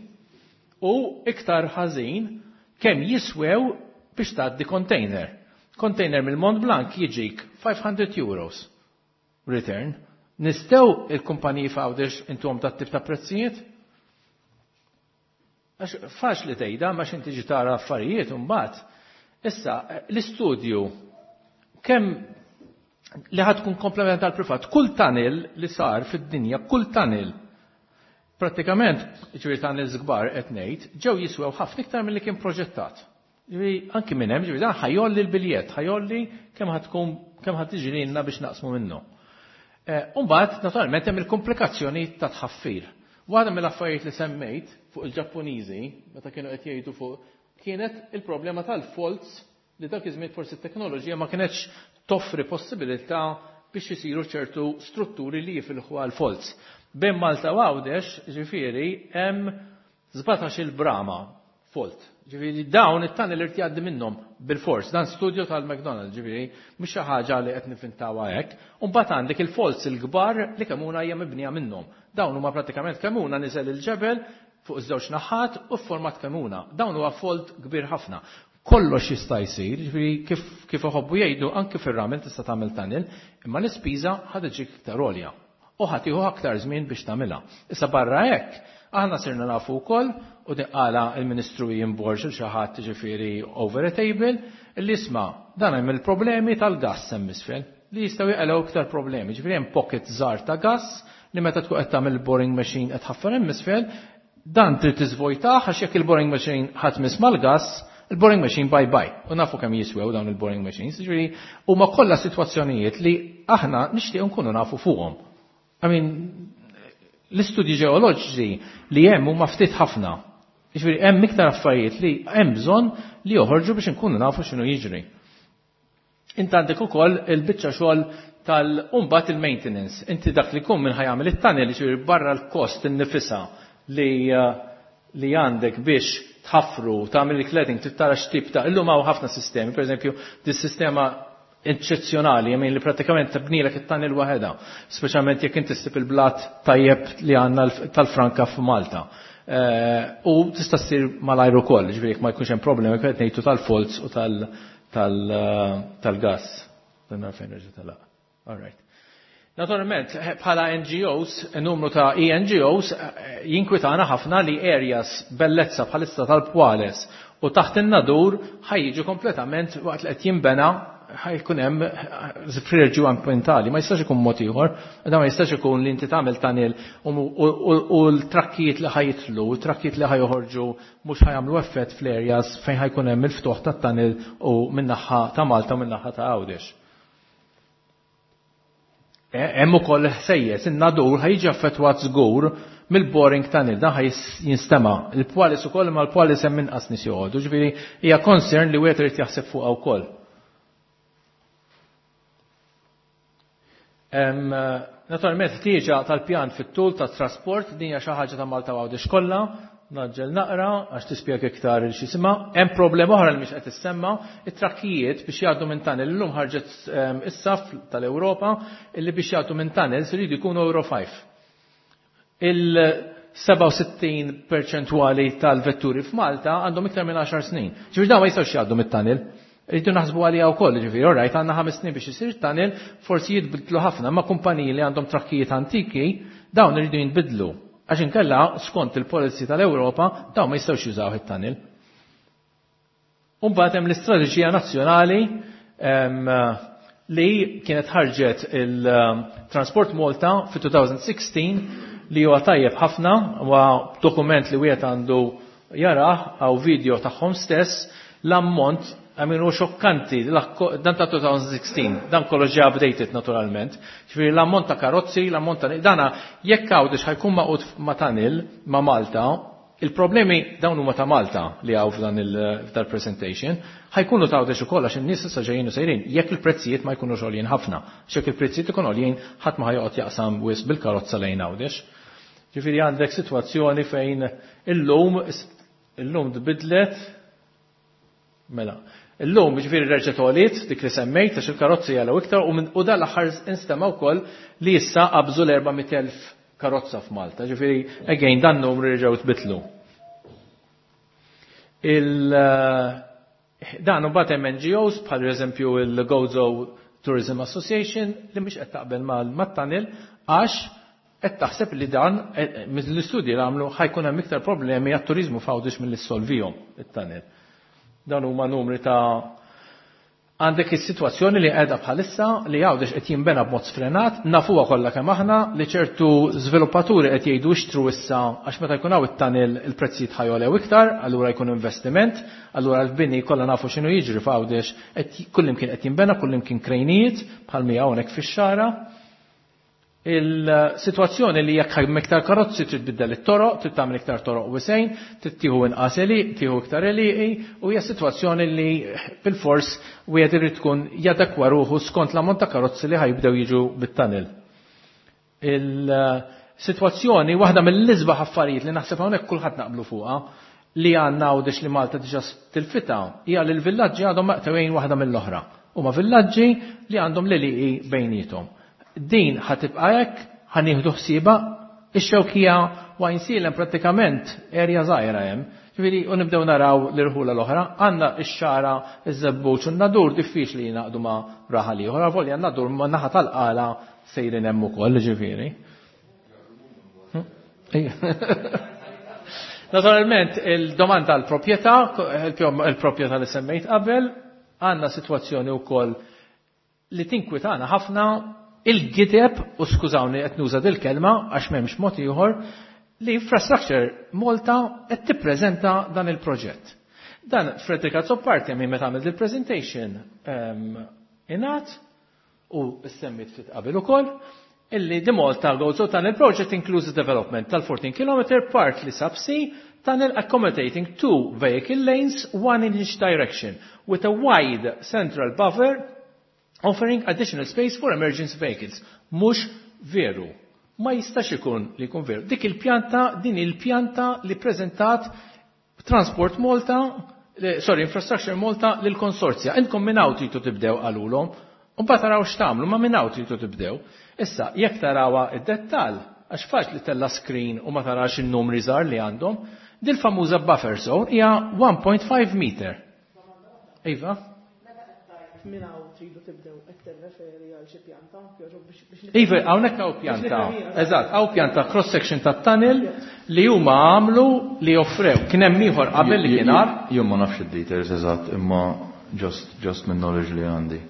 U iktar ħażin kemm jiswew biex tgħaddi container. Container mill-Mont Blanc jiġik five hundred euros return. Nistgħu il-kumpaniji f'Għawdex intuhom dat tip ta' prezzijiet? Għax faċli tgħidha ma x'inti ġi tara affarijiet imbagħad. Issa l-istudju kemm li ħad tkun komplement għal privat. Kull tunnel li sar fid-dinja, kull tunnel, pratikament, ġifieri tunnels kbar qed ngħid, ġew jiswew ħafna iktar milli kien proġettat. Ġifieri anki minn hemm, ġifieri dan ħajolli l-biljett, ħajolli kemm ħad tkun, kemm ħad tiġi lilna biex naqsmu minnu. U mbagħad naturalment hemm il-komplikazzjoni ta' tħaffir. Waħda mill-affarijiet li semmejt fuq il-Ġappuniżi, meta kienu qed jgħidu fuq, kienet il-problema tal-faults li dak iż-żmien forsi t-teknoloġija ma kienetx toffri possibilità biex isiru ċertu strutturi li jifilħu għal faults. Bejn Malta u Għawdex, ġifieri, hemm sbatax il-brama fault. Ġifieri dawn it-tunnel irid jgħaddi minnhom bil-fors. Dan studju tal-McDonald's, ġifieri, mhux xi ħaġa li qed nifintawha hekk. U mbagħad għandek il-faults il-kbar li Kemmuna hija mibnija minnhom. Dawn huma pratikament Kemmuna niżel il-ġebel fuq iż-żewġ naħat u format Kemmuna. Dawn huwa fault kbir ħafna. Kollox jista' jsir, ġifieri kif, kif iħobbu jgħidu anke fir-ramel tista' tagħmel tunnel, imma l-ispiża ħad iġik iktar għolja u ħad tieħu aktar żmien biex tagħmilha. Issa barra hekk, aħna sirna nafu wkoll u qala il-Ministru Ian Borg il xi ħadd ġifieri over a table li isma' dan hemm il-problemi tal-gass hemm isfel li jistgħu jqalgħu iktar problemi. Ġifieri hemm pocket żgħar ta' gass li meta tkun qed tagħmel boring machine qed ħaffer hemm isfel, dan trid tiżvojtah għax jekk il-boring machine ħadd miss mal-gass, il-boring machine bye bye. U nafu kemm jiswew dawn il-boring machines, ġifieri huma kollha sitwazzjonijiet li aħna nixtieq nkunu nafu fuqhom. I mean, l-istudji ġeoloġiċi li hemm huma ftit ħafna. Ġifieri hemm iktar affarijiet li hemm bżonn li joħorġu biex inkunu nafu x'inhu jiġri. Inti għandek ukoll il-biċċa xogħol tal-umbat il-maintenance. Inti dak li jkun minn ħajamel it-tunnel, ġifieri barra l-kost innifisha li, li għandek biex tħaffru, tagħmel il-cladding, trid tara x'tip ta' illum hawn ħafna sistemi, pereżempju dis-sistema eccezzjonali, jemmin li pratikament tibnilek it-tunnel waħedha, speċjalment jekk inti ssib il-blat tajjeb li għandna tal-franka f'Malta. U tista' ssir malajr ukoll, ġifieri jekk ma jkunx hemm problemi qed ngħidu tal-faults u tal-gas. Dan fejn reġa' telaq. All right. Naturalment, bħala N G Os, numru ta' E N G Os, jinkwitana ħafna li areas bellezza bħalissa tal-Pwales u taħt in-Nadur ħa jiġu kompletament waqt li qed jinbena, ħa jkun hemm frerġu ambientali, ma jistax ikun mod ieħor, da ma jistax ikun li inti tagħmel tunnel u l-trakkijiet li ħa jitilgħu, l-trakkijiet li ħa joħorġu mhux ħa jagħmlu effett fl-areas fejn ħa jkun hemm il-ftuħ tat-tunnel u min-naħa ta' Malta u min-naħa ta' Għawdex. Hemm ukoll ħsejjes, in-Nadur ħa jiġi affettwat żgur mill-boring tunnel, dan ħa jinstema'. Il-Pwalis ukoll, ma l-Pwalis hemm inqas nies joqogħdu, ġifieri hija concern li wieħed irid jaħseb fuqha wkoll. Naturalment, ħtieġa tal-pjan fit-tul tat-trasport, din hija xi ħaġa ta' Malta Għawdex kollha, naġġel naqra għax tispjega iktar il x'jisimha. Hemm problema oħra li mhix qed tissemma, it-trakkijiet biex jgħaddu minn tunnel. Illum ħarġet issa tal-Ewropa illi biex jgħaddu minn tunnel iridu jkunu Euro ħamsa. Il-seba' u sittin perċentwali tal-vetturi f'Malta għandhom iktar minn għaxar snin. Ġifieri dawn ma jistgħux jgħaddu mit-tunnel. Rridu naħsbu għalija wkoll, ġifieri, all right, għandna ħames snin biex isir tunnel, forsi jitbidlu ħafna, ma kumpaniji li għandhom trakkijiet antiki, dawn iridu jinbidlu. Għax inkella, skont il-policy tal-Ewropa, dawn ma jistgħux jużaw it-tunnel. Umbagħad hemm l-istrateġija nazzjonali li kienet ħarġet il-Transport Malta fi elfejn u sittax li huwa tajjeb ħafna, huwa dokument li wieħed għandu jarah għaw video tagħhom stess, l-ammont għamilu xokkanti, dan ta' elfejn u sittax, dan kollox ġie updated naturalment. Ġifieri l-ammont ta' karozzi, l-ammont ta' dana, jekk Għawdex ħa jkun magħqud ma' tunnel ma' Malta, il-problemi dawn huma ta' Malta li hawn f'dan il-presentation, ħa jkunu ta' Għawdex ukoll għax in-nies issa ġejjin u sejrin, jekk il-prezzijiet ma jkunux għoljin ħafna. Jekk il-prezzijiet ikun għoljin, ħadd ma ħa joqgħod jaqsam wisq bil-karozza lejn Għawdex. Ġifieri għandek sitwazzjoni fejn illum illum tbidlet mela. Illum ġifieri reġgħet għoliet dik li semmejt għax il-karozzi jgħalew iktar u dan l-aħħar instema' wkoll li issa qabżu l-erba' mitt elf karozza f'Malta. Ġifieri again dan numru reġgħu tbidlu. Il dan u hemm N G Os bħal eżempju il-Gozo Tourism Association li mhix qed taqbel mat-tunnel għax qed taħseb li dan mill-istudji li għamlu ħa jkun hemm iktar problemi għat-turiżmu f'Għawdex milli ssolvihom it-tunnel. Dan huma numri ta' għandek is-sitwazzjoni li qiegħda bħalissa li Għawdex qed jinbena b'mod sfrenat, nafuha kollha kemm aħna li ċertu żviluppaturi qed jgħidu ixtru issa għax meta jkun hawn it-tunnel il-prezzijiet ħa jogħlew iktar, allura jkun investiment, allura l-bini kollha nafu x'inhu jiġri f'Għawdex, qed kullimkien qed jinbena, kullimkien krejnijiet bħal mi hawnhekk fix-Xagħra. Il-sitwazzjoni li jekk hemm iktar karozzi trid tbiddel it-toroq, trid tagħmel iktar toroq wisgħin, trid tieħu inqas għelieqi, tieħu iktar għelieqi, u hija sitwazzjoni li bil-fors wieħed irid tkun jadekwa ruħu skont l-ammont ta' karozzi li ħa jibdew jiġu bit-tunnel. Il-sitwazzjoni waħda mill-isbaħ affarijiet li naħseb hawnhekk kulħadd naqblu fuqha li għandna Għawdex li Malta diġà tilfita hija li l-villaġġi għadhom maqtugħin waħda mill-oħra. Huma villaġġi li għandhom l-għelieqi bejniethom. Din ħa tibqa' hekk, ħa nieħdu ħsiebha, ix-Xewkija u Għajnsielem prattikament area żgħira hemm. Ġifieri u nibdew naraw l-irħula l-oħra, għandna x-Xagħra, iż-Żebbuġ u n-Nadur diffiċli jingħaqdu ma' raħal ieħor, avolja n-Nadur ma' naħa tal-Qala sejrin hemm ukoll, ġifieri. Hm? Naturalment, il-domanda għal proprjetà, il-proprjetà li semmejt qabel, għandna sitwazzjoni wkoll li tinkwitana ħafna, il-gideb, u skużawni qed nuża dil-kelma għax m'hemmx mod ieħor, li Infrastructure Malta qed tippreżenta dan il-proġett. Dan Frederick Azzopardi minn meta għamel il-presentation ingħad u semmit ftit qabel ukoll illi the Malta Gozo Tunnel Project includes the development tal-fourteen kilometer partly subsea tunnel accommodating two vehicle lanes, one in each direction, with a wide central buffer offering additional space for emergency vehicles. Mhux veru. Ma jistax ikun li jkun veru. Dik il-pjanta, din il-pjanta li prezentat Transport Malta, eh, sorry, Infrastructure Malta lil konsorzja. Intkom minn hawn tridu tibdew, qalulhom. U mbagħad taraw x'tagħmlu, ma minn hawn tridu tibdew. Issa, jekk tarawha id-dettall, għax faċli tella screen u ma tarax in-numri żgħar li għandhom, dil-famuża buffer zone hija one point five meter. Iva? Minn hawn tridu tibdew, qed tirreferi għal xi pjanta, jogħġob biex biex Iva, hawnhekk hawn pjanta. Eżatt, hawn pjanta cross section tat-tunnel li huma għamlu li offrew. Kien hemm ieħor qabel li kien għar. Jien ma nafx id-details eżatt, imma just, just minn knowledge li għandi.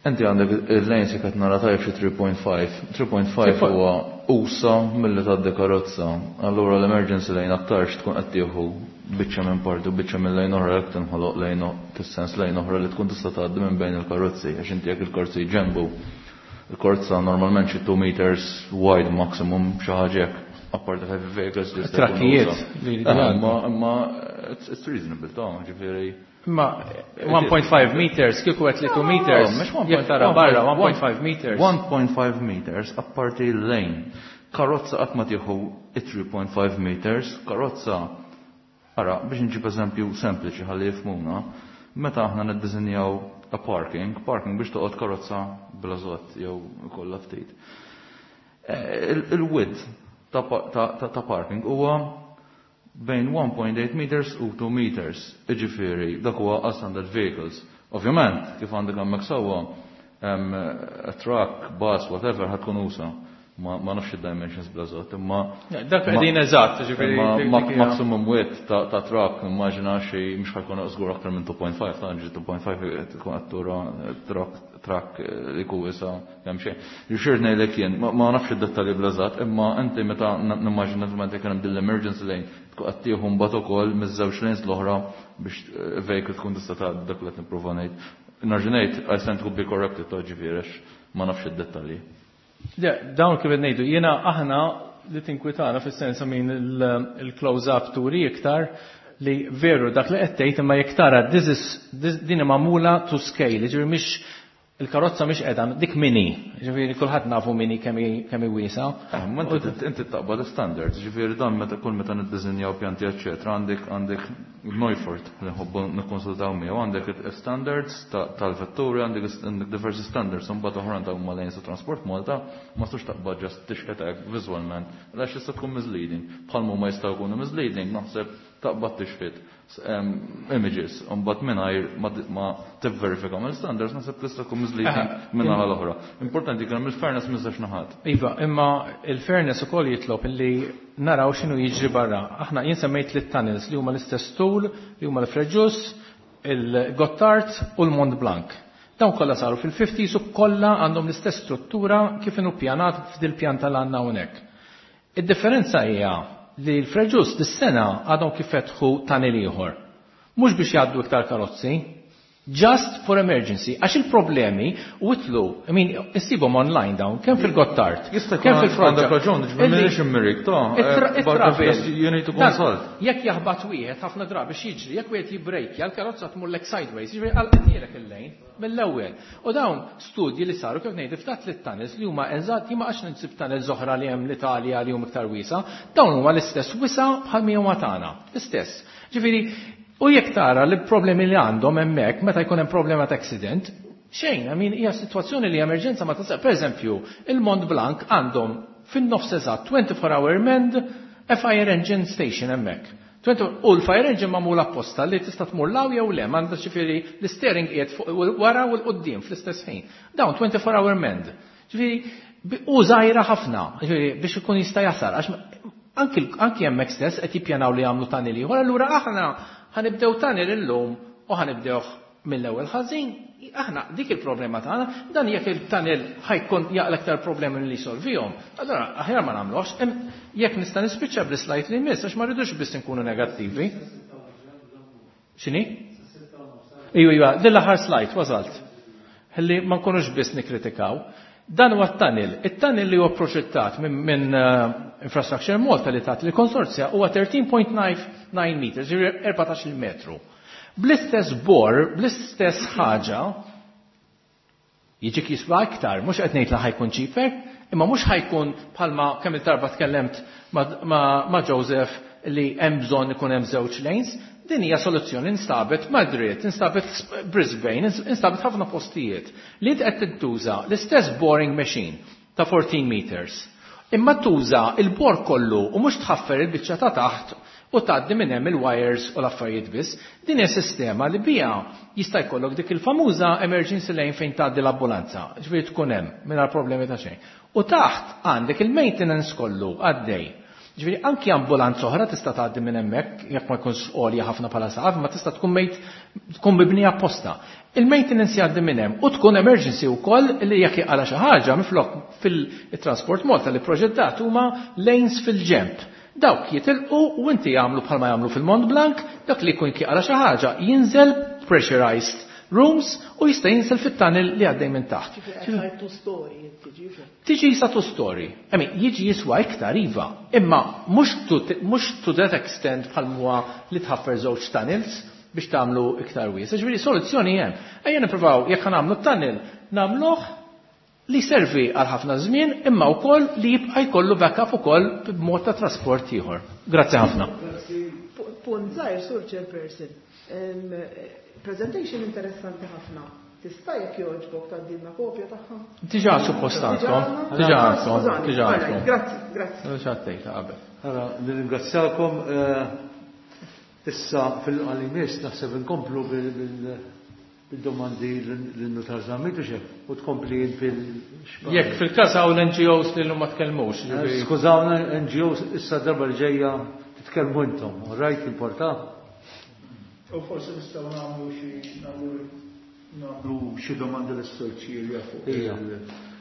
Inti għandek il-lanes, jekk qed nara tajjeb, xi tlieta punt ħamsa. tlieta punt ħamsa huwa usa milli tgħaddi karozza. Allura l-emergency lane aktarx tkun qed tieħu biċċa minn parti u biċċa minn lane oħra, jekk tinħoloq lane fis-sens lane oħra li tkun tista' tgħaddi minn bejn il-karozzi, għax inti jekk il-karozzi ġenbu il-karozza normalment xi two meters wide maximum, xi ħaġa hekk, apparti heavy vehicles li jista' jkunu Trakkijiet usa. li Eh, jgħaddu. Imma imma it's it's reasonable ta', ġifieri. Ma one point five meters, kieku qed li two meters, No, mhux one. Jekk tara barra one point five meters. one point five meters apparti lane. Karozza qatt ma tieħu three point five meters, karozza. Ara, biex nġib eżempju sempliċi ħalli jifhmuna, meta aħna niddisinjaw a parking, parking biex toqgħod karozza bla żott jew kollha ftit. Eh, il- Il-width ta' pa- ta' ta' ta' parking huwa bejn one point eight meters u two meters. Iġifieri, dak huwa għal standard vehicles. Ovvjament, kif għandek hemmhekk sewwa, em, a truck, bus, whatever, ħa tkun usa. Ma, ma nafx id-dimensions bl-eżatt, imma Dak qegħdin eżatt, ġifieri imma dik- ma- dik hija- maximum width ta', ta truck, immaġina xi mhux ħa jkun żgur aktar minn two point five, ta' ġi two point five tkun qed tura truck truck eh, li jkun wiesa kemm xejn. Ġifier ngħidlek jien, ma ma nafx id-dettalji bl-eżatt, imma inti meta n- nimmaġina meta jkun hemm din l-emergency lane tkun qed tieħu mbagħad ukoll miż-żewġ lanes l-oħra biex eh, vehicle tkun tista' tgħaddi, dak li qed nipprova ngħid. Nerġa' ngħid, I stand to be corrected ta', ġifieri għax ma nafx id-dettalji. Le, dawn kif qed ngħidu, jiena aħna li tinkwitana fis-sens min il-close-up turi iktar li veru dak li qed tgħid, imma jekk tara this is this, din hi magħmula to scale, jiġifieri mhix il-karozza mhix qiegħda dik mini, jiġifieri kulħadd nafu mini kemm hi kemm hi wiesa. Eh, ma inti inti taqbad standards, ġifieri dan meta kull meta niddisinjaw pjanti eċċetera, għandek għandek Neufert li nħobbu nikkonsultaw miegħu, għandek standards ta- tal-vetturi, għandek għandek diversi standards, imbagħad oħra ta' huma lanes ta' Transport Malta, ma tistax taqbad just tixħet hekk viżwalment, għax jista' tkun misleading. Bħal ma jistgħu jkunu misleading, naħseb, taqbad tixħet em, images, imbagħad mingħajr ma ma tivverifika mill-standards, naħseb tista' tkun misleading minn naħa l-oħra. Importanti kemm il-fairness miżax naħat. Iva, imma il-fairness ukoll jitlob illi naraw x'inhu jiġri barra. Aħna jien semmejt li tunnels li huma l-istess tul, li huma l-Frejus, il-Gottard u l-Mont Blanc. Dawn kollha saru fil-fifties u kollha għandhom l-istess struttura kif inhu pjanat f'dil pjanta l għandna hawnhekk. Id-differenza hija li l-Frejus dis-sena għadhom kif fetħu tunnel ieħor. Mhux biex jgħaddu iktar karozzi, just for emergency, għax il-problemi u itlu, I mean, issibhom online dawn, kemm fil-Gottard, Jista' kemm jkun fil-Froġġa. għandek raġun, ġifieri m'iniex immirik, ta' eh, but It-travel. you need to consult. Jekk jaħbat wieħed, ħafna drabi x'jiġri, jekk wieħed jibbrejkja, l-karozza tmurlek sideways, jiġri għal il-lane mill-ewwel. U dawn studji li saru, kif ngħid, ftat li tunnels li huma eżatt, jien ma għax ninsib tunnels oħra li hemm l-Italja li huma iktar wiesa, dawn huma l-istess wisa bħal mi huma tagħna, l-istess. Ġifieri, u jekk tara li problemi li għandhom hemmhekk meta jkun hemm problema ta' accident, xejn, I mean, hija sitwazzjoni li emerġenza ma tasal. Per eżempju, il-Mont Blanc għandhom fin-nofs eżatt twenty-four hour manned a fire engine station hemmhekk. twenty U l-fire engine magħmul apposta li tista' tmur law jew le, m'għandha ġifieri l-steering qiegħed fuq wara u l-quddiem fl-istess ħin. Dawn twenty-four hour manned. Ġifieri u żgħira ħafna, ġifieri biex ikun jista' jasal, għax anki anki hemmhekk stess qed jippjanaw li jagħmlu tunnel ieħor, allura aħna ħa nibdew tunnel illum u ħa nibdewh mill-ewwel ħażin. Aħna dik il-problema tagħna, dan jekk il-tunnel ħa jkun jaqla aktar problemi li jsolvihom, allura aħjar ma nagħmluhx. Jekk nista' nispiċċa bl-slide li jmiss, għax ma rridux biss inkunu negattivi. X'inhi? Iju, iva, din l-aħħar slide wasalt. Ħalli ma nkunux biss nikkritikaw. Dan huwa t-tunnel. It-tunnel li huwa proġettat minn min, uh, Infrastructure Malta li tat li konsorzja huwa tlettax punt tnejn meters, ġifieri erbatax-il metru. Bl-istess bor, bl-istess ħaġa, jiġik jiswa iktar, mhux qed ngħid li ħa jkun cheaper, imma mhux ħa jkun bħalma kemm il-darba tkellemt ma, ma, ma Joseph li hemm bżonn ikun hemm żewġ lanes. Din hija soluzzjoni instabet Madrid, instabet Brisbane, instabet ħafna postijiet li inti qed tintuża l-istess boring machine ta' fourteen meters. Imma tuża il-bor kollu u mhux tħaffer il-biċċa ta' taħt u tgħaddi minn hemm il-wires u l-affarijiet biss. Din hija sistema li biha jista' jkollok dik il-famuża emergency lane fejn tgħaddi l-ambulanza, ġifieri tkun hemm mingħajr problemi ta' xejn. U taħt għandek il-maintenance kollu għaddej. Ġifieri anki ambulanza oħra tista' tgħaddi minn hemmhekk jekk ma jkunx għolja ħafna bħala saqaf, ma tista' tkun mejt tkun mibnija apposta. Il-maintenance jgħaddi minn hemm u tkun emergency wkoll li jekk jaqala xi ħaġa minflok fil-Transport Malta li proġettat huma lanes fil-ġemp. Dawk jitilqu u inti jagħmlu bħalma jagħmlu fil-Mont Blanc, dak li jkun jaqala xi ħaġa jinżel pressurized rooms u jista' jinżel fit-tunnel li għaddej minn taħt. Tiġi jisa two story. I mean, jiġi jiswa iktar iva, imma mhux to, mhux to that extent bħal huwa li tħaffer żewġ tunnels biex tagħmlu iktar wiesa'. Ġifieri soluzzjoni hemm. Ejja nippruvaw jekk nagħmlu tunnel nagħmluh li servi għal ħafna żmien imma wkoll li jibqa' jkollu backup ukoll b'mod ta' trasport ieħor. Grazzi ħafna. Punt żgħir, Sur Chairperson. Presentation interessanti ħafna. Tista' jekk jogħġbok tgħaddilna kopja tagħha? Diġà suppost għandkom. Diġà għandkom. Diġà għandkom. Grazzi, grazzi. Diġà għaddejta qabel. Ara, nirringrazzjakom. Issa fil-qalimis naħseb inkomplu bil-domandi lin-Nutar Zammit u xek u tkompli fil- Jekk fil-każ hawn N G Os li ma tkellmux. Skużawna N G Os issa darba li ġejja titkellmu intom, rajt importa? U forsi nistgħu nagħmlu xi nagħmlu xi domandi lis-Sur Cilia fuq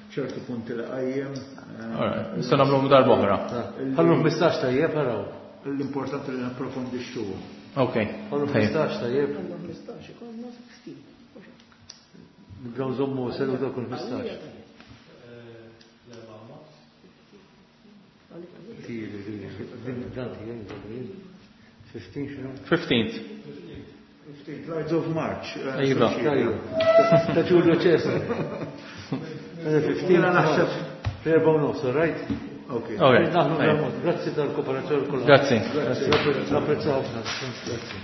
ċertu punti li qajjem. Nistgħu nagħmluhom darba oħra. Ħallu ħmistax tajjeb araw. L-importanti li napprofondixxuhom. Ok. Ħallu ħmistax tajjeb. Ħallu ħmistax ikollna sixteen. Nibdew nżommu seduta kull ħmistax. Fifteen xinu? Fifteenth. Fifteenth, Lights of March. Iva. Ta' Ġulju Ċesar. Fifteen naħseb. Erba' u nofs, right? Ok. Ok. Naħnu nagħmlu. Grazzi tal-kooperazzjoni kollha. Grazzi. Grazzi. Napprezzaw ħafna. Grazzi.